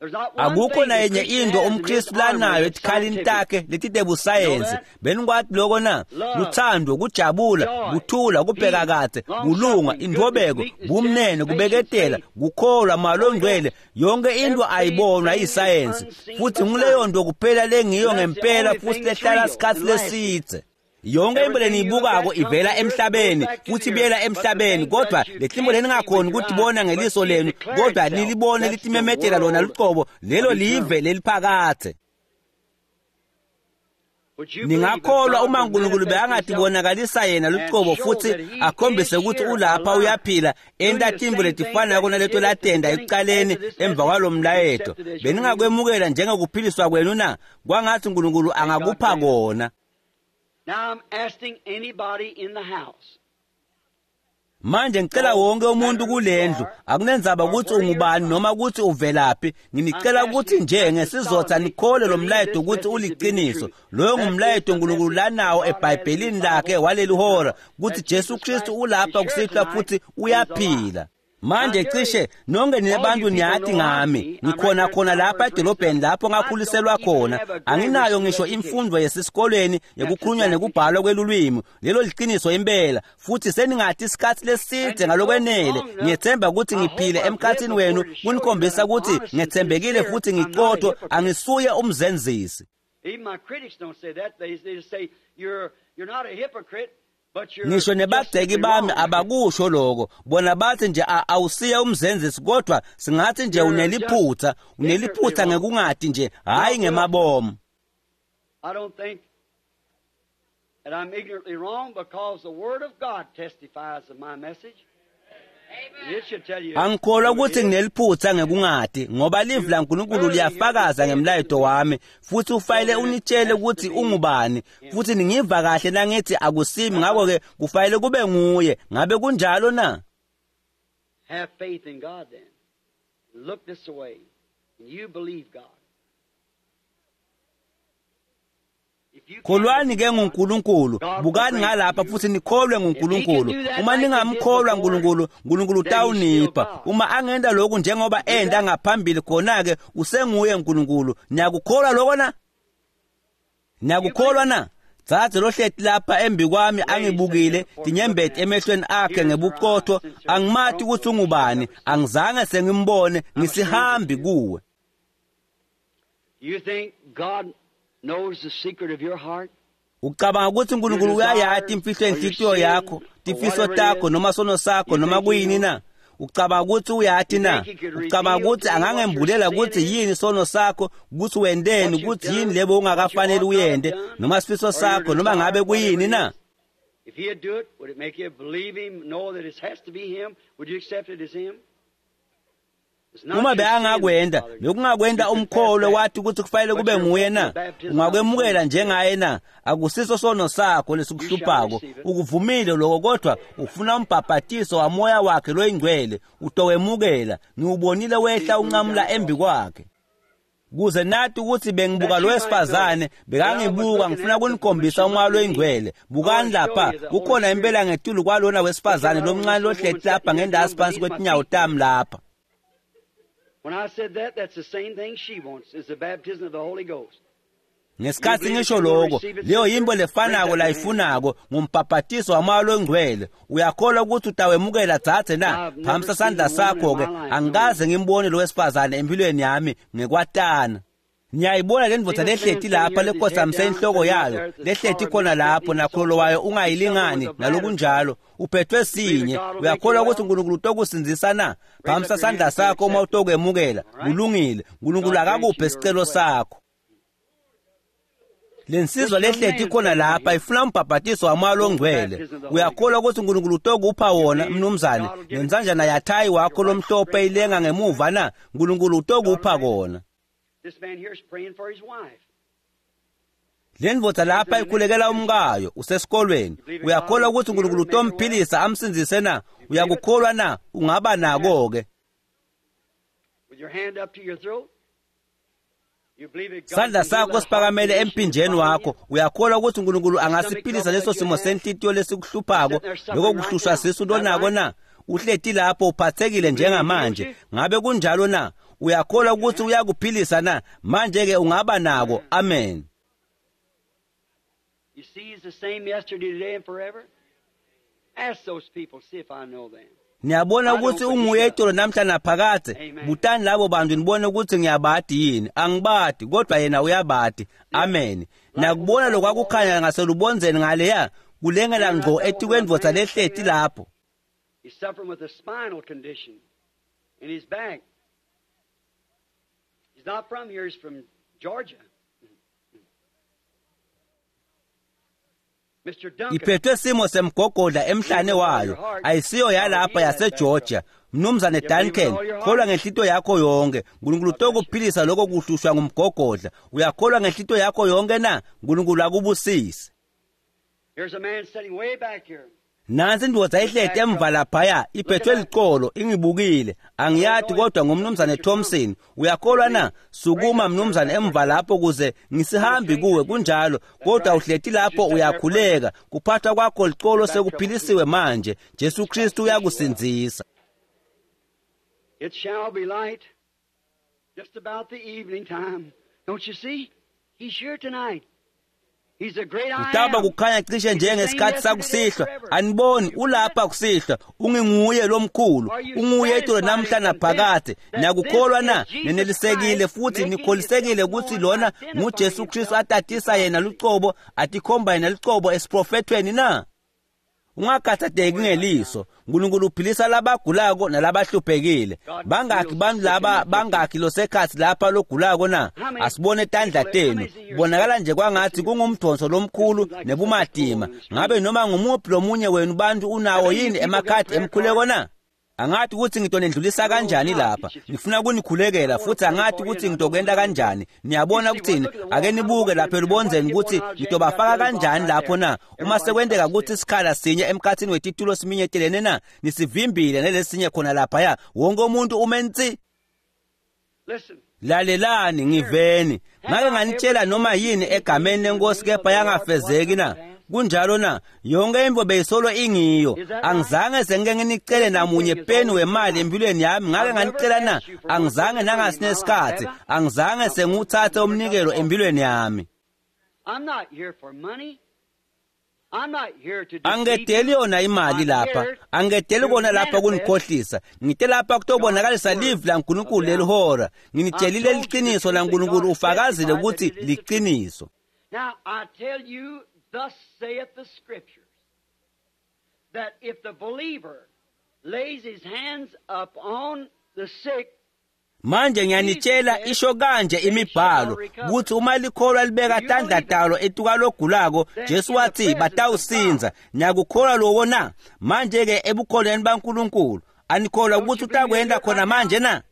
There's not one Akukho thing the nayenye Christian into has in his umKristu armory lanayo that's etikhalini scientific. takhe letitebusayensi. Benikwati loko na? Luthando, kujabula, kuthula, kubheka kahle, kulunga, intobeko, bumnene, kubeketela, kukholwa, malongcwele. Yonke into ayibonwa iyisayensi, futhi nguleyo nto kuphela lengiyo ngempela futhi lehlala isikhathi lesidze. Yonke into leniyibukako ivela emhlabeni futhi ibuyela emhlabeni, kodwa letimbo leningakhoni ukutibona ngeliso lenu, kodwa nilibone litimemetela lona luqobo, lelo live leliphakathe. Would you believe if Ningakholwa God uma would uNkulunkulu manifest himself bekangatibonakalisa yena luqobo futhi akhombise ukuthi ulapha uyaphila, enta timbo letifanako naleto latenda ekucaleni emva kwalo mlayeto, beningakwemukela njengekuphiliswa kwenu na? Kwangathi uNkulunkulu angakupha kona. Now I'm asking anybody in the house. Manje ngicela wonke umuntu kulendlu, akunenzaba ukuthi ungubani noma ukuthi uvelaphi, nginicela ukuthi nje ngesizotha nikhole lo mlayeto ukuthi uliqiniso. Loyo ngumlayeto uNkulunkulu lanawo eBhayibhelini lakhe waleli hora, ukuthi Jesu Kristu ulapha kusihlwa futhi uyaphila. Manje cishe nonke nina bantu niyati ngami, ngikhona khona lapha edolobheni lapho ngakhuliselwa khona. Anginayo ngisho imfundo yesesikolweni yekukhulunywa nekubhalwa kwelulwimi. Lelo liqiniso impela, futhi seningathi isikhathi leside ngalokwenele. Ngiyethemba ukuthi ngiphile emkhathini wenu kunikhombisa ukuthi ngethembekile futhi ngiqotho, angisuye umzenzisi. Even my critics don't say that. They just say you're not a hypocrite. Ngisho nebagceki bami abakusho lokho, bona bathi nje awusiye umzenzisi, kodwa singathi nje uneliphutha, uneliphutha ngekungati nje, hayi ngemabomu. I don't think that I'm ignorantly wrong because the Word of God testifies of my message. Angikholwa ukuthi ngineliphutha ngekungati, ngoba livi laNkulunkulu liyafakaza ngemlayeto wami, futhi ufanele unitshele ukuthi ungubani, futhi ningiva kahle nangithi akusimi, ngakho-ke kufanele kube nguye. Ngabe kunjalo na? Have faith in God then. Look this way and you believe God. Kholwani ke nguNkulunkulu, bukani ngalapha futhi nikholwe nguNkulunkulu. Uma ningamkholwa uNkulunkulu, uNkulunkulu utawunipha. Uma angenda lokhu njengoba enda ngaphambili, khona-ke usenguye uNkulunkulu. Niyakukholwa lokho na? Niyakukholwa na? Dzadze lohleti lapha embi kwami angibukile, tinyembeti emehlweni akhe ngebuqotho, angimati ukuthi ungubani, angizange sengimbone, ngisihambi kuwe. You think God knows the secret of your heart? Ucabanga ukuthi uNkulunkulu uyayati imfihlo yenhlitiyo yakho, tifiso takho noma sono sakho noma kuyini na? Ucabanga ukuthi uyati na? Ucabanga ukuthi angangembulela ukuthi yini sono sakho, ukuthi wendeni, ukuthi yini lebo ungakafanele uyende, noma sifiso sakho noma ngabe kuyini na? If he'd do it, would it make you believe him, know that it has to be him? Would you accept it as him? Uma beangakwenda, bekungakwenda umkholwe wathi ukuthi kufanele kube nguye na? Ungakwemukela njengaye na? Akusiso sono sakho lesikuhluphako, ukuvumile lokho, kodwa ufuna umbhabhatiso wamoya wakhe loyingcwele, utowemukela. Ngiwubonile wehla unqamula embi kwakhe. Kuze nathi ukuthi bengibuka lo wesifazane, bekangibuka, ngifuna kunikhombisa umoya loyingcwele. Bukani lapha, kukhona impela ngetulu kwalona wesifazane lomncane lohleti lapha ngendasi phansi kwetinyawo tami lapha. When I said that, that's the same thing she wants, is the baptism of the Holy Ghost. Ngesikhathi ngisho lokho, leyo yimbo lefanako layifunako ngumbhabhatiso wamoya longcwele. Uyakholwa ukuthi utawemukela dzadze na? Phamisa sandla sakho-ke. Angikaze ngimbone lo wesifazane empilweni yami ngekwatana. Niyayibona le ndvodza lehleti lapha lekhosamise inhloko yayo, lehleti khona lapho nakholo wayo ungayilingani nalokunjalo, uphethwe sinye. Uyakholwa ukuthi uNkulunkulu utokusindzisa na? Phamisa sandla sakho uma utokwemukela. Kulungile, uNkulunkulu akakuphe isicelo sakho. Lensizwa lehleti khona lapha ifuna umbhabhatiso wamoya longcwele. Uyakholwa ukuthi uNkulunkulu utokupha wona, mnumzane? Nensanjana yathayi wakho lomhlophe ilenga ngemuva na? uNkulunkulu utokupha kona. This man here is praying for his wife. Le ndvodza lapha ikhulekela umkayo, usesikolweni. Uyakholwa ukuthi uNkulunkulu utomphilisa amsindzise na? Uyakukholwa na? Ungaba nako-ke. With your hand up to your throat, you believe that God Sandla can heal sakho that siphakamele heart condition emphinjeni that's wakho. bothering you? Uyakholwa ukuthi uNkulunkulu angasiphilisa leso simo senhlitiyo lesikuhluphako, lokho kuhlushwa sisu lonako na? Uhleti lapho uphathekile njengamanje. Ngabe kunjalo na? Uyakholwa ukuthi uyakuphilisa na? Manje-ke ungaba nako. Amen. You see, he's the same yesterday, today, and forever. Ask those people, see if I know them. Niyabona ukuthi unguye itolo namhla naphakadze. Butani labo bantu nibone ukuthi ngiyabadi yini. Angibadi, kodwa yena uyabadi. Amen. Nakubona lokwakukhanya ngaselubonzeni ngaleya, kulengela ngqo etikwendvodza lehleti lapho. He's suffering with a spinal condition in his back. He's not from here, he's from Georgia. Mr. Duncan. Iphethwe simo semgogodla emhlane wayo, ayisiyo yalapha yaseGeorgia. Mnumzane Duncan, kholwa ngenhlito yakho yonke. uNkulunkulu utokuphilisa lokho kuhlushwa ngumgogodla. Uyakholwa ngenhlito yakho yonke na? uNkulunkulu akubusise. Here's a man sitting way back here. Nansi indvodza ihleti emva laphaya, iphethwe licolo, ingibukile. Angiyati kodwa ngumnumzane Thompson. Uyakholwa na? Sukuma mnumzane emva lapho kuze ngisihambi kuwe, kunjalo. Kodwa uhleti lapho uyakhuleka. Kuphathwa kwakho licolo sekuphilisiwe manje. Jesu Kristu uyakusindzisa. It shall be light just about the evening time. Don't you see? He's here tonight. He's a great I Kutawuba am. kukhanya cishe njengesikhathi sakusihlwa. Aniboni ulapha kusihlwa, unginguye lomkhulu, unguye itolo namhla naphakade. Niyakukholwa na? Nenelisekile futhi nikholisekile ukuthi lona nguJesu Kristu atatisa yena lucobo, atikhomba yena lucobo esiprofethweni na? Ungakhathatheki ngeliso. uNkulunkulu uphilisa labagulako nalabahluphekile. Bangakhi bantu laba bangakhi losekhathi lapha logulako na? Asibone tandla tenu. Kubonakala nje kwangathi kungumdonso lomkhulu nebumatima. Ngabe noma ngumuphi lomunye wenu bantu unawo yini emakhadi emkhuleko na? Angathi ukuthi ngitonendlulisa kanjani lapha. Ngifuna kunikhulekela futhi angathi ukuthi ngitokwenta kanjani. Niyabona ukuthini? Ake nibuke lapha elubondzeni ukuthi ngitobafaka kanjani lapho na. Uma sekwenteka ukuthi isikhala sinye emkhathini wetitulo siminyetelene na, nisivimbile nelesinye khona laphaya. Wonke umuntu ume ntsi. Listen. Lalelani ngiveni. Ngake nganitshela noma yini egameni lenkosi kepha yangafezeki na? Kunjalo na? Yonke into beyisolo ingiyo. Angizange sengike nginicele namunye peni wemali empilweni yami. Ngake nganicela na? Angizange nangasinesikhathi. Angizange sengiwuthathe umnikelo empilweni yami. I'm not here for money. I'm not here to deceive Angedeli you. yona imali lapha. Angedeli kona lapha kunikhohlisa. Ngite lapha kutobonakalisa livi laNkulunkulu lelihora. Nginitshelile liqiniso laNkulunkulu ufakazile ukuthi liqiniso. Now I tell you, thus saith the Scriptures, that if the believer lays his hands upon the sick, Manje ngiyanitshela isho kanje imibhalo ukuthi uma likholwa libeka tandla talo etuka logulako Jesu wathi batawusinza. Niyakukholwa lokho na? Manje ke ebukholweni baNkulunkulu anikholwa ukuthi utakwenda khona manje na?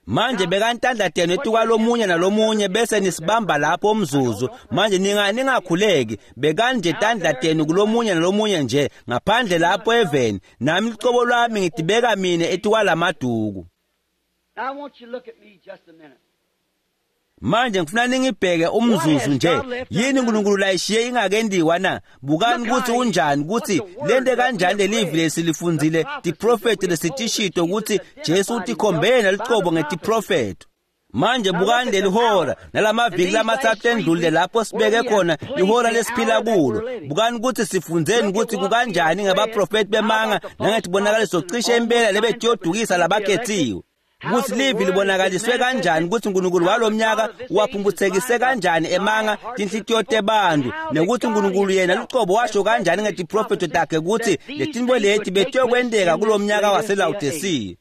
Manje bekani tandla tenu etuka lomunye nalomunye bese nisibamba lapho umzuzu. Manje ningakhuleki, bekani nje tandla tenu kulomunye nalomunye nje ngaphandle lapho eveni. Nami licobo lwami ngidibeka mine etuka lamaduku. Now I want you to look at me just a minute. Manje ngifuna ningibheke umzuzu nje. Yini uNkulunkulu layishiye ingakendiwa na? Bukani ukuthi unjani ukuthi lente kanjani lelivi lesilifundzile tiprofethi lesitishito ukuthi Jesu utikhombe yena lucobo ngetiprofetho. Manje bukani lelihora nalamaviki lamathathu endlulile lapho sibeke khona ihora lesiphila kulo. Bukani ukuthi sifundzeni ukuthi kukanjani ngabaprofethi bemanga nangetibonakaliso cishe impela lebetiyodukisa labakhethiwe. Ukuthi livi libonakaliswe kanjani ukuthi uNkulunkulu walomnyaka uwaphumputhekise kanjani emanga tinhlitiyo tebantu nekuthi uNkulunkulu yena lucobo washo kanjani ngetiprofetho takhe ukuthi letinto leti betiyokwenteka kulomnyaka waseLawodisiya.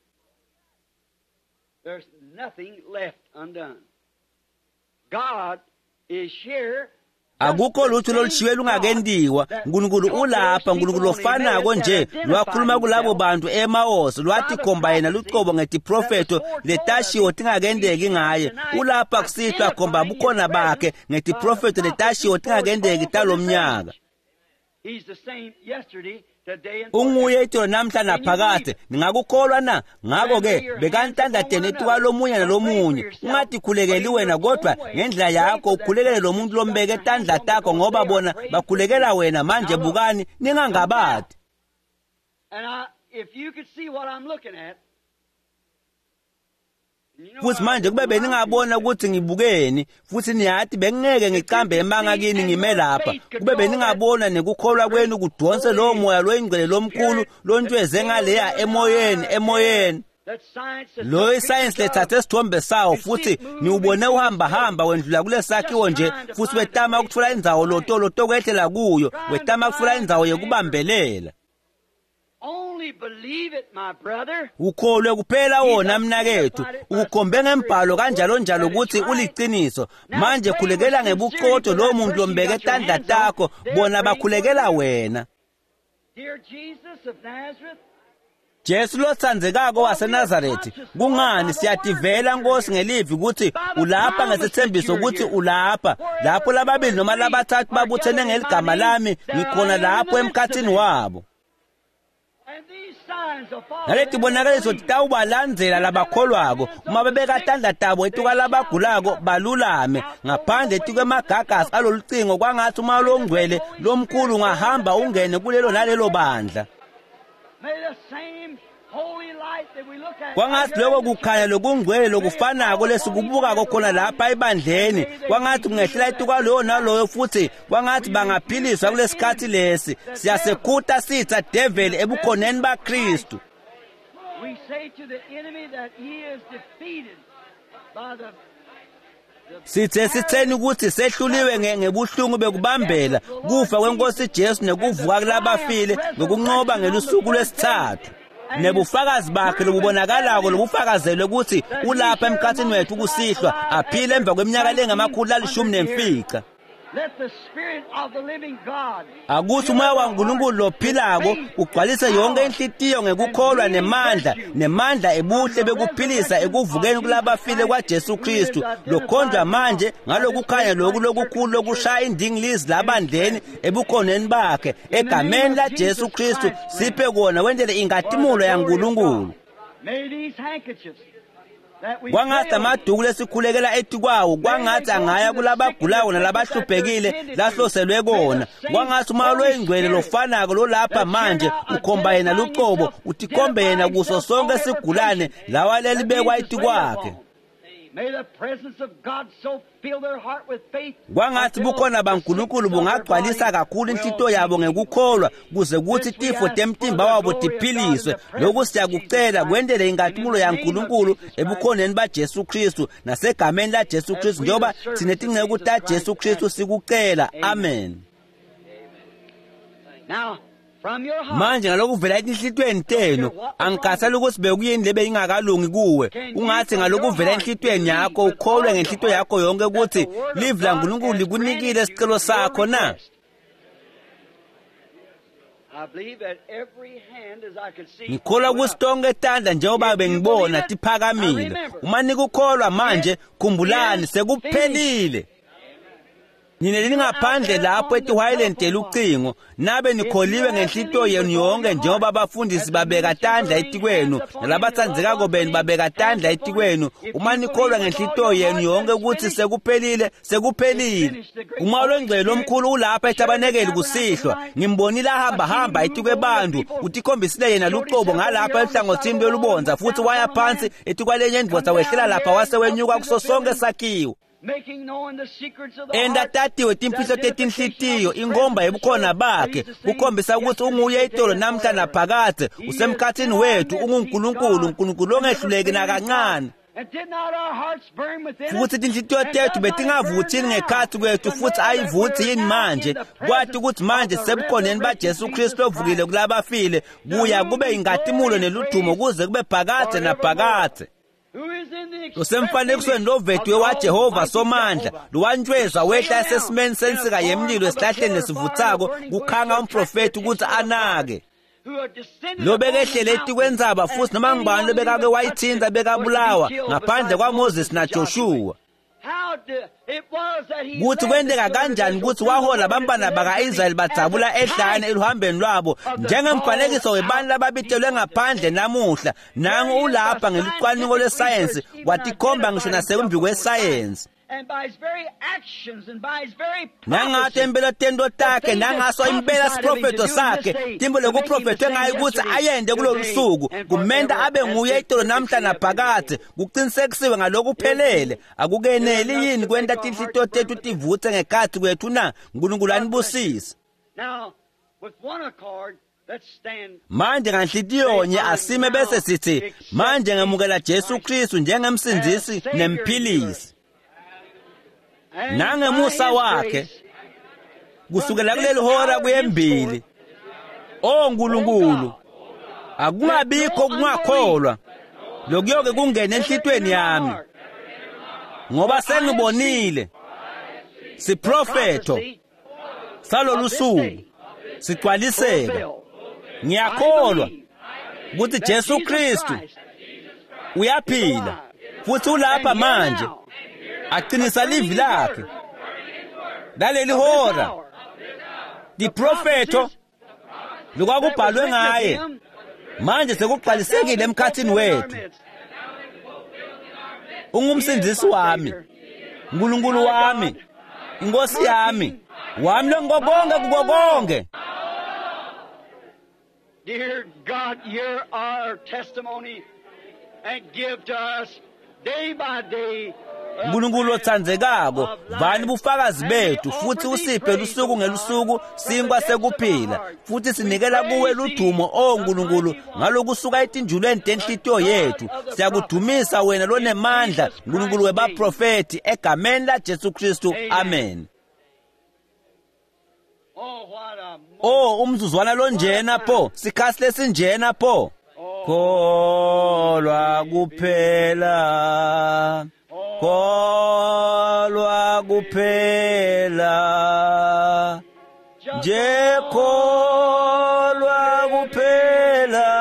There's nothing left undone. God is here. Akukho lutho lolushiwe lungakentiwa. uNkulunkulu ulapha, uNkulunkulu lofanako nje lwakhuluma kulabo bantu eMaosi lwathi khomba yena lucobo ngetiprofetho letashiwo tingakenteki ngaye. Ulapha kusihlwa khomba bukhona bakhe ngetiprofetho letashiwo tingakenteki talomnyaka. He's the same yesterday, today, and Unguye itolo namhla naphakade. Ningakukholwa na? Ngakho ke bekani tandla tenu etuka lomunye nalomunye. Ungatikhulekeli wena kodwa ngendlela yakho ukhulekele lo muntu lombeke tandla takho ngoba bona bakhulekela wena. Manje bukani ningangabadi. And if you could see what I'm looking at, you know Futhi I manje kube wouldn't lie to you. beningabona ukuthi ngibukeni futhi niyathi bengingeke ngicambe emanga kini ngime lapha. Kube beningabona nekukholwa kwenu kudonse lowo moya loyingcwele lomkhulu lontweze ngaleya emoyeni emoyeni. That science has Lo isayensi lethathe isithombe sawo futhi niwubone uhamba hamba wendlula kulesakhiwo nje futhi wetama ukuthola indzawo lotolo tokwehlela kuyo, wetama ukuthola indzawo yekubambelela. Only believe it, my brother. Ukholwe kuphela wona mnakethu, ukukhombe ngembhalo kanjalo njalo ukuthi uliqiniso. Manje khulekela ngebuqotho lo muntu lombeke tandla takho, bona bakhulekela wena. Dear Jesus of Nazareth, Jesu lotsandzekako waseNazaretha, kungani siyativela Nkosi ngelivi ukuthi ulapha ngesithembiso ukuthi ulapha. Lapho lababili noma labathathu babuthene ngeligama lami, ngikhona lapho emkhathini wabo. and these signs will follow Naleti them that bonakaliso believe. titawubalandzela labakholwako uma bebeka tandla tabo etuka labagulako balulame ngaphandle etukwemagagasi alolucingo kwangathi uma longcwele lomkhulu ungahamba ungene kulelo nalelo bandla. Kwangathi lokho kukhanya lokungcwele lokufanako lesikubukako khona lapha ebandleni, kwangathi kungehlela etukwaloyo naloyo, futhi kwangathi bangaphiliswa kulesikhathi lesi. Siyasekhuta sitha develi ebukhoneni baKristu. Sithe sitheni ukuthi sehluliwe ngebuhlungu bekubambela kufa kwenkosi Jesu nekuvuka kulabafile ngokunqoba ngelusuku lwesithathu. Nebufakazi bakhe lobubonakalako lobufakazelwe ukuthi ulapha emkhathini wethu kusihlwa, aphile emva kweminyaka lengama-115. Akuthi umoya waNkulunkulu lophilako ugcwalise yonke inhlitiyo ngekukholwa nemandla, nemandla ebuhle bekuphilisa ekuvukeni kulabafile kwaJesu Kristu, lokhonjwa manje ngalokukhanya loku lokukhulu lokushaya indingilizi labandleni ebukhoneni bakhe. Egameni laJesu Kristu siphe kona, wendele ingatimulo yaNkulunkulu. Kwangathi amaduku lesikhulekela etikwawo, kwangathi angaya kulabagulayo nalabahluphekile lahloselwe kona. Kwangathi umoya loyingcwele lofanako lolapha manje ukhomba yena lucobo, utikhombe yena kuso sonke sigulane lawa lelibekwa etikwakhe. Kwangathi bukhona baNkulunkulu bungagcwalisa kakhulu inhlito yabo ngekukholwa kuze kuthi tifo temtimba wabo tiphiliswe. Lokhu siyakucela kwendele ingatimulo yaNkulunkulu ebukhoneni baJesu Kristu nasegameni laJesu Kristu, njengoba thine tinceku taJesu Kristu sikucela. Amen. Manje ngalokuvela etinhlitweni tenu, angikhathali ukuthi bekuyini lebe ingakalungi kuwe. Ungathi ngalokuvela enhlitweni yakho ukholwe ngenhlito yakho yonke ukuthi livi laNkulunkulu likunikile isicelo sakho na? Ngikholwa ukuthi tonke tandla njengoba bengibona tiphakamile. Uma nikukholwa manje, khumbulani sekuphelile. Nina ningaphandle lapho etihwayileni telucingo, nabe nikholiwe ngenhlito yenu yonke njengoba abafundisi babeka tandla etikwenu nalabatsandzekako benu babeka tandla etikwenu. Uma nikholwa ngenhlito yenu yonke ukuthi sekuphelile, sekuphelile. Umoya longcwele omkhulu ulapha etabanekeli kusihlwa. Ngimbonile ahamba hamba etikwebantu, utikhombisile yena lucobo ngalapha eluhlangothini lwelubondza, futhi waya phansi etikwalenye indvodza, wehlela lapha wase wenyuka kuso sonke sakhiwo. Enda tatiwe timfihlo tetinhlitiyo, ingomba yebukhona bakhe kukhombisa ukuthi unguye itolo namhla naphakadze, usemkhathini wethu, unguNkulunkulu, uNkulunkulu ongehluleki nakancane. Futhi tinhlitiyo tethu betingavuthini ngekhathi kwethu, futhi ayivuthi yini manje kwathi ukuthi manje sebukhoneni baJesu Kristu ovukile kulabafile, kuya kube ingatimulo neludumo kuze kube phakadze naphakadze. Usemfanekisweni lovetiwe waJehova Somandla, lowantshwezwa wehla esesimeni sensika yemlilo esihlahleni lesivuthako, kukhanga umprofethi ukuthi anake. Lobekehlele etikwentsaba, futhi noma ngubani lobekake wayithinta bekabulawa ngaphandle kwaMoses naJoshua. Kuthi kwenteka kanjani ukuthi wahola abantwana baka-Israyeli badzabula ehlane eluhambeni lwabo njengemfanekiso webantu lababitelwe ngaphandle namuhla. Nangu ulapha ngelucwaningo lwesayensi, watikhomba ngisho nasembi kwesayensi. Nangathi impela tento takhe, nangaso impela siprofeto sakhe, timbo lokuprofethwe ngayo ukuthi ayende kulolu suku, kumenta abe nguye itolo namhla naphakadze, kuqinisekisiwe ngalokuphelele. Akukeneli yini kwenta tinhlitiyo tethu tivutse ngekhathi kwethu na? Nkulunkulu anibusise. Manje nganhlitiyonye asime bese sithi manje ngemukela Jesu Kristu njengemsindzisi nemphilisi. Nangemusa wakhe kusukela kuleli hora kuyembili, o Nkulunkulu, akungabikho kungakholwa lokuyoke kungene enhlitweni yami, ngoba sengibonile siprofetho salolu suku sigcwaliseka. Ngiyakholwa ukuthi Jesu Kristu uyaphila futhi ulapha manje aqinisa livi lakhe laleli hora. Diprofetho lokwakubhalwe ngaye manje sekugcwalisekile emkhathini wethu. Ungumsindisi wami, uNkulunkulu wami, inkosi yami, wami longokonke kuko konke. Dear God, hear our testimony and give to us day by day. Nkulunkulu otsandzekako, vani bufakazi bethu futhi usiphe lusuku ngelusuku sinkwa sekuphila, futhi sinikela kuwe ludumo, o Nkulunkulu, ngalokusuka etinjulweni tenhlitiyo yethu. Siyakudumisa wena lonemandla, Nkulunkulu webaprofethi, egameni laJesu Kristu, amen. Oh, umzuzwana lonjena pho, sikhathi lesinjena pho. Kholwa kuphela, kholwa kuphela, nje kholwa kuphela,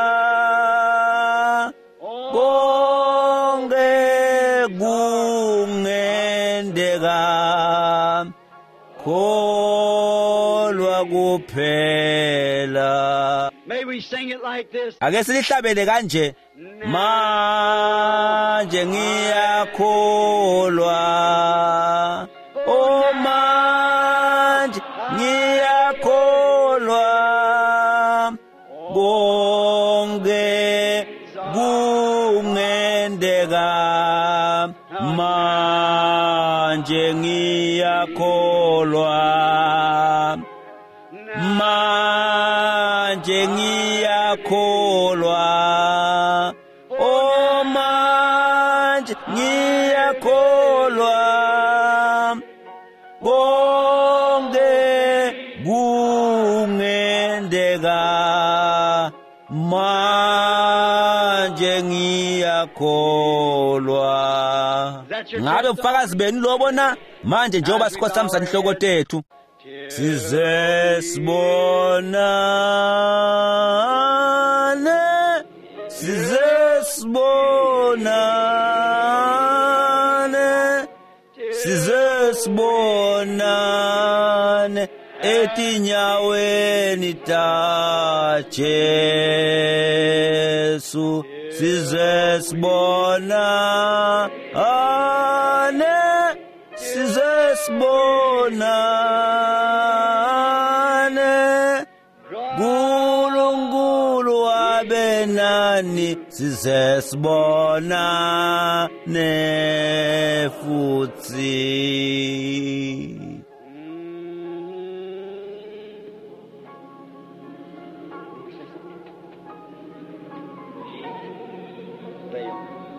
konke kungenteka, kholwa kuphela. May we sing it like this. Ake silihlabele kanje. Manje ngiyakholwa, oh manje ngiyakholwa, konke kungenteka, manje ngiyakholwa, manje ngiyakholwa, oh manje ngiyakholwa, konke kungenteka, manje ngiyakholwa. Ngabe ubufakazi benu lobo na? Manje njengoba sikhothamisa inhloko tethu, size sibonane, size sibonane, size sibonane etinyaweni ta Jesu, size sibonane, size sibonane, Nkulunkulu abe nani, size sibonane futsi.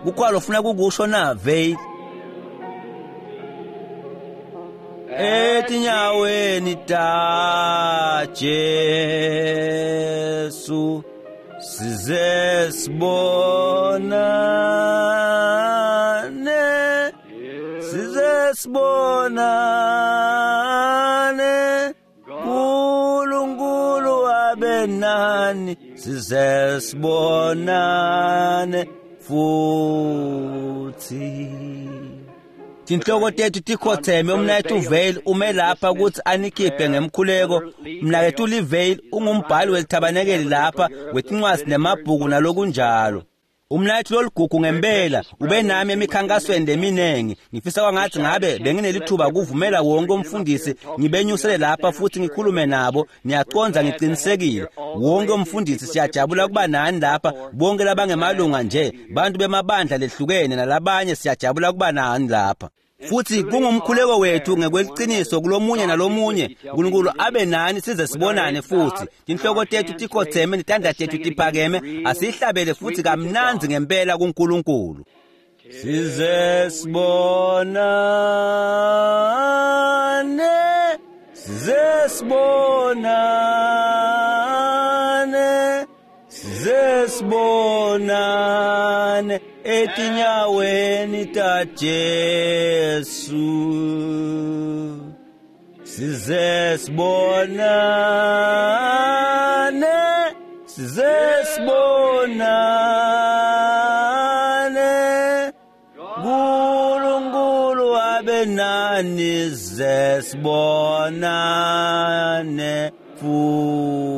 Kukhona ufuna kukusho na Veil? Etinyaweni ta Jesu, size sibonane, size sibonane, Nkulunkulu abe nani, size sibonane futsi. Tinhloko tethu tikhotheme. Umnaketfu Veil ume lapha ukuthi anikhiphe ngemkhuleko. Mnaketfu Lee ungumbhali welithabanekeli lapha wetincwadzi nemabhuku nalokunjalo. Umnaketfu loligugu ngempela ube nami emikhankasweni leminengi. Ngifisa kwangathi ngabe benginelithuba kuvumela wonke umfundisi ngibenyusele lapha futhi ngikhulume nabo. Niyacondza, ngiqinisekile wonke umfundisi siyajabula kuba nani lapha, bonke labangemalunga nje, bantu bemabandla lehlukene nalabanye, siyajabula kuba nani lapha. Futhi kungumkhuleko wethu ngekweliciniso kulomunye nalomunye, Nkulunkulu abe nani size sibonane futhi. Tinhloko tethu tikhotheme, netandla tethu tiphakeme, asihlabele futhi kamnandzi ngempela kuNkulunkulu. Size sibonane, size sibonane, size sibonane etinyaweni ta Jesu, size sibonane, size sibonane, Nkulunkulu abe nani, size sibonane futsi.